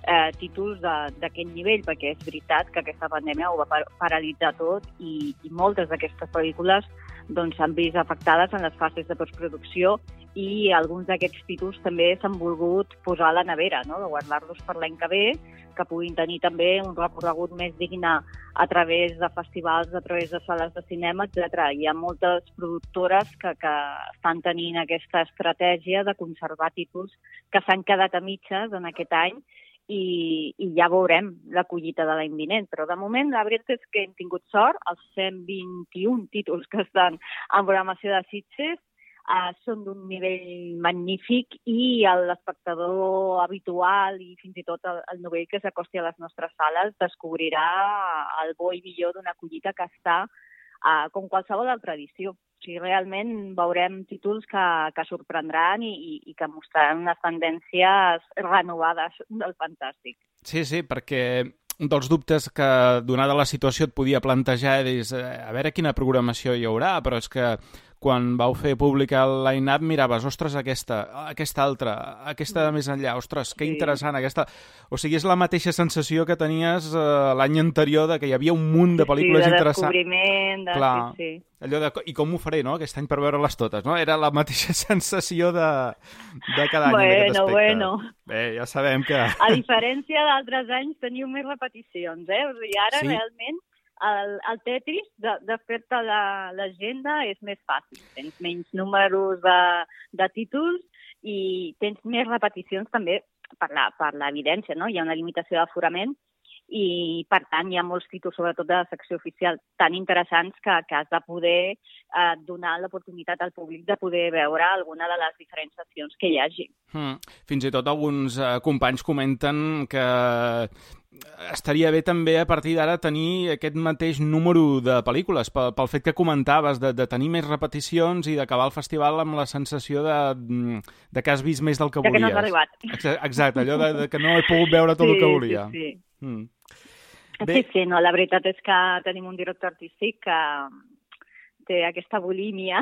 Speaker 6: eh, títols d'aquest nivell, perquè és veritat que aquesta pandèmia ho va par paralitzar tot i, i moltes d'aquestes pel·lícules doncs, s'han vist afectades en les fases de postproducció i alguns d'aquests títols també s'han volgut posar a la nevera, no? De guardar-los per l'any que ve, que puguin tenir també un recorregut més digne a través de festivals, a través de sales de cinema, etcètera. Hi ha moltes productores que, que estan tenint aquesta estratègia de conservar títols que s'han quedat a mitges en aquest any i, i ja veurem la collita de l'any vinent. Però de moment la veritat és que hem tingut sort, els cent vint-i-un títols que estan en programació de Sitges Uh, són d'un nivell magnífic i l'espectador habitual i fins i tot el, el novell que s'acosti a les nostres sales descobrirà el bo i millor d'una collita que està uh, com qualsevol altra edició. O sigui, realment veurem títols que, que sorprendran i, i, i que mostraran unes tendències renovades del fantàstic.
Speaker 3: Sí, sí, perquè un dels dubtes que, donada la situació, et podia plantejar és a veure quina programació hi haurà, però és que quan vau fer pública el line-up miraves, ostres, aquesta, aquesta altra, aquesta de més enllà, ostres, que interessant aquesta... O sigui, és la mateixa sensació que tenies eh, l'any anterior, de que hi havia un munt de pel·lícules
Speaker 6: sí, de
Speaker 3: interessants.
Speaker 6: descobriment, de...
Speaker 3: Clar,
Speaker 6: sí, sí.
Speaker 3: Allò de, i com ho faré, no?, aquest any per veure-les totes, no? Era la mateixa sensació de, de cada any
Speaker 6: bueno,
Speaker 3: en aquest aspecte.
Speaker 6: Bueno,
Speaker 3: Bé, ja sabem que...
Speaker 6: A diferència d'altres anys teniu més repeticions, eh? O sigui, ara sí? realment el, el Tetris, de, de fer-te l'agenda és més fàcil. Tens menys números de, de títols i tens més repeticions també per l'evidència, no? Hi ha una limitació d'aforament i, per tant, hi ha molts títols, sobretot de la secció oficial, tan interessants que, que has de poder eh, donar l'oportunitat al públic de poder veure alguna de les diferents sessions que hi hagi.
Speaker 3: Hmm. Fins i tot alguns eh, companys comenten que estaria bé també a partir d'ara tenir aquest mateix número de pel·lícules, pel, pel fet que comentaves de, de tenir més repeticions i d'acabar el festival amb la sensació de, de que has vist més del que
Speaker 6: de
Speaker 3: volies.
Speaker 6: Que no has arribat.
Speaker 3: Exacte, allò de, de que no he pogut veure tot
Speaker 6: sí,
Speaker 3: el que volia.
Speaker 6: Sí, sí.
Speaker 3: Mm.
Speaker 6: Bé. Sí, sí, no, la veritat és que tenim un director artístic que té aquesta bulímia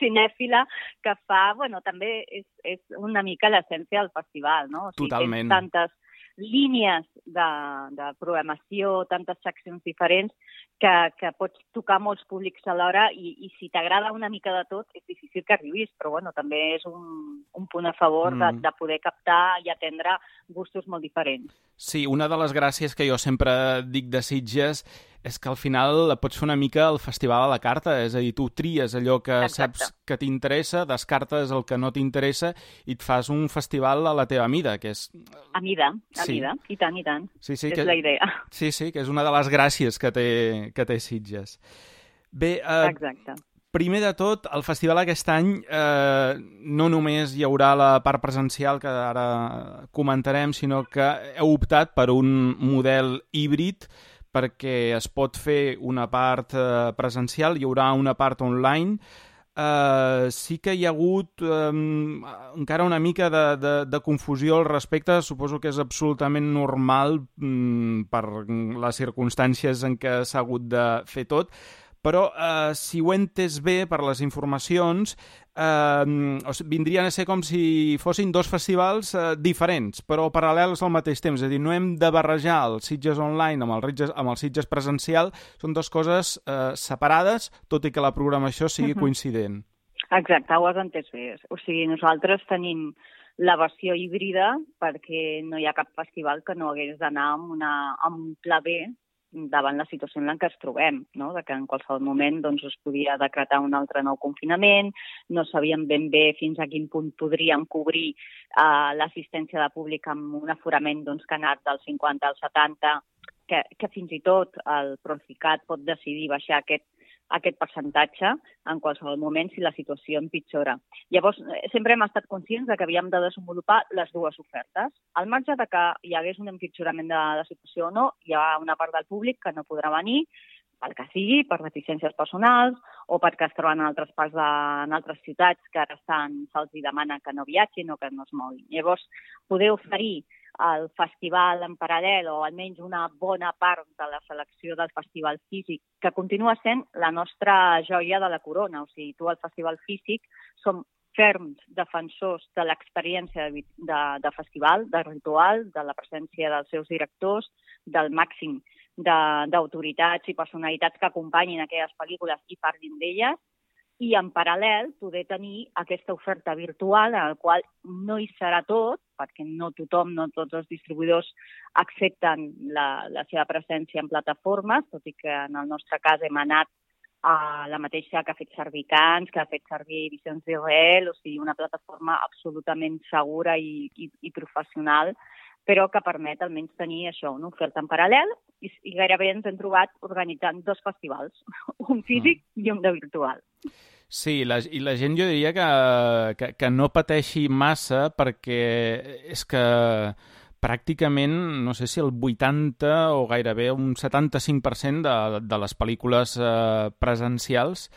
Speaker 6: cinèfila que fa, bueno, també és, és una mica l'essència del festival, no? O sigui,
Speaker 3: totalment.
Speaker 6: Tens tantes línies de, de programació, tantes seccions diferents, que, que pots tocar molts públics alhora i, i si t'agrada una mica de tot és difícil que arribis, però bueno, també és un, un punt a favor mm. de, de poder captar i atendre gustos molt diferents.
Speaker 3: Sí, una de les gràcies que jo sempre dic de Sitges és que al final pots fer una mica el festival a la carta, és a dir, tu tries allò que Exacte. Saps que t'interessa, descartes el que no t'interessa i et fas un festival a la teva mida, que és...
Speaker 6: A mida, a
Speaker 3: sí.
Speaker 6: mida, i tant, i tant.
Speaker 3: Sí, sí,
Speaker 6: és
Speaker 3: que...
Speaker 6: la idea.
Speaker 3: Sí, sí, que és una de les gràcies que té, que té Sitges. Bé, eh,
Speaker 6: Exacte.
Speaker 3: Primer de tot, el festival aquest any eh, no només hi haurà la part presencial, que ara comentarem, sinó que heu optat per un model híbrid perquè es pot fer una part eh, presencial, hi haurà una part online. Uh, sí que hi ha hagut um, encara una mica de, de, de confusió al respecte. Suposo que és absolutament normal um, per les circumstàncies en què s'ha hagut de fer tot, però uh, si ho he entès bé per les informacions, uh, o sigui, vindrien a ser com si fossin dos festivals uh, diferents, però paral·lels al mateix temps. És a dir, no hem de barrejar el Sitges Online amb el, Sitges, amb el Sitges presencial, són dues coses uh, separades, tot i que la programació sigui uh-huh. coincident.
Speaker 6: Exacte, ho has entès bé. O sigui, nosaltres tenim la versió híbrida perquè no hi ha cap festival que no hagués d'anar amb, una, amb un pla B davant la situació en què ens trobem, no? De que en qualsevol moment doncs, es podia decretar un altre nou confinament, no sabíem ben bé fins a quin punt podríem cobrir eh, l'assistència de públic amb un aforament doncs, que ha anat del cinquanta al setanta, que, que fins i tot el Procicat pot decidir baixar aquest aquest percentatge en qualsevol moment si la situació empitjora. Llavors, sempre hem estat conscients de que havíem de desenvolupar les dues ofertes. Al marge de que hi hagués un empitjorament de la situació o no, hi ha una part del públic que no podrà venir, pel que sigui, per deficiències personals o perquè es troben en altres parts de, en altres ciutats que ara estan, se'ls demana que no viatgin o que no es moguin. Llavors, poder oferir el festival en paral·lel o almenys una bona part de la selecció del festival físic, que continua sent la nostra joia de la corona. O sigui, tu al festival físic som ferms defensors de l'experiència de, de, de festival, de ritual, de la presència dels seus directors, del màxim d'autoritats i personalitats que acompanyin aquelles pel·lícules i parlin d'elles, i en paral·lel poder tenir aquesta oferta virtual en la qual no hi serà tot, perquè no tothom, no tots els distribuïdors accepten la, la seva presència en plataformes, tot i que en el nostre cas hem anat a la mateixa que ha fet servir Cans, que ha fet servir Visions d'Israel, o sigui, una plataforma absolutament segura i, i, i professional, però que permet almenys tenir això, una oferta en paral·lel, i, i gairebé ens hem trobat organitzant dos festivals, un físic mm. i un de virtual.
Speaker 3: Sí, la, i la gent jo diria que, que, que no pateixi massa perquè és que pràcticament, no sé si el vuitanta o gairebé un setanta-cinc per cent de, de les pel·lícules eh, presencials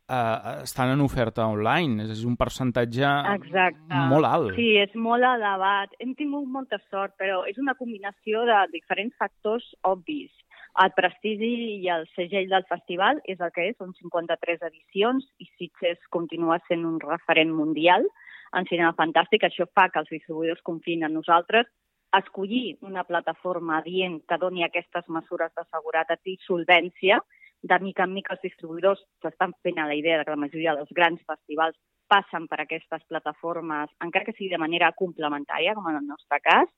Speaker 3: eh, estan en oferta online. És un percentatge
Speaker 6: Exacte.
Speaker 3: Molt alt.
Speaker 6: Sí, és molt elevat. Hem tingut molta sort, però és una combinació de diferents factors obvis. El prestigi i el segell del festival és el que és, són cinquanta-tres edicions i Sitges continua sent un referent mundial en cinema fantàstic. Això fa que els distribuïdors confiïn en nosaltres, escollir una plataforma adient que doni aquestes mesures de seguretat i solvència. De mica en mica els distribuïdors s'estan fent a la idea de que la majoria dels grans festivals passen per aquestes plataformes, encara que sigui de manera complementària, com en el nostre cas,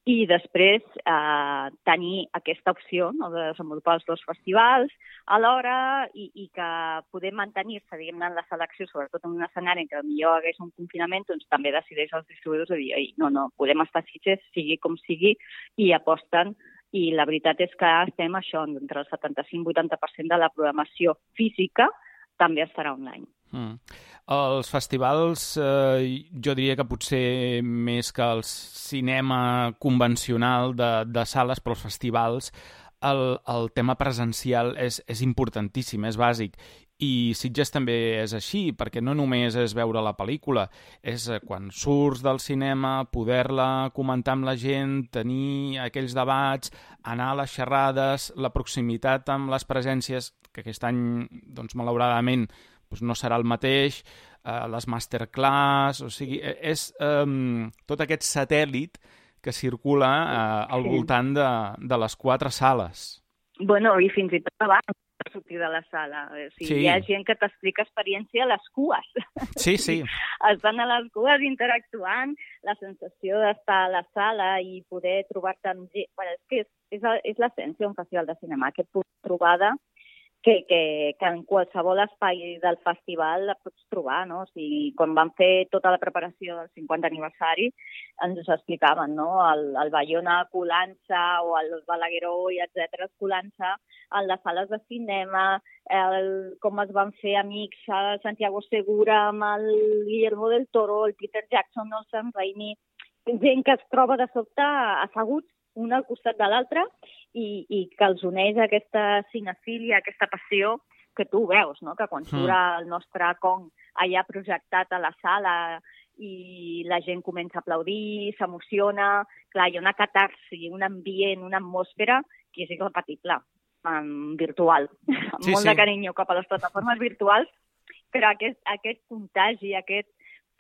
Speaker 6: i després eh, tenir aquesta opció, no, de desenvolupar els dos festivals alhora i, i que poder mantenir-se, diguem-ne, en la selecció, sobretot en un escenari en què potser hagués un confinament, doncs també decideix els distribuïdors de dir, no, no, podem estar a Sitges, sigui com sigui, i aposten. I la veritat és que estem això, entre el setanta-cinc i vuitanta per cent de la programació física també estarà online.
Speaker 3: Mm. Els festivals, eh, jo diria que potser més que el cinema convencional de, de sales, però els festivals, el, el tema presencial és, és importantíssim, és bàsic. I Sitges també és així, perquè no només és veure la pel·lícula, és quan surts del cinema, poder-la comentar amb la gent, tenir aquells debats, anar a les xerrades, la proximitat amb les presències, que aquest any, doncs, malauradament, doncs no serà el mateix, eh, les masterclass, o sigui, és eh, tot aquest satèl·lit que circula eh, al voltant de, de les quatre sales.
Speaker 6: Bueno, i fins i tot abans de sortir de la sala. O sigui, sí. Hi ha gent que t'explica experiència a les cues.
Speaker 3: Sí, sí.
Speaker 6: Estan a les cues interactuant, la sensació d'estar a la sala i poder trobar-te amb gent. Bueno, és que és, és, és l'essència d'un festival de cinema, aquest punt de trobada que, que, que en qualsevol espai del festival la pots trobar, no? O sigui, quan van fer tota la preparació del cinquanta aniversari, ens ho explicaven, no? El, el Bayona colant-se o el Balagueró i etcètera colant-se en les sales de cinema, el, com es van fer amics a Santiago Segura amb el Guillermo del Toro, el Peter Jackson, el Sam Raimi, gent que es troba de sobte asseguts un al costat de l'altre i, i que els uneix aquesta cinefília, aquesta passió que tu veus, no? Que quan surt el nostre Kong allà projectat a la sala i la gent comença a aplaudir, s'emociona, clar, hi ha una catarsi, un ambient, una atmosfera que és irrepetible, en virtual, amb
Speaker 3: Sí,
Speaker 6: molt
Speaker 3: sí.
Speaker 6: de carinyo cap a les plataformes virtuals, però aquest, aquest contagi, aquest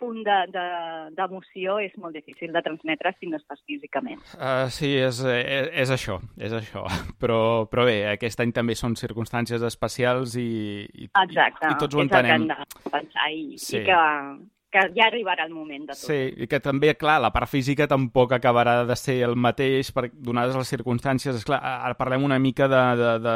Speaker 6: punt de- de- d'emoció és molt difícil de transmetre si no estàs físicament.
Speaker 3: Uh, sí, és, és, és això, és això. Però, però bé, aquest any també són circumstàncies especials i, i,
Speaker 6: Exacte,
Speaker 3: i tots ho
Speaker 6: és el que
Speaker 3: entenem.
Speaker 6: hem de pensar i,
Speaker 3: Sí.
Speaker 6: i que, que ja arribarà el moment de tot.
Speaker 3: Sí, i que també, clar, la part física tampoc acabarà de ser el mateix, per, donades les circumstàncies. Esclar, ara parlem una mica de, de, de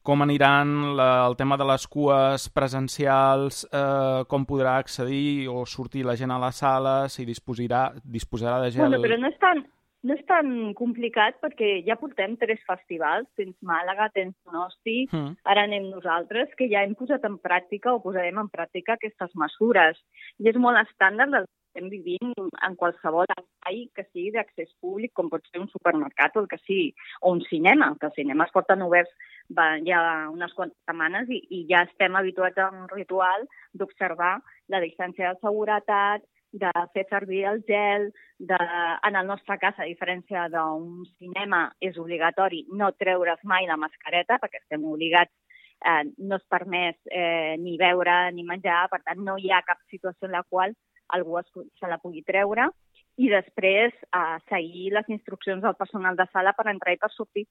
Speaker 3: com aniran la, el tema de les cues presencials, eh, com podrà accedir o sortir la gent a les sales, si disposarà, disposarà de gel...
Speaker 6: Bueno, però no és tan, no és tan complicat perquè ja portem tres festivals, tens Màlaga, tens Donosti,
Speaker 3: Mm.
Speaker 6: ara anem nosaltres, que ja hem posat en pràctica o posarem en pràctica aquestes mesures. I és molt estàndard del que estem vivint en qualsevol espai que sigui d'accés públic, com pot ser un supermercat o el que sigui, o un cinema, que els cinemes porten oberts va, ja unes quantes setmanes i, i ja estem habituats a un ritual d'observar la distància de seguretat, de fer servir el gel, de, en el nostre cas, a diferència d'un cinema, és obligatori no treure's mai la mascareta, perquè estem obligats, eh, no és permès eh, ni beure ni menjar, per tant no hi ha cap situació en la qual algú es, se la pugui treure, i després eh, seguir les instruccions del personal de sala per entrar i per sortir,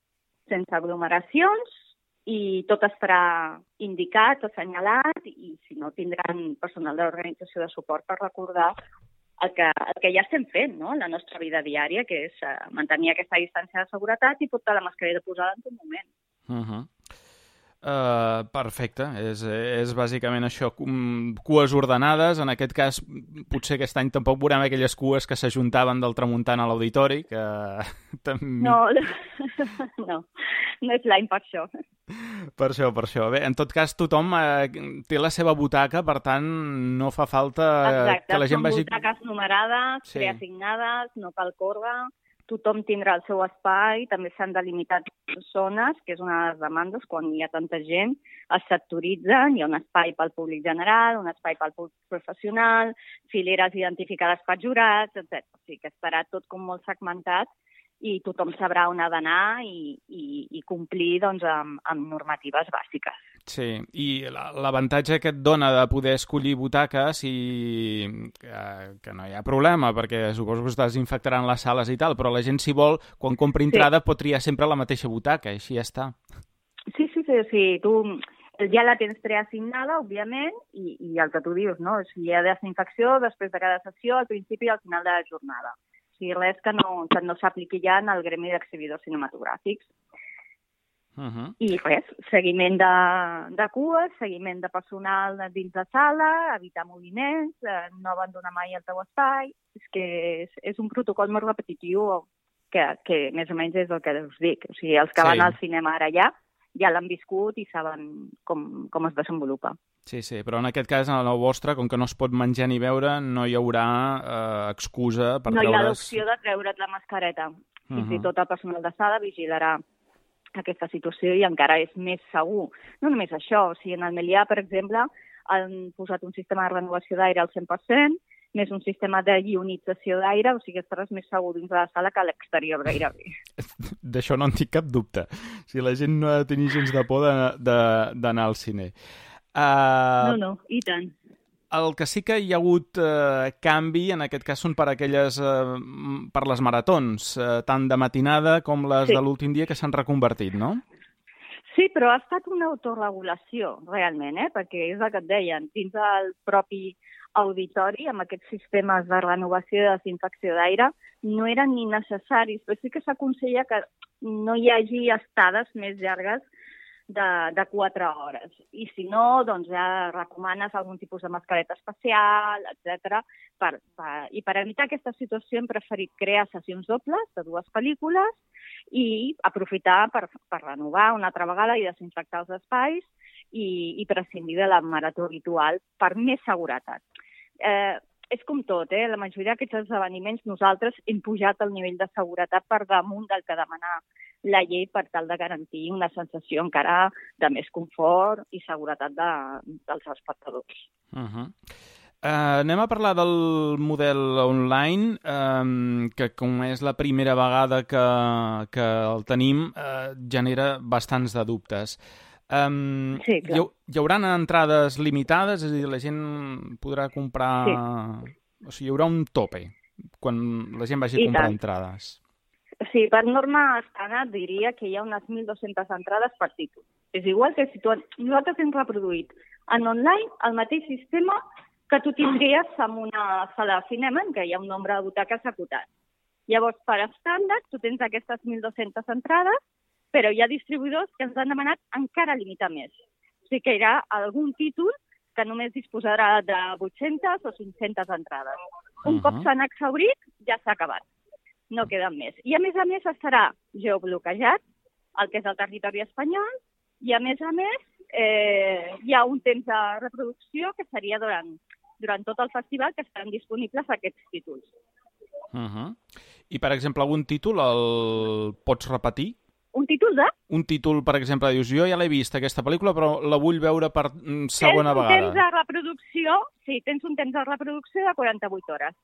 Speaker 6: sense aglomeracions, i tot estarà indicat, assenyalat, i si no tindran personal d'organització de suport per recordar el que, el que ja estem fent, no?, la nostra vida diària, que és uh, mantenir aquesta distància de seguretat i portar la mascareta posada en tot moment.
Speaker 3: Uh -huh. Uh, perfecte, és, és bàsicament això, com- cues ordenades, en aquest cas potser aquest any tampoc veurem aquelles cues que s'ajuntaven del tramuntant a l'auditori, que també...
Speaker 6: No, no, no és l'any per això.
Speaker 3: Per això, per això. Bé, en tot cas, tothom eh, té la seva butaca, per tant, no fa falta eh,
Speaker 6: Exacte,
Speaker 3: que la gent
Speaker 6: són
Speaker 3: vagi...
Speaker 6: butaques numerades,
Speaker 3: Sí.
Speaker 6: preassignades, no cal córrer, tothom tindrà el seu espai, també s'han delimitat zones, que és una de les demandes, quan hi ha tanta gent, es sectoritzen, hi ha un espai pel públic general, un espai pel públic professional, fileres identificades per jurats, etcètera. O sigui que estarà tot com molt segmentat i tothom sabrà on ha d'anar i, i, i complir doncs, amb, amb normatives bàsiques.
Speaker 3: Sí, i la- l'avantatge que et dona de poder escollir butaques i que, que no hi ha problema, perquè suposo que es desinfectaran les sales i tal, però la gent, si vol, quan compri entrada, pot triar sempre la mateixa butaca, i així ja està.
Speaker 6: Sí, sí, sí, sí. Tu ja la tens preassignada, òbviament, i, i el que tu dius, no? O sigui, hi ha desinfecció després de cada sessió, al principi i al final de la jornada. O sigui, res que no, que no s'apliqui ja en el gremi d'exhibidors cinematogràfics.
Speaker 3: Uh -huh.
Speaker 6: I res, seguiment de, de cues, seguiment de personal dins de sala, evitar moviments, eh, no abandonar mai el teu espai. És que és, és un protocol molt repetitiu que, que més o menys és el que us dic. O sigui, els que
Speaker 3: Sí.
Speaker 6: van al cinema ara ja, ja l'han viscut i saben com, com es desenvolupa.
Speaker 3: Sí, sí, però en aquest cas, en el vostre, com que no es pot menjar ni beure, no hi haurà eh, excusa per
Speaker 6: no hi ha
Speaker 3: treure's...
Speaker 6: l'opció de treure't la mascareta. Fins
Speaker 3: Uh-huh.
Speaker 6: i tot el personal de sala vigilarà aquesta situació i encara és més segur. No només això, o sigui, en el Melià, per exemple, han posat un sistema de renovació d'aire al cent per cent, més un sistema de ionització d'aire, o sigui, estaràs més segur dins de la sala que a l'exterior gairebé.
Speaker 3: D'això no en tinc cap dubte. O sigui, la gent no ha de tenir gens de por de- de- d'anar al cine. Uh,
Speaker 6: No, no, i tant.
Speaker 3: El que sí que hi ha hagut eh, canvi, en aquest cas, són per aquelles, eh, m- per les maratons, eh, tant de matinada com les
Speaker 6: Sí.
Speaker 3: de l'últim dia, que s'han reconvertit, no?
Speaker 6: Sí, però ha estat una autorregulació, realment, eh? Perquè és el que et deien, dins del propi auditori, amb aquests sistemes de renovació i desinfecció d'aire, no eren ni necessaris, però sí que s'aconsella que no hi hagi estades més llargues de, de quatre hores. I si no, doncs ja recomanes algun tipus de mascareta especial, etcètera. Per, per, I per evitar aquesta situació hem preferit crear sessions dobles de dues pel·lícules i aprofitar per, per renovar una altra vegada i desinfectar els espais i, i prescindir de la marató habitual per més seguretat. Eh, és com tot, eh? La majoria d'aquests esdeveniments nosaltres hem pujat el nivell de seguretat per damunt del que demana la llei per tal de garantir una sensació encara de més confort i seguretat de, dels espectadors.
Speaker 3: Uh-huh. Uh, anem a parlar del model online, um, que com és la primera vegada que, que el tenim, uh, genera bastants de dubtes. Um,
Speaker 6: sí, clar.
Speaker 3: Hi, hi haurà entrades limitades? És a dir, la gent podrà comprar... Sí. O sigui, hi haurà un tope quan la gent vagi a comprar entrades.
Speaker 6: Sí, per norma estàndard diria que hi ha unes mil dues-centes entrades per títol. És igual que si tu... Nosaltres hem reproduït en online el mateix sistema que tu tindries en una sala de cinema en què hi ha un nombre de butaques acotat. Llavors, per estàndard, tu tens aquestes mil dues-centes entrades, però hi ha distribuïdors que ens han demanat encara limitar més. O sigui que hi ha algun títol que només disposarà de vuit-centes o cinc-centes entrades. Un uh-huh. cop s'han exhaurit, ja s'ha acabat. No queden més. I a més a més estarà geobloquejat, el que és el territori espanyol, i a més a més eh, hi ha un temps de reproducció que seria durant, durant tot el festival que estaran disponibles aquests títols.
Speaker 3: Uh-huh. I, per exemple, algun títol el pots repetir?
Speaker 6: Un títol de?
Speaker 3: Un títol, per exemple, dius, jo ja l'he vist, aquesta pel·lícula, però la vull veure per segona
Speaker 6: tens
Speaker 3: vegada.
Speaker 6: Tens un temps de reproducció, sí, tens un temps de reproducció de quaranta-vuit hores.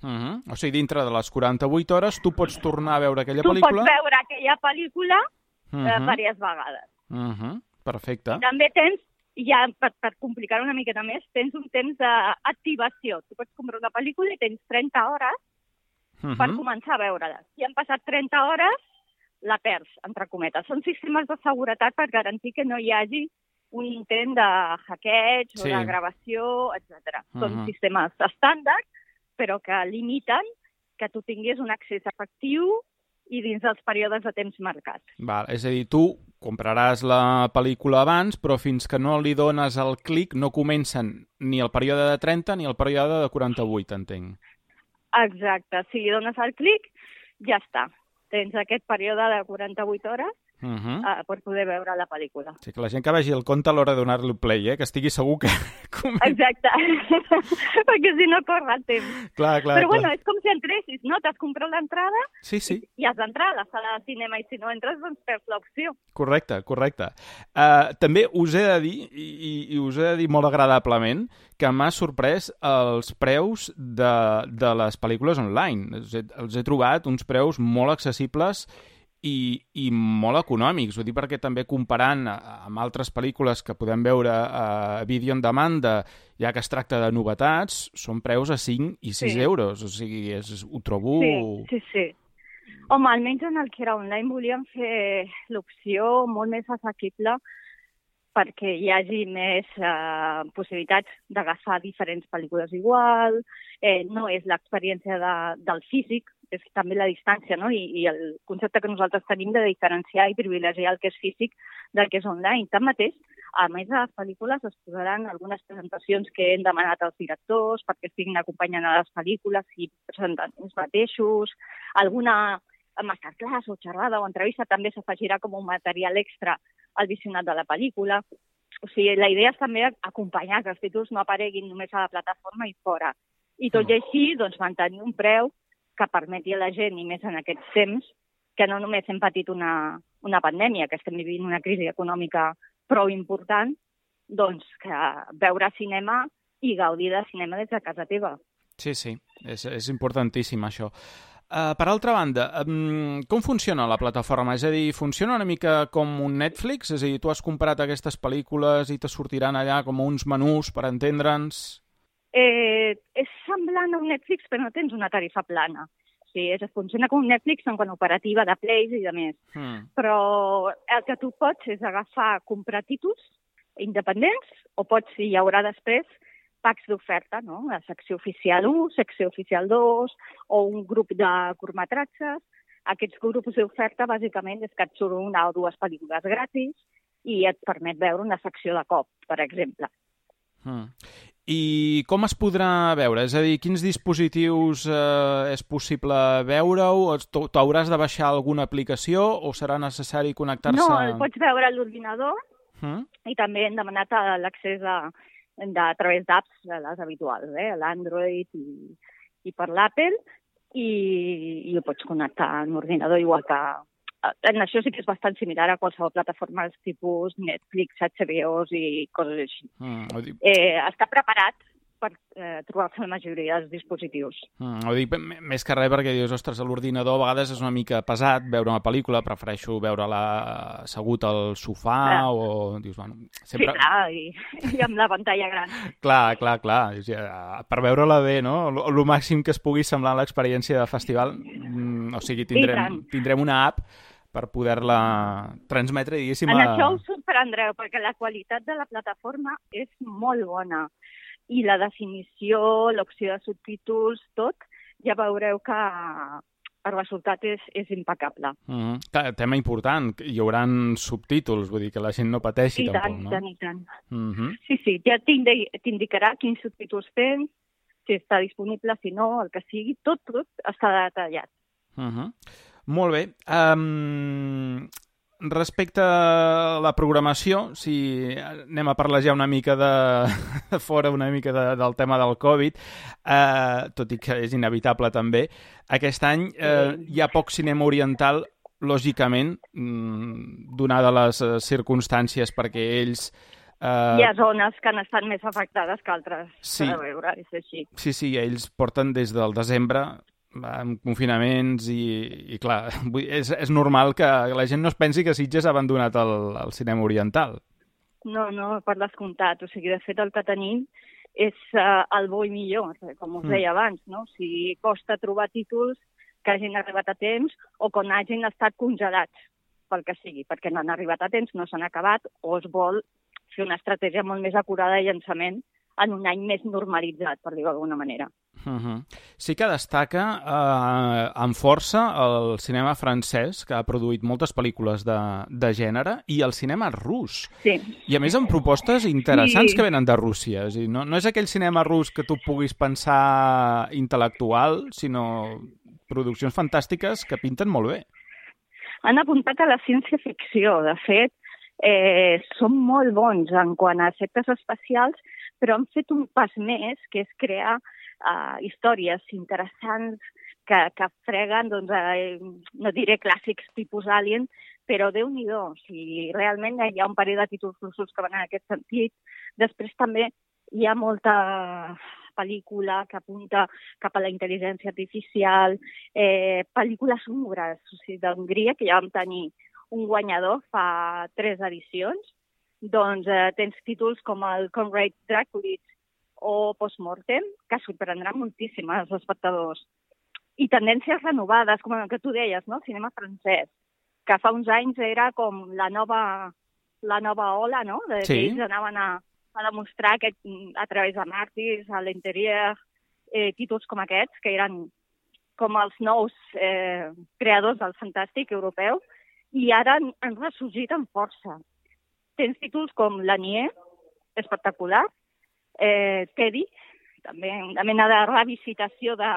Speaker 3: Uh-huh. O sigui, dintre de les quaranta-vuit hores tu pots tornar a veure aquella
Speaker 6: tu
Speaker 3: pel·lícula...
Speaker 6: Tu pots veure aquella pel·lícula uh-huh. eh, diverses vegades.
Speaker 3: Uh-huh. Perfecte.
Speaker 6: I també tens, ja per, per complicar una miqueta més, tens un temps d'activació. Tu pots comprar una pel·lícula i tens trenta hores uh-huh. per començar a veure-la. Si han passat trenta hores, la perds, entre cometes. Són sistemes de seguretat per garantir que no hi hagi un intent de hackeig sí. o de gravació, etcètera. Uh-huh. Són sistemes estàndard, però que limiten que tu tinguis un accés efectiu i dins dels períodes de temps marcats.
Speaker 3: Val, és a dir, tu compraràs la pel·lícula abans, però fins que no li dones el clic no comencen ni el període de trenta ni el període de quaranta-vuit, entenc.
Speaker 6: Exacte, si li dones el clic, ja està. Tens aquest període de quaranta-vuit hores uh-huh. uh, per poder veure la pel·lícula.
Speaker 3: Sí, que la gent que vegi el compte a l'hora de donar-li play, eh? Que estigui segur que...
Speaker 6: Exacte, perquè si no corre el temps.
Speaker 3: Clar, clar,
Speaker 6: Però
Speaker 3: clar.
Speaker 6: bueno, és com si entressis, no? T'has comprat l'entrada
Speaker 3: sí, sí.
Speaker 6: i has d'entrar a la sala de cinema i si no entres, doncs perds l'opció.
Speaker 3: Correcte, correcte. Uh, també us he de dir, i, i us he de dir molt agradablement, que m'ha sorprès els preus de, de les pel·lícules online. Els he, els he trobat uns preus molt accessibles i, i molt econòmics. Ho dic perquè també comparant amb altres pel·lícules que podem veure a Video on Demand, ja que es tracta de novetats, són preus a cinc i sis sí. euros. O sigui, és, ho trobo...
Speaker 6: Sí, sí, sí. Home, almenys en el que era online volíem fer l'opció molt més assequible perquè hi hagi més eh, possibilitats d'agafar diferents pel·lícules igual, eh, no és l'experiència de, del físic, és també la distància, no? I, i el concepte que nosaltres tenim de diferenciar i privilegiar el que és físic del que és online. Tanmateix, a més de les pel·lícules es posaran algunes presentacions que hem demanat als directors perquè estiguin acompanyant a les pel·lícules i presentant ells mateixos, alguna masterclass o xerrada o entrevista també s'afegirà com un material extra al visionat de la pel·lícula. O sigui, la idea és també acompanyar que els títols no apareguin només a la plataforma i fora. I tot i així, doncs, mantenir un preu que permeti a la gent, i més en aquests temps, que no només hem patit una, una pandèmia, que estem vivint una crisi econòmica prou important, doncs que veure cinema i gaudir de cinema des de casa teva.
Speaker 3: Sí, sí, és, és importantíssim això. Uh, per altra banda, um, com funciona la plataforma? És a dir, funciona una mica com un Netflix? És a dir, tu has comprat aquestes pel·lícules i te sortiran allà com uns menús per entendre'ns?
Speaker 6: Eh, és semblant a un Netflix, però no tens una tarifa plana. O sigui, és, funciona com un Netflix en quant a operativa de plays i de més. Mm. Però el que tu pots és agafar, comprar títols independents, o pots, si hi haurà després, packs d'oferta, no? La secció oficial u, secció oficial dos, o un grup de curtmetratges. Aquests grups d'oferta, bàsicament, és que et surt una o dues pel·lícules gratis i et permet veure una secció de cop, per exemple.
Speaker 3: Mm. I com es podrà veure? És a dir, quins dispositius eh, és possible veure-ho? T'hauràs de baixar alguna aplicació o serà necessari connectar-se?
Speaker 6: No, el pots veure a l'ordinador mm? i també hem demanat l'accés a De, a través d'apps, les habituals, eh? l'Android i, i per l'Apple, i, i ho pots connectar a l'ordinador igual que, en això sí que és bastant similar a qualsevol plataforma tipus Netflix, H B O i coses així. Mm, eh, està preparat per eh, trobar-se la majoria dels dispositius.
Speaker 3: Mm, ho dic més que res perquè dius, ostres, a l'ordinador a vegades és una mica pesat veure una pel·lícula, prefereixo veure-la assegut al sofà ah. o... Dius, bueno, sempre...
Speaker 6: Sí, clar, i, i amb la pantalla gran.
Speaker 3: clar, clar, clar. Per veure-la bé, no? El màxim que es pugui semblar a l'experiència de festival, mm, o sigui, tindrem, tindrem una app per poder-la transmetre, diguéssim...
Speaker 6: En
Speaker 3: a...
Speaker 6: això us sorprendreu, perquè la qualitat de la plataforma és molt bona. I la definició, l'opció de subtítols, tot, ja veureu que el resultat és, és impecable.
Speaker 3: Mm -hmm. Tema important, hi haurà subtítols, vull dir que la gent no pateixi
Speaker 6: I
Speaker 3: tampoc,
Speaker 6: tant,
Speaker 3: no?
Speaker 6: I tant, i tant.
Speaker 3: Mm -hmm.
Speaker 6: Sí, sí, ja t'indicarà quins subtítols tens, si està disponible, si no, el que sigui, tot, tot està detallat.
Speaker 3: Mm -hmm. Molt bé. Um... Respecte a la programació, si anem a parlar ja una mica de, de fora, una mica de, del tema del Covid, eh, tot i que és inevitable també, aquest any eh, hi ha poc cinema oriental, lògicament, donada les circumstàncies, perquè ells...
Speaker 6: Eh... Hi ha zones que han estat més afectades que altres,
Speaker 3: sí.
Speaker 6: per veure, és així.
Speaker 3: Sí, sí, ells porten des del desembre amb confinaments i, i clar, és, és normal que la gent no es pensi que Sitges ha abandonat el, el cinema oriental.
Speaker 6: No, no, per descomptat. O sigui, de fet, el que tenim és uh, el bo i millor, com us deia mm. abans, no? O sigui, costa trobar títols que hagin arribat a temps o que hagin estat congelats, pel que sigui, perquè no han arribat a temps, no s'han acabat, o es vol fer una estratègia molt més acurada de llançament en un any més normalitzat, per dir-ho d'alguna manera.
Speaker 3: Uh-huh. Sí que destaca eh, amb força el cinema francès, que ha produït moltes pel·lícules de, de gènere, i el cinema rus.
Speaker 6: Sí.
Speaker 3: I a més amb propostes interessants
Speaker 6: sí.
Speaker 3: que venen de Rússia. És dir, no, no és aquell cinema rus que tu puguis pensar intel·lectual, sinó produccions fantàstiques que pinten molt bé.
Speaker 6: Han apuntat a la ciència-ficció. De fet, eh, són molt bons en quant a efectes especials, però han fet un pas més, que és crear uh, històries interessants que, que freguen, doncs, eh, no diré clàssics tipus Alien, però Déu-n'hi-do, o sigui, realment hi ha un parell de títols russos que van en aquest sentit. Després també hi ha molta pel·lícula que apunta cap a la intel·ligència artificial, eh, pel·lícules húngries, o sigui, d'Hongria, que ja vam tenir un guanyador fa tres edicions. Doncs eh, tens títols com el Conrad Draculitz o Postmortem, que sorprendran moltíssim als espectadors. I tendències renovades, com el que tu deies, no? Cinema francès, que fa uns anys era com la nova, la nova ola, no? De, sí. Que ells anaven a, a demostrar que a través de Màrtirs, a l'Interior, eh, títols com aquests, que eren com els nous eh, creadors del fantàstic europeu, i ara han, han ressorgit amb força. Tens títols com Lanier, espectacular, eh, Teddy, també una mena de revisitació de,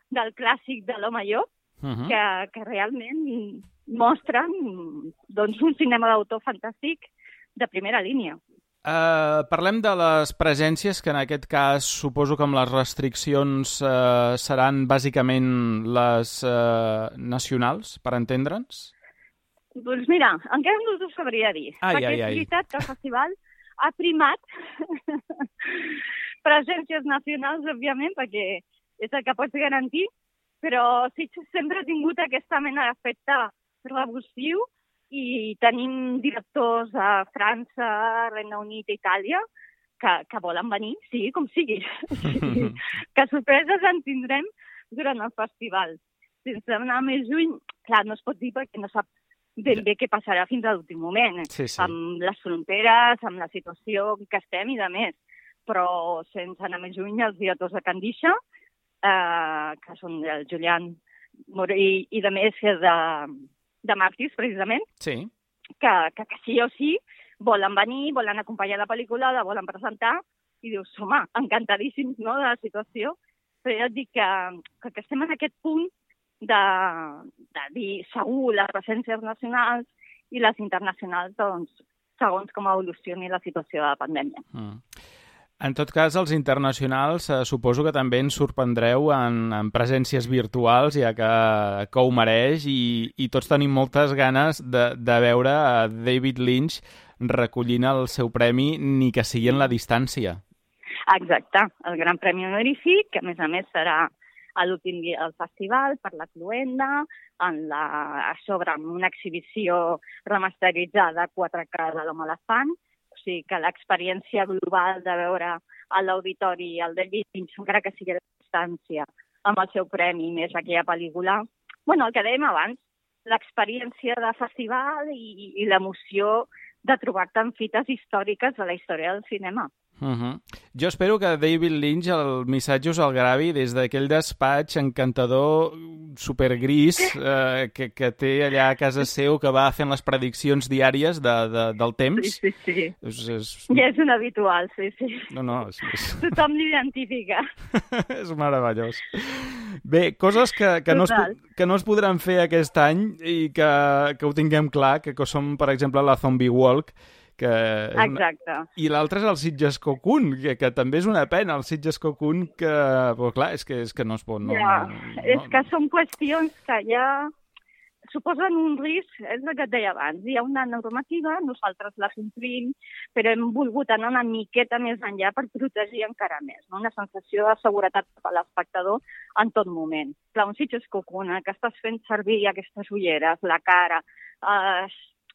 Speaker 6: del clàssic de l'home llop, uh-huh. que, que realment mostren doncs, un cinema d'autor fantàstic de primera línia.
Speaker 3: Uh, parlem de les presències, que en aquest cas suposo que amb les restriccions uh, seran bàsicament les uh, nacionals, per entendre'ns?
Speaker 6: Doncs mira, encara no t'ho sabria dir,
Speaker 3: ai,
Speaker 6: perquè
Speaker 3: ai,
Speaker 6: és
Speaker 3: ai.
Speaker 6: veritat que el festival ha primat presències nacionals, òbviament, perquè és el que pots garantir, però sí que sempre ha tingut aquesta mena d'efecte revulsiu i tenim directors a França, Regne Unit i Itàlia que, que volen venir, sigui com sigui. Sí, que sorpreses en tindrem durant el festival. Sense anar més lluny, clar, no es pot dir perquè no saps ben bé què passarà fins a l'últim moment,
Speaker 3: sí, sí.
Speaker 6: amb les fronteres, amb la situació que estem i de més. Però sense anar més lluny, els directors de Candisha, eh, que són el Julián Morell i de més de, de Màrtirs, precisament,
Speaker 3: sí.
Speaker 6: que, que, que sí o sí volen venir, volen acompanyar la pel·lícula, la volen presentar, i dius, home, encantadíssims, no?, de la situació. Però jo et dic que, que, que estem en aquest punt de, de dir segur les presències nacionals i les internacionals, doncs, segons com evolucioni la situació de la pandèmia.
Speaker 3: Mm. En tot cas, els internacionals eh, suposo que també ens sorprendreu en, en presències virtuals, ja que, que ho mereix, i, i tots tenim moltes ganes de, de veure a David Lynch recollint el seu premi, ni que sigui en la distància.
Speaker 6: Exacte, el Gran Premi Honorífic, que a més a més serà a l'últim dia del festival per la cloenda, en la, a sobre amb una exhibició remasteritzada quatre K de l'Home Elefant. O sigui que l'experiència global de veure a l'auditori el David Lynch, encara que sigui a distància, amb el seu premi més aquella pel·lícula. Bueno, el que dèiem abans, l'experiència de festival i, i l'emoció de trobar-te en fites històriques de la història del cinema.
Speaker 3: Uh-huh. Jo espero que David Lynch el missatge us el gravi des d'aquell despatx encantador supergris eh, que, que té allà a casa seu, que va fent les prediccions diàries de, de, del temps.
Speaker 6: Sí, sí, sí.
Speaker 3: És, és...
Speaker 6: Ja és un habitual, sí, sí.
Speaker 3: No, no, és, és...
Speaker 6: Tothom l'identifica.
Speaker 3: És meravellós. Bé, coses que, que, no es, que no es podran fer aquest any i que, que ho tinguem clar, que, que som, per exemple, la Zombie Walk, que
Speaker 6: exacte.
Speaker 3: Una... I l'altre és el Sitges Cocoon, que, que també és una pena, el Sitges Cocoon, que, però clar, és que, és que no es pot... No,
Speaker 6: ja,
Speaker 3: no, no,
Speaker 6: és que són qüestions que ja suposen un risc, és el que et deia abans. Hi ha una normativa, nosaltres la complim, però hem volgut anar una miqueta més enllà per protegir encara més, no? Una sensació de seguretat per a l'espectador en tot moment. Clar, un Sitges Cocoon, que estàs fent servir aquestes ulleres, la cara, eh,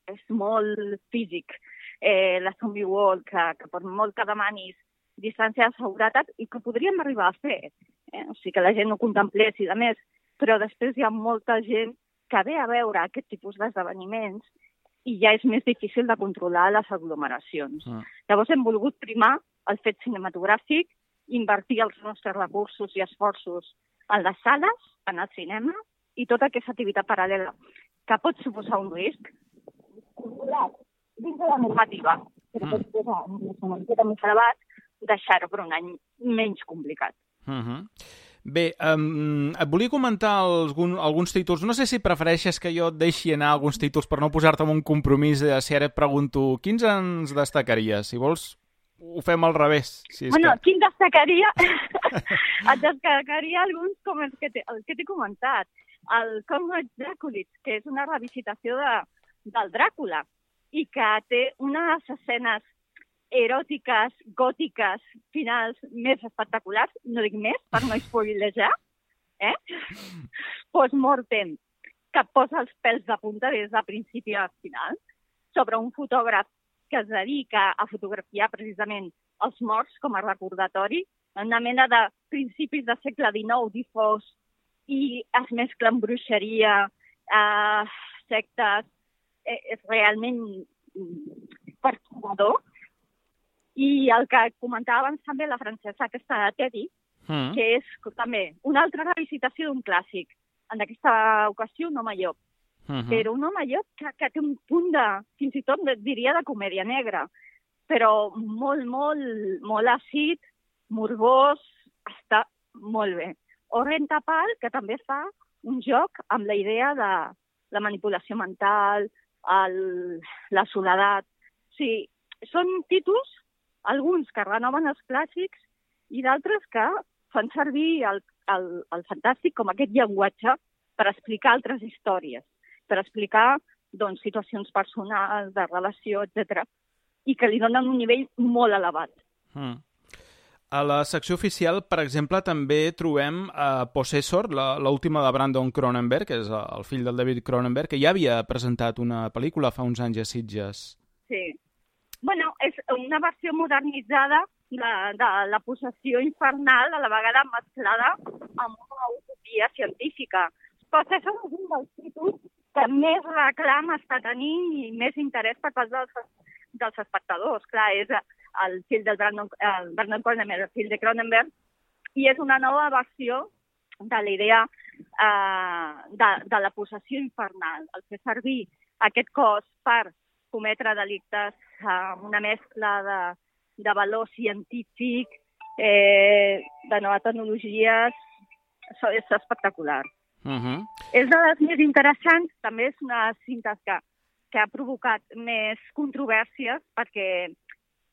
Speaker 6: és molt físic. Eh, la Zombie Walk, que, que per molt que demanis distància de seguretat i que podríem arribar a fer. Eh? O sigui, que la gent no contemplés i de més, però després hi ha molta gent que ve a veure aquest tipus d'esdeveniments i ja és més difícil de controlar les aglomeracions. Mm. Llavors hem volgut primar el fet cinematogràfic, invertir els nostres recursos i esforços en les sales, en el cinema i tota aquesta activitat paral·lela que pot suposar un risc controlat dins de la normativa, però mm. pot posar una miqueta més elevat, deixar-ho per un any menys complicat.
Speaker 3: Uh-huh. Bé, um, et volia comentar algun, alguns títols. No sé si prefereixes que jo et deixi anar alguns títols per no posar-te en un compromís de si ara et pregunto quins ens destacaries. Si vols, ho fem al revés. Si és
Speaker 6: bueno,
Speaker 3: que...
Speaker 6: quin destacaria? Et destacaria alguns com els que t'he comentat. El Conrad Draculits, que és una revisitació de, del Dràcula, i que té unes escenes eròtiques, gòtiques, finals més espectaculars, no dic més, per no spoilejar, eh? Post-mortem, que posa els pèls de punta des de principi a final, sobre un fotògraf que es dedica a fotografiar precisament els morts com a recordatori, una mena de principis del segle dinou difós, i es mescla amb bruixeria, eh, sectes, és realment perturbador. I el que comentava abans també la francesa, aquesta de Teddy, mm. que és també una altra revisitació d'un clàssic. En aquesta ocasió, un home llop. Mm-hmm. Però un home llop que, que té un punt de, fins i tot diria de comèdia negra, però molt, molt, molt àcid, morbós, està molt bé. Orren Tapal, que també fa un joc amb la idea de la manipulació mental, El, la soledat. O sigui, són títols, alguns que renoven els clàssics i d'altres que fan servir el, el, el fantàstic com aquest llenguatge per explicar altres històries, per explicar doncs, situacions personals, de relació, etcètera, i que li donen un nivell molt elevat.
Speaker 3: Mm. A la secció oficial, per exemple, també trobem uh, Possessor, l'última de Brandon Cronenberg, que és el fill del David Cronenberg, que ja havia presentat una pel·lícula fa uns anys a Sitges.
Speaker 6: Sí. Bueno, és una versió modernitzada de, de la possessió infernal, a la vegada mesclada amb una utopia científica. Possessor és un dels títols que més reclam està tenint i més interès per part dels, dels espectadors. Clar, és el fill del Brandon, el Brandon Cronenberg, el fill de Cronenberg, i és una nova versió de la idea eh, de, de la possessió infernal, el fer servir aquest cos per cometre delictes amb eh, una mescla de, de valor científic, eh, de noves tecnologies, això és espectacular. Uh-huh. És de les més interessants, també és una cinta que, que ha provocat més controvèrsies perquè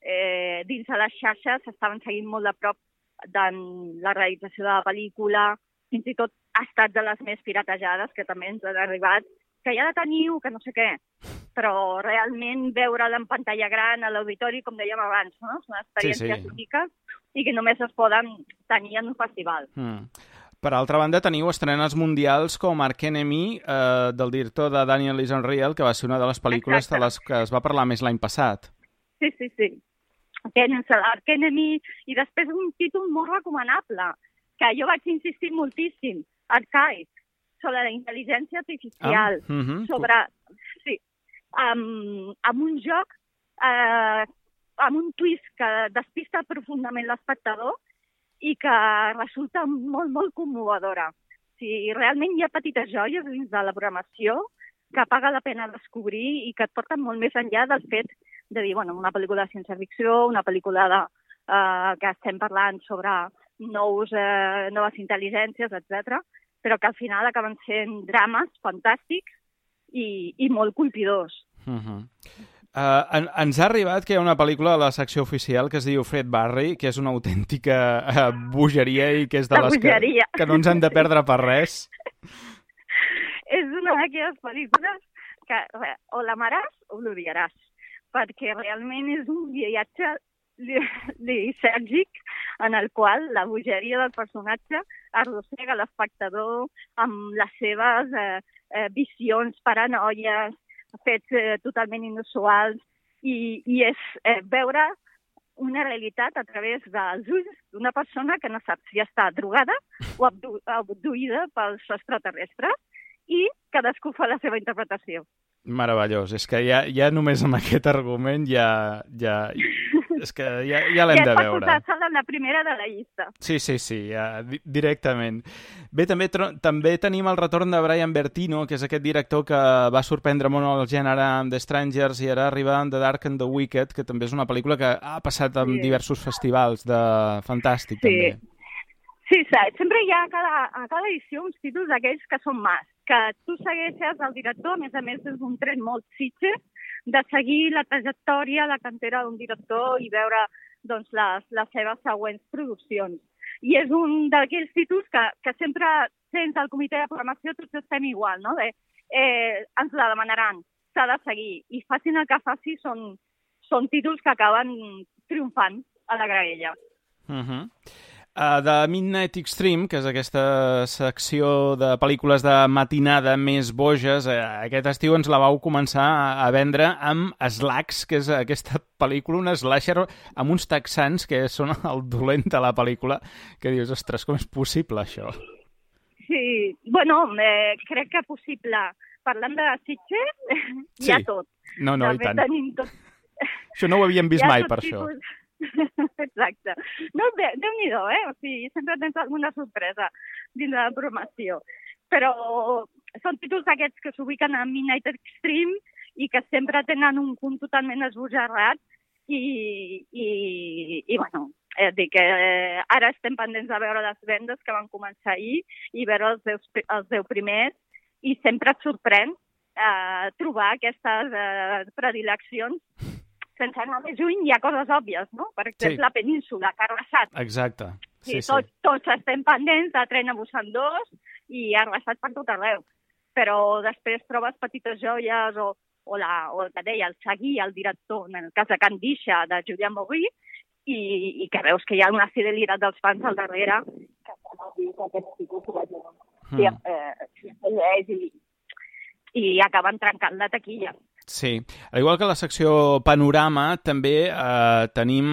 Speaker 6: eh, dins de les xarxes s'estaven seguint molt de prop de la realització de la pel·lícula, fins i tot ha estat de les més piratejades, que també ens han arribat, que ja la teniu, que no sé què, però realment veure-la en pantalla gran a l'auditori, com dèiem abans, no? Són experiències sí, sí. úniques i que només es poden tenir en un festival.
Speaker 3: Mm. Per altra banda, teniu estrenes mundials com Arch Enemy, eh, del director de Daniel is Unreal, que va ser una de les pel·lícules Exacte. de les que es va parlar més l'any passat.
Speaker 6: Sí, sí, sí. Tens Arch Enemy i després un títol molt recomanable, que jo vaig insistir moltíssim, Archive, sobre la intel·ligència artificial, ah, uh-huh. sobre... Sí, amb, amb un joc, eh, amb un twist que despista profundament l'espectador i que resulta molt, molt commovedora. Si realment hi ha petites joies dins de la programació que paga la pena descobrir i que et porten molt més enllà del fet de dir, bueno, una pel·lícula de ciència-ficció, una pel·lícula de, eh, que estem parlant sobre nous, eh, noves intel·ligències, etcètera, però que al final acaben sent drames fantàstics i, i molt colpidors.
Speaker 3: Uh-huh. Uh, en, ens ha arribat que hi ha una pel·lícula a la secció oficial que es diu Fred Barry, que és una autèntica uh, bogeria i que és de
Speaker 6: la
Speaker 3: les que, que no ens han de perdre per res.
Speaker 6: És una d'aquelles pel·lícules que o l'amaràs o l'odiaràs, perquè realment és un viatge lisèrgic en el qual la bogeria del personatge arrossega l'espectador amb les seves eh, eh, visions, paranoies, fets eh, totalment inusuals i, i és eh, veure una realitat a través dels ulls d'una persona que no sap si està drogada o abdu abduïda pels extraterrestres i cadascú fa la seva interpretació.
Speaker 3: Meravellós. És que ja, ja només amb aquest argument ja... ja... És que ja, ja l'hem
Speaker 6: ja
Speaker 3: de veure.
Speaker 6: Ja et pot posar en la primera de la llista.
Speaker 3: Sí, sí, sí, ja, di directament. Bé, també, també tenim el retorn de Brian Bertino, que és aquest director que va sorprendre molt el gènere amb The Strangers i ara arriba amb The Dark and the Wicked, que també és una pel·lícula que ha passat en sí. diversos festivals de fantàstic,
Speaker 6: sí.
Speaker 3: també.
Speaker 6: Sí, sempre hi ha a cada, a cada edició uns títols d'aquells que són más, que tu segueixes el director, a més a més és un tret molt Sitges, de seguir la trajectòria, la cantera d'un director i veure doncs, les, les seves següents produccions. I és un d'aquells títols que, que sempre, sense el comitè de programació, tots estem igual, no? De, eh, ens la demanaran, s'ha de seguir. I facin el que faci, són, són títols que acaben triomfant a la graella.
Speaker 3: Uh-huh. Uh, de Midnight Extreme, que és aquesta secció de pel·lícules de matinada més boges, uh, aquest estiu ens la vau començar a, a vendre amb Slacks, que és aquesta pel·lícula, una slasher amb uns texans que són el dolent de la pel·lícula, que dius, ostres, com és possible això?
Speaker 6: Sí, bueno, eh, crec que possible. Parlant de Sitges,
Speaker 3: sí.
Speaker 6: hi ha tot.
Speaker 3: No, no,
Speaker 6: també
Speaker 3: i tant.
Speaker 6: Tot...
Speaker 3: Això no ho havíem vist mai, per tipus... això.
Speaker 6: Exacte. No, Déu-n'hi-do, eh? O sigui, sempre tens alguna sorpresa dins de la programació. Però són títols aquests que s'ubiquen a Midnight Extreme i que sempre tenen un punt totalment esbojarrat i, i, i bueno, és dir, que eh, ara estem pendents de veure les vendes que van començar ahir i veure els deu, els deu primers i sempre et sorprèn eh, trobar aquestes eh, predileccions. Sense anar més lluny, hi ha coses òbvies, no? Per exemple, sí. la península, que ha arrasat.
Speaker 3: Exacte. Sí,
Speaker 6: sí,
Speaker 3: sí.
Speaker 6: Tots, tots estem pendents de Tren a Busan dos i ha arrasat per tot arreu. Però després trobes petites joies o, o, la, o el que deia, el seguir, el director, en el cas de Can Disha, de Julian Maury, i, i que veus que hi ha una fidelitat dels fans al darrere que s'ha dit que aquest tipus ho vagin. Mm. Sí, eh, i, i acaben trencant la taquilla.
Speaker 3: Sí, al igual que la secció Panorama, també eh, tenim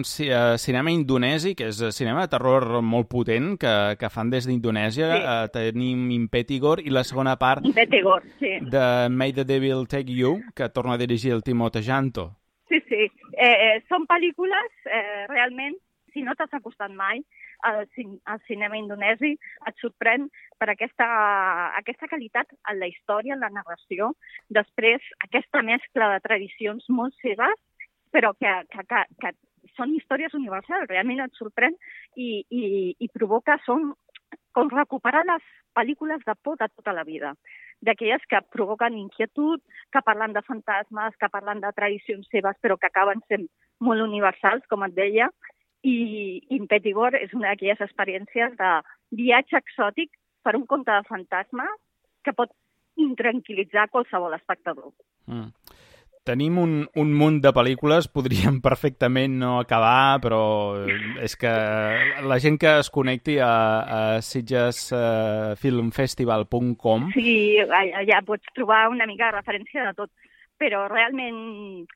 Speaker 3: eh, cinema indonesi, que és cinema de terror molt potent, que, que fan des d'Indonèsia. Sí. Eh, tenim Impetigore i la segona part
Speaker 6: Impetigore, sí.
Speaker 3: de May the Devil Take You, que torna a dirigir el Timothée Janto.
Speaker 6: Sí, sí. Eh, eh, són pel·lícules, eh, realment, si no t'has acostat mai al, al cinema indonesi, et sorprèn per aquesta, aquesta qualitat en la història, en la narració. Després, aquesta mescla de tradicions molt seves, però que, que, que, que són històries universals. Realment et sorprèn i, i, i provoca, són com recuperar les pel·lícules de por de tota la vida. D'aquelles que provoquen inquietud, que parlen de fantasmes, que parlen de tradicions seves, però que acaben sent molt universals, com et deia, i Impetigore és una d'aquelles experiències de viatge exòtic per un conte de fantasma que pot intranquil·litzar qualsevol espectador.
Speaker 3: Mm. Tenim un, un munt de pel·lícules, podríem perfectament no acabar, però és que la gent que es connecti a, a sitges film festival punt com...
Speaker 6: Sí, allà pots trobar una mica de referència de tot, però realment,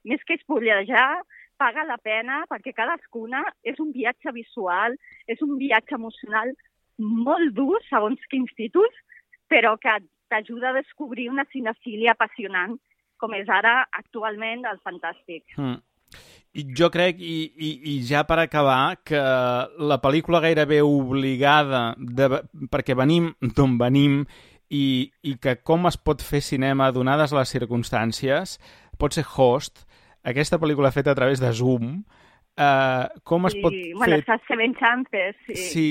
Speaker 6: més que espollejar, paga la pena perquè cadascuna és un viatge visual, és un viatge emocional molt dur, segons quins títols, però que t'ajuda a descobrir una cinefília apassionant, com és ara actualment el fantàstic.
Speaker 3: Mm. I jo crec, i, i, i ja per acabar, que la pel·lícula gairebé obligada, de, perquè venim d'on venim, i, i que com es pot fer cinema donades les circumstàncies, pot ser Host, aquesta pel·lícula feta a través de Zoom, Uh, com es
Speaker 6: sí,
Speaker 3: pot
Speaker 6: bueno,
Speaker 3: fer...
Speaker 6: està Seven Chances, sí.
Speaker 3: Sí,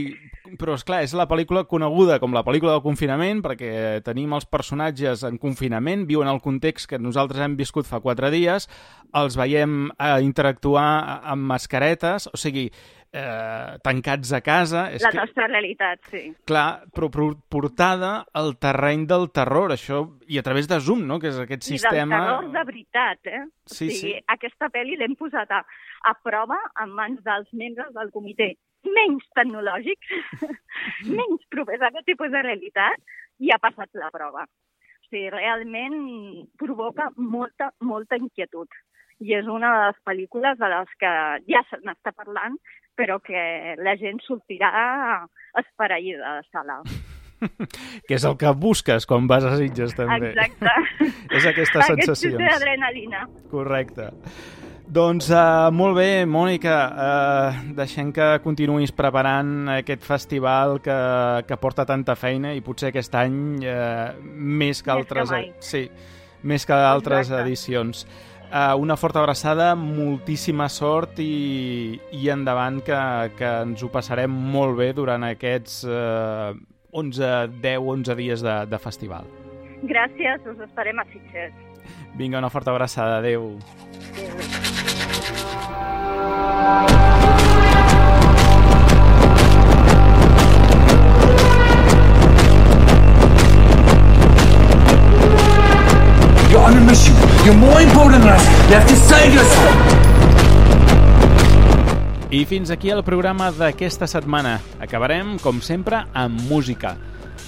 Speaker 3: però esclar, és la pel·lícula coneguda com la pel·lícula del confinament, perquè tenim els personatges en confinament, viuen el context que nosaltres hem viscut fa quatre dies, els veiem uh, interactuar amb mascaretes, o sigui, uh, tancats a casa... És
Speaker 6: la
Speaker 3: que,
Speaker 6: nostra realitat, sí.
Speaker 3: clar, però portada al terreny del terror, això, i a través de Zoom, no?, que és aquest sistema...
Speaker 6: I del terror de veritat, eh?
Speaker 3: Sí,
Speaker 6: o sigui,
Speaker 3: sí.
Speaker 6: Aquesta pel·li l'hem posat a, a prova en mans dels membres del comitè menys tecnològics, menys propers a aquest tipus de realitat, i ha passat la prova. O sigui, realment provoca molta, molta inquietud. I és una de les pel·lícules de les que ja se n'està parlant, però que la gent sortirà esfereïda de sala.
Speaker 3: Que és el que busques quan vas a Sitges, també.
Speaker 6: Exacte.
Speaker 3: És aquestes sensacions.
Speaker 6: Aquest d'adrenalina.
Speaker 3: Correcte. Doncs uh, molt bé, Mònica, uh, deixem que continuïs preparant aquest festival que, que porta tanta feina i potser aquest any uh, més que altres,
Speaker 6: més que mai.
Speaker 3: Sí, més que altres
Speaker 6: Exacte.
Speaker 3: edicions. Uh, una forta abraçada, moltíssima sort i, i endavant que, que ens ho passarem molt bé durant aquests uh, onze, deu, onze dies de, de festival.
Speaker 6: Gràcies, us esperem a Sitges.
Speaker 3: Vinga, una forta abraçada, adeu.
Speaker 6: Adéu.
Speaker 7: You're on a mission. You're more important than us. You have to save yourself.
Speaker 3: I fins aquí el programa d'aquesta setmana. Acabarem, com sempre, amb música.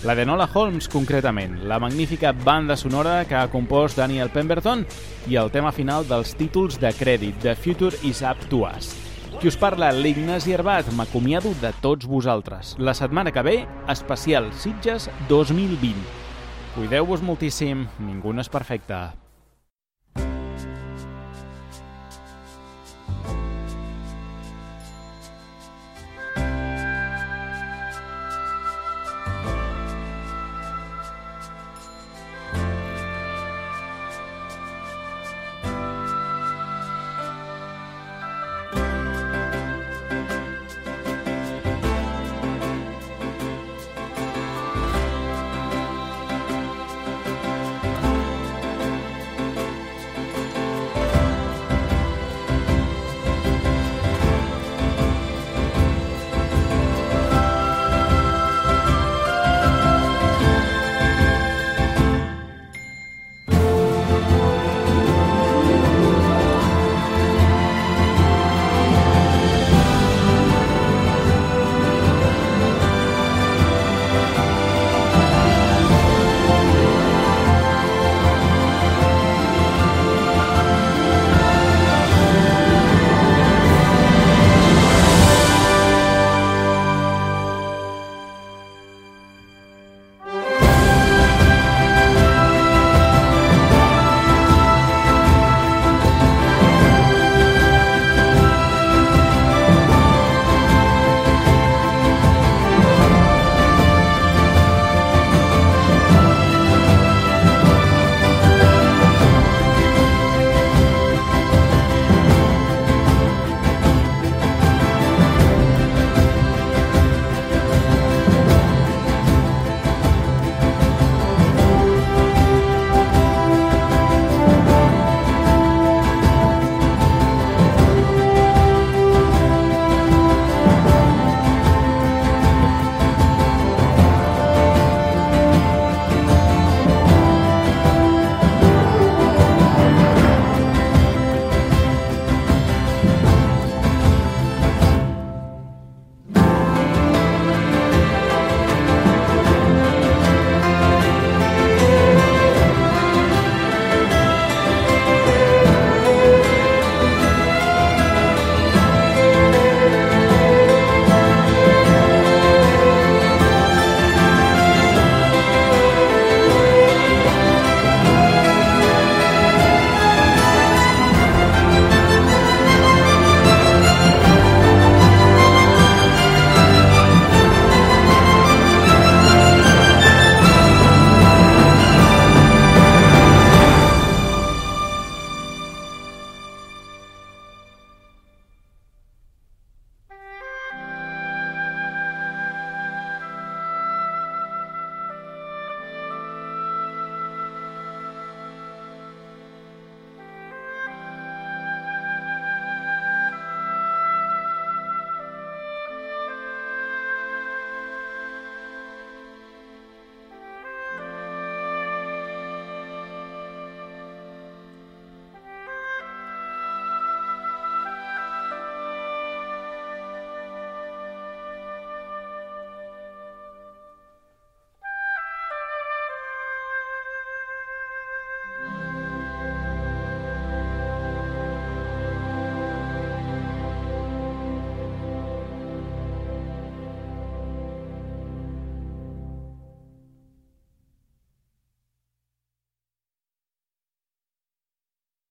Speaker 3: La de Enola Holmes, concretament, la magnífica banda sonora que ha compost Daniel Pemberton i el tema final dels títols de crèdit, The Future is Up to Us. Qui us parla, l'Ignasi Herbat, m'acomiado de tots vosaltres. La setmana que ve, especial Sitges dos mil vint. Cuideu-vos moltíssim, ningú no és perfecte.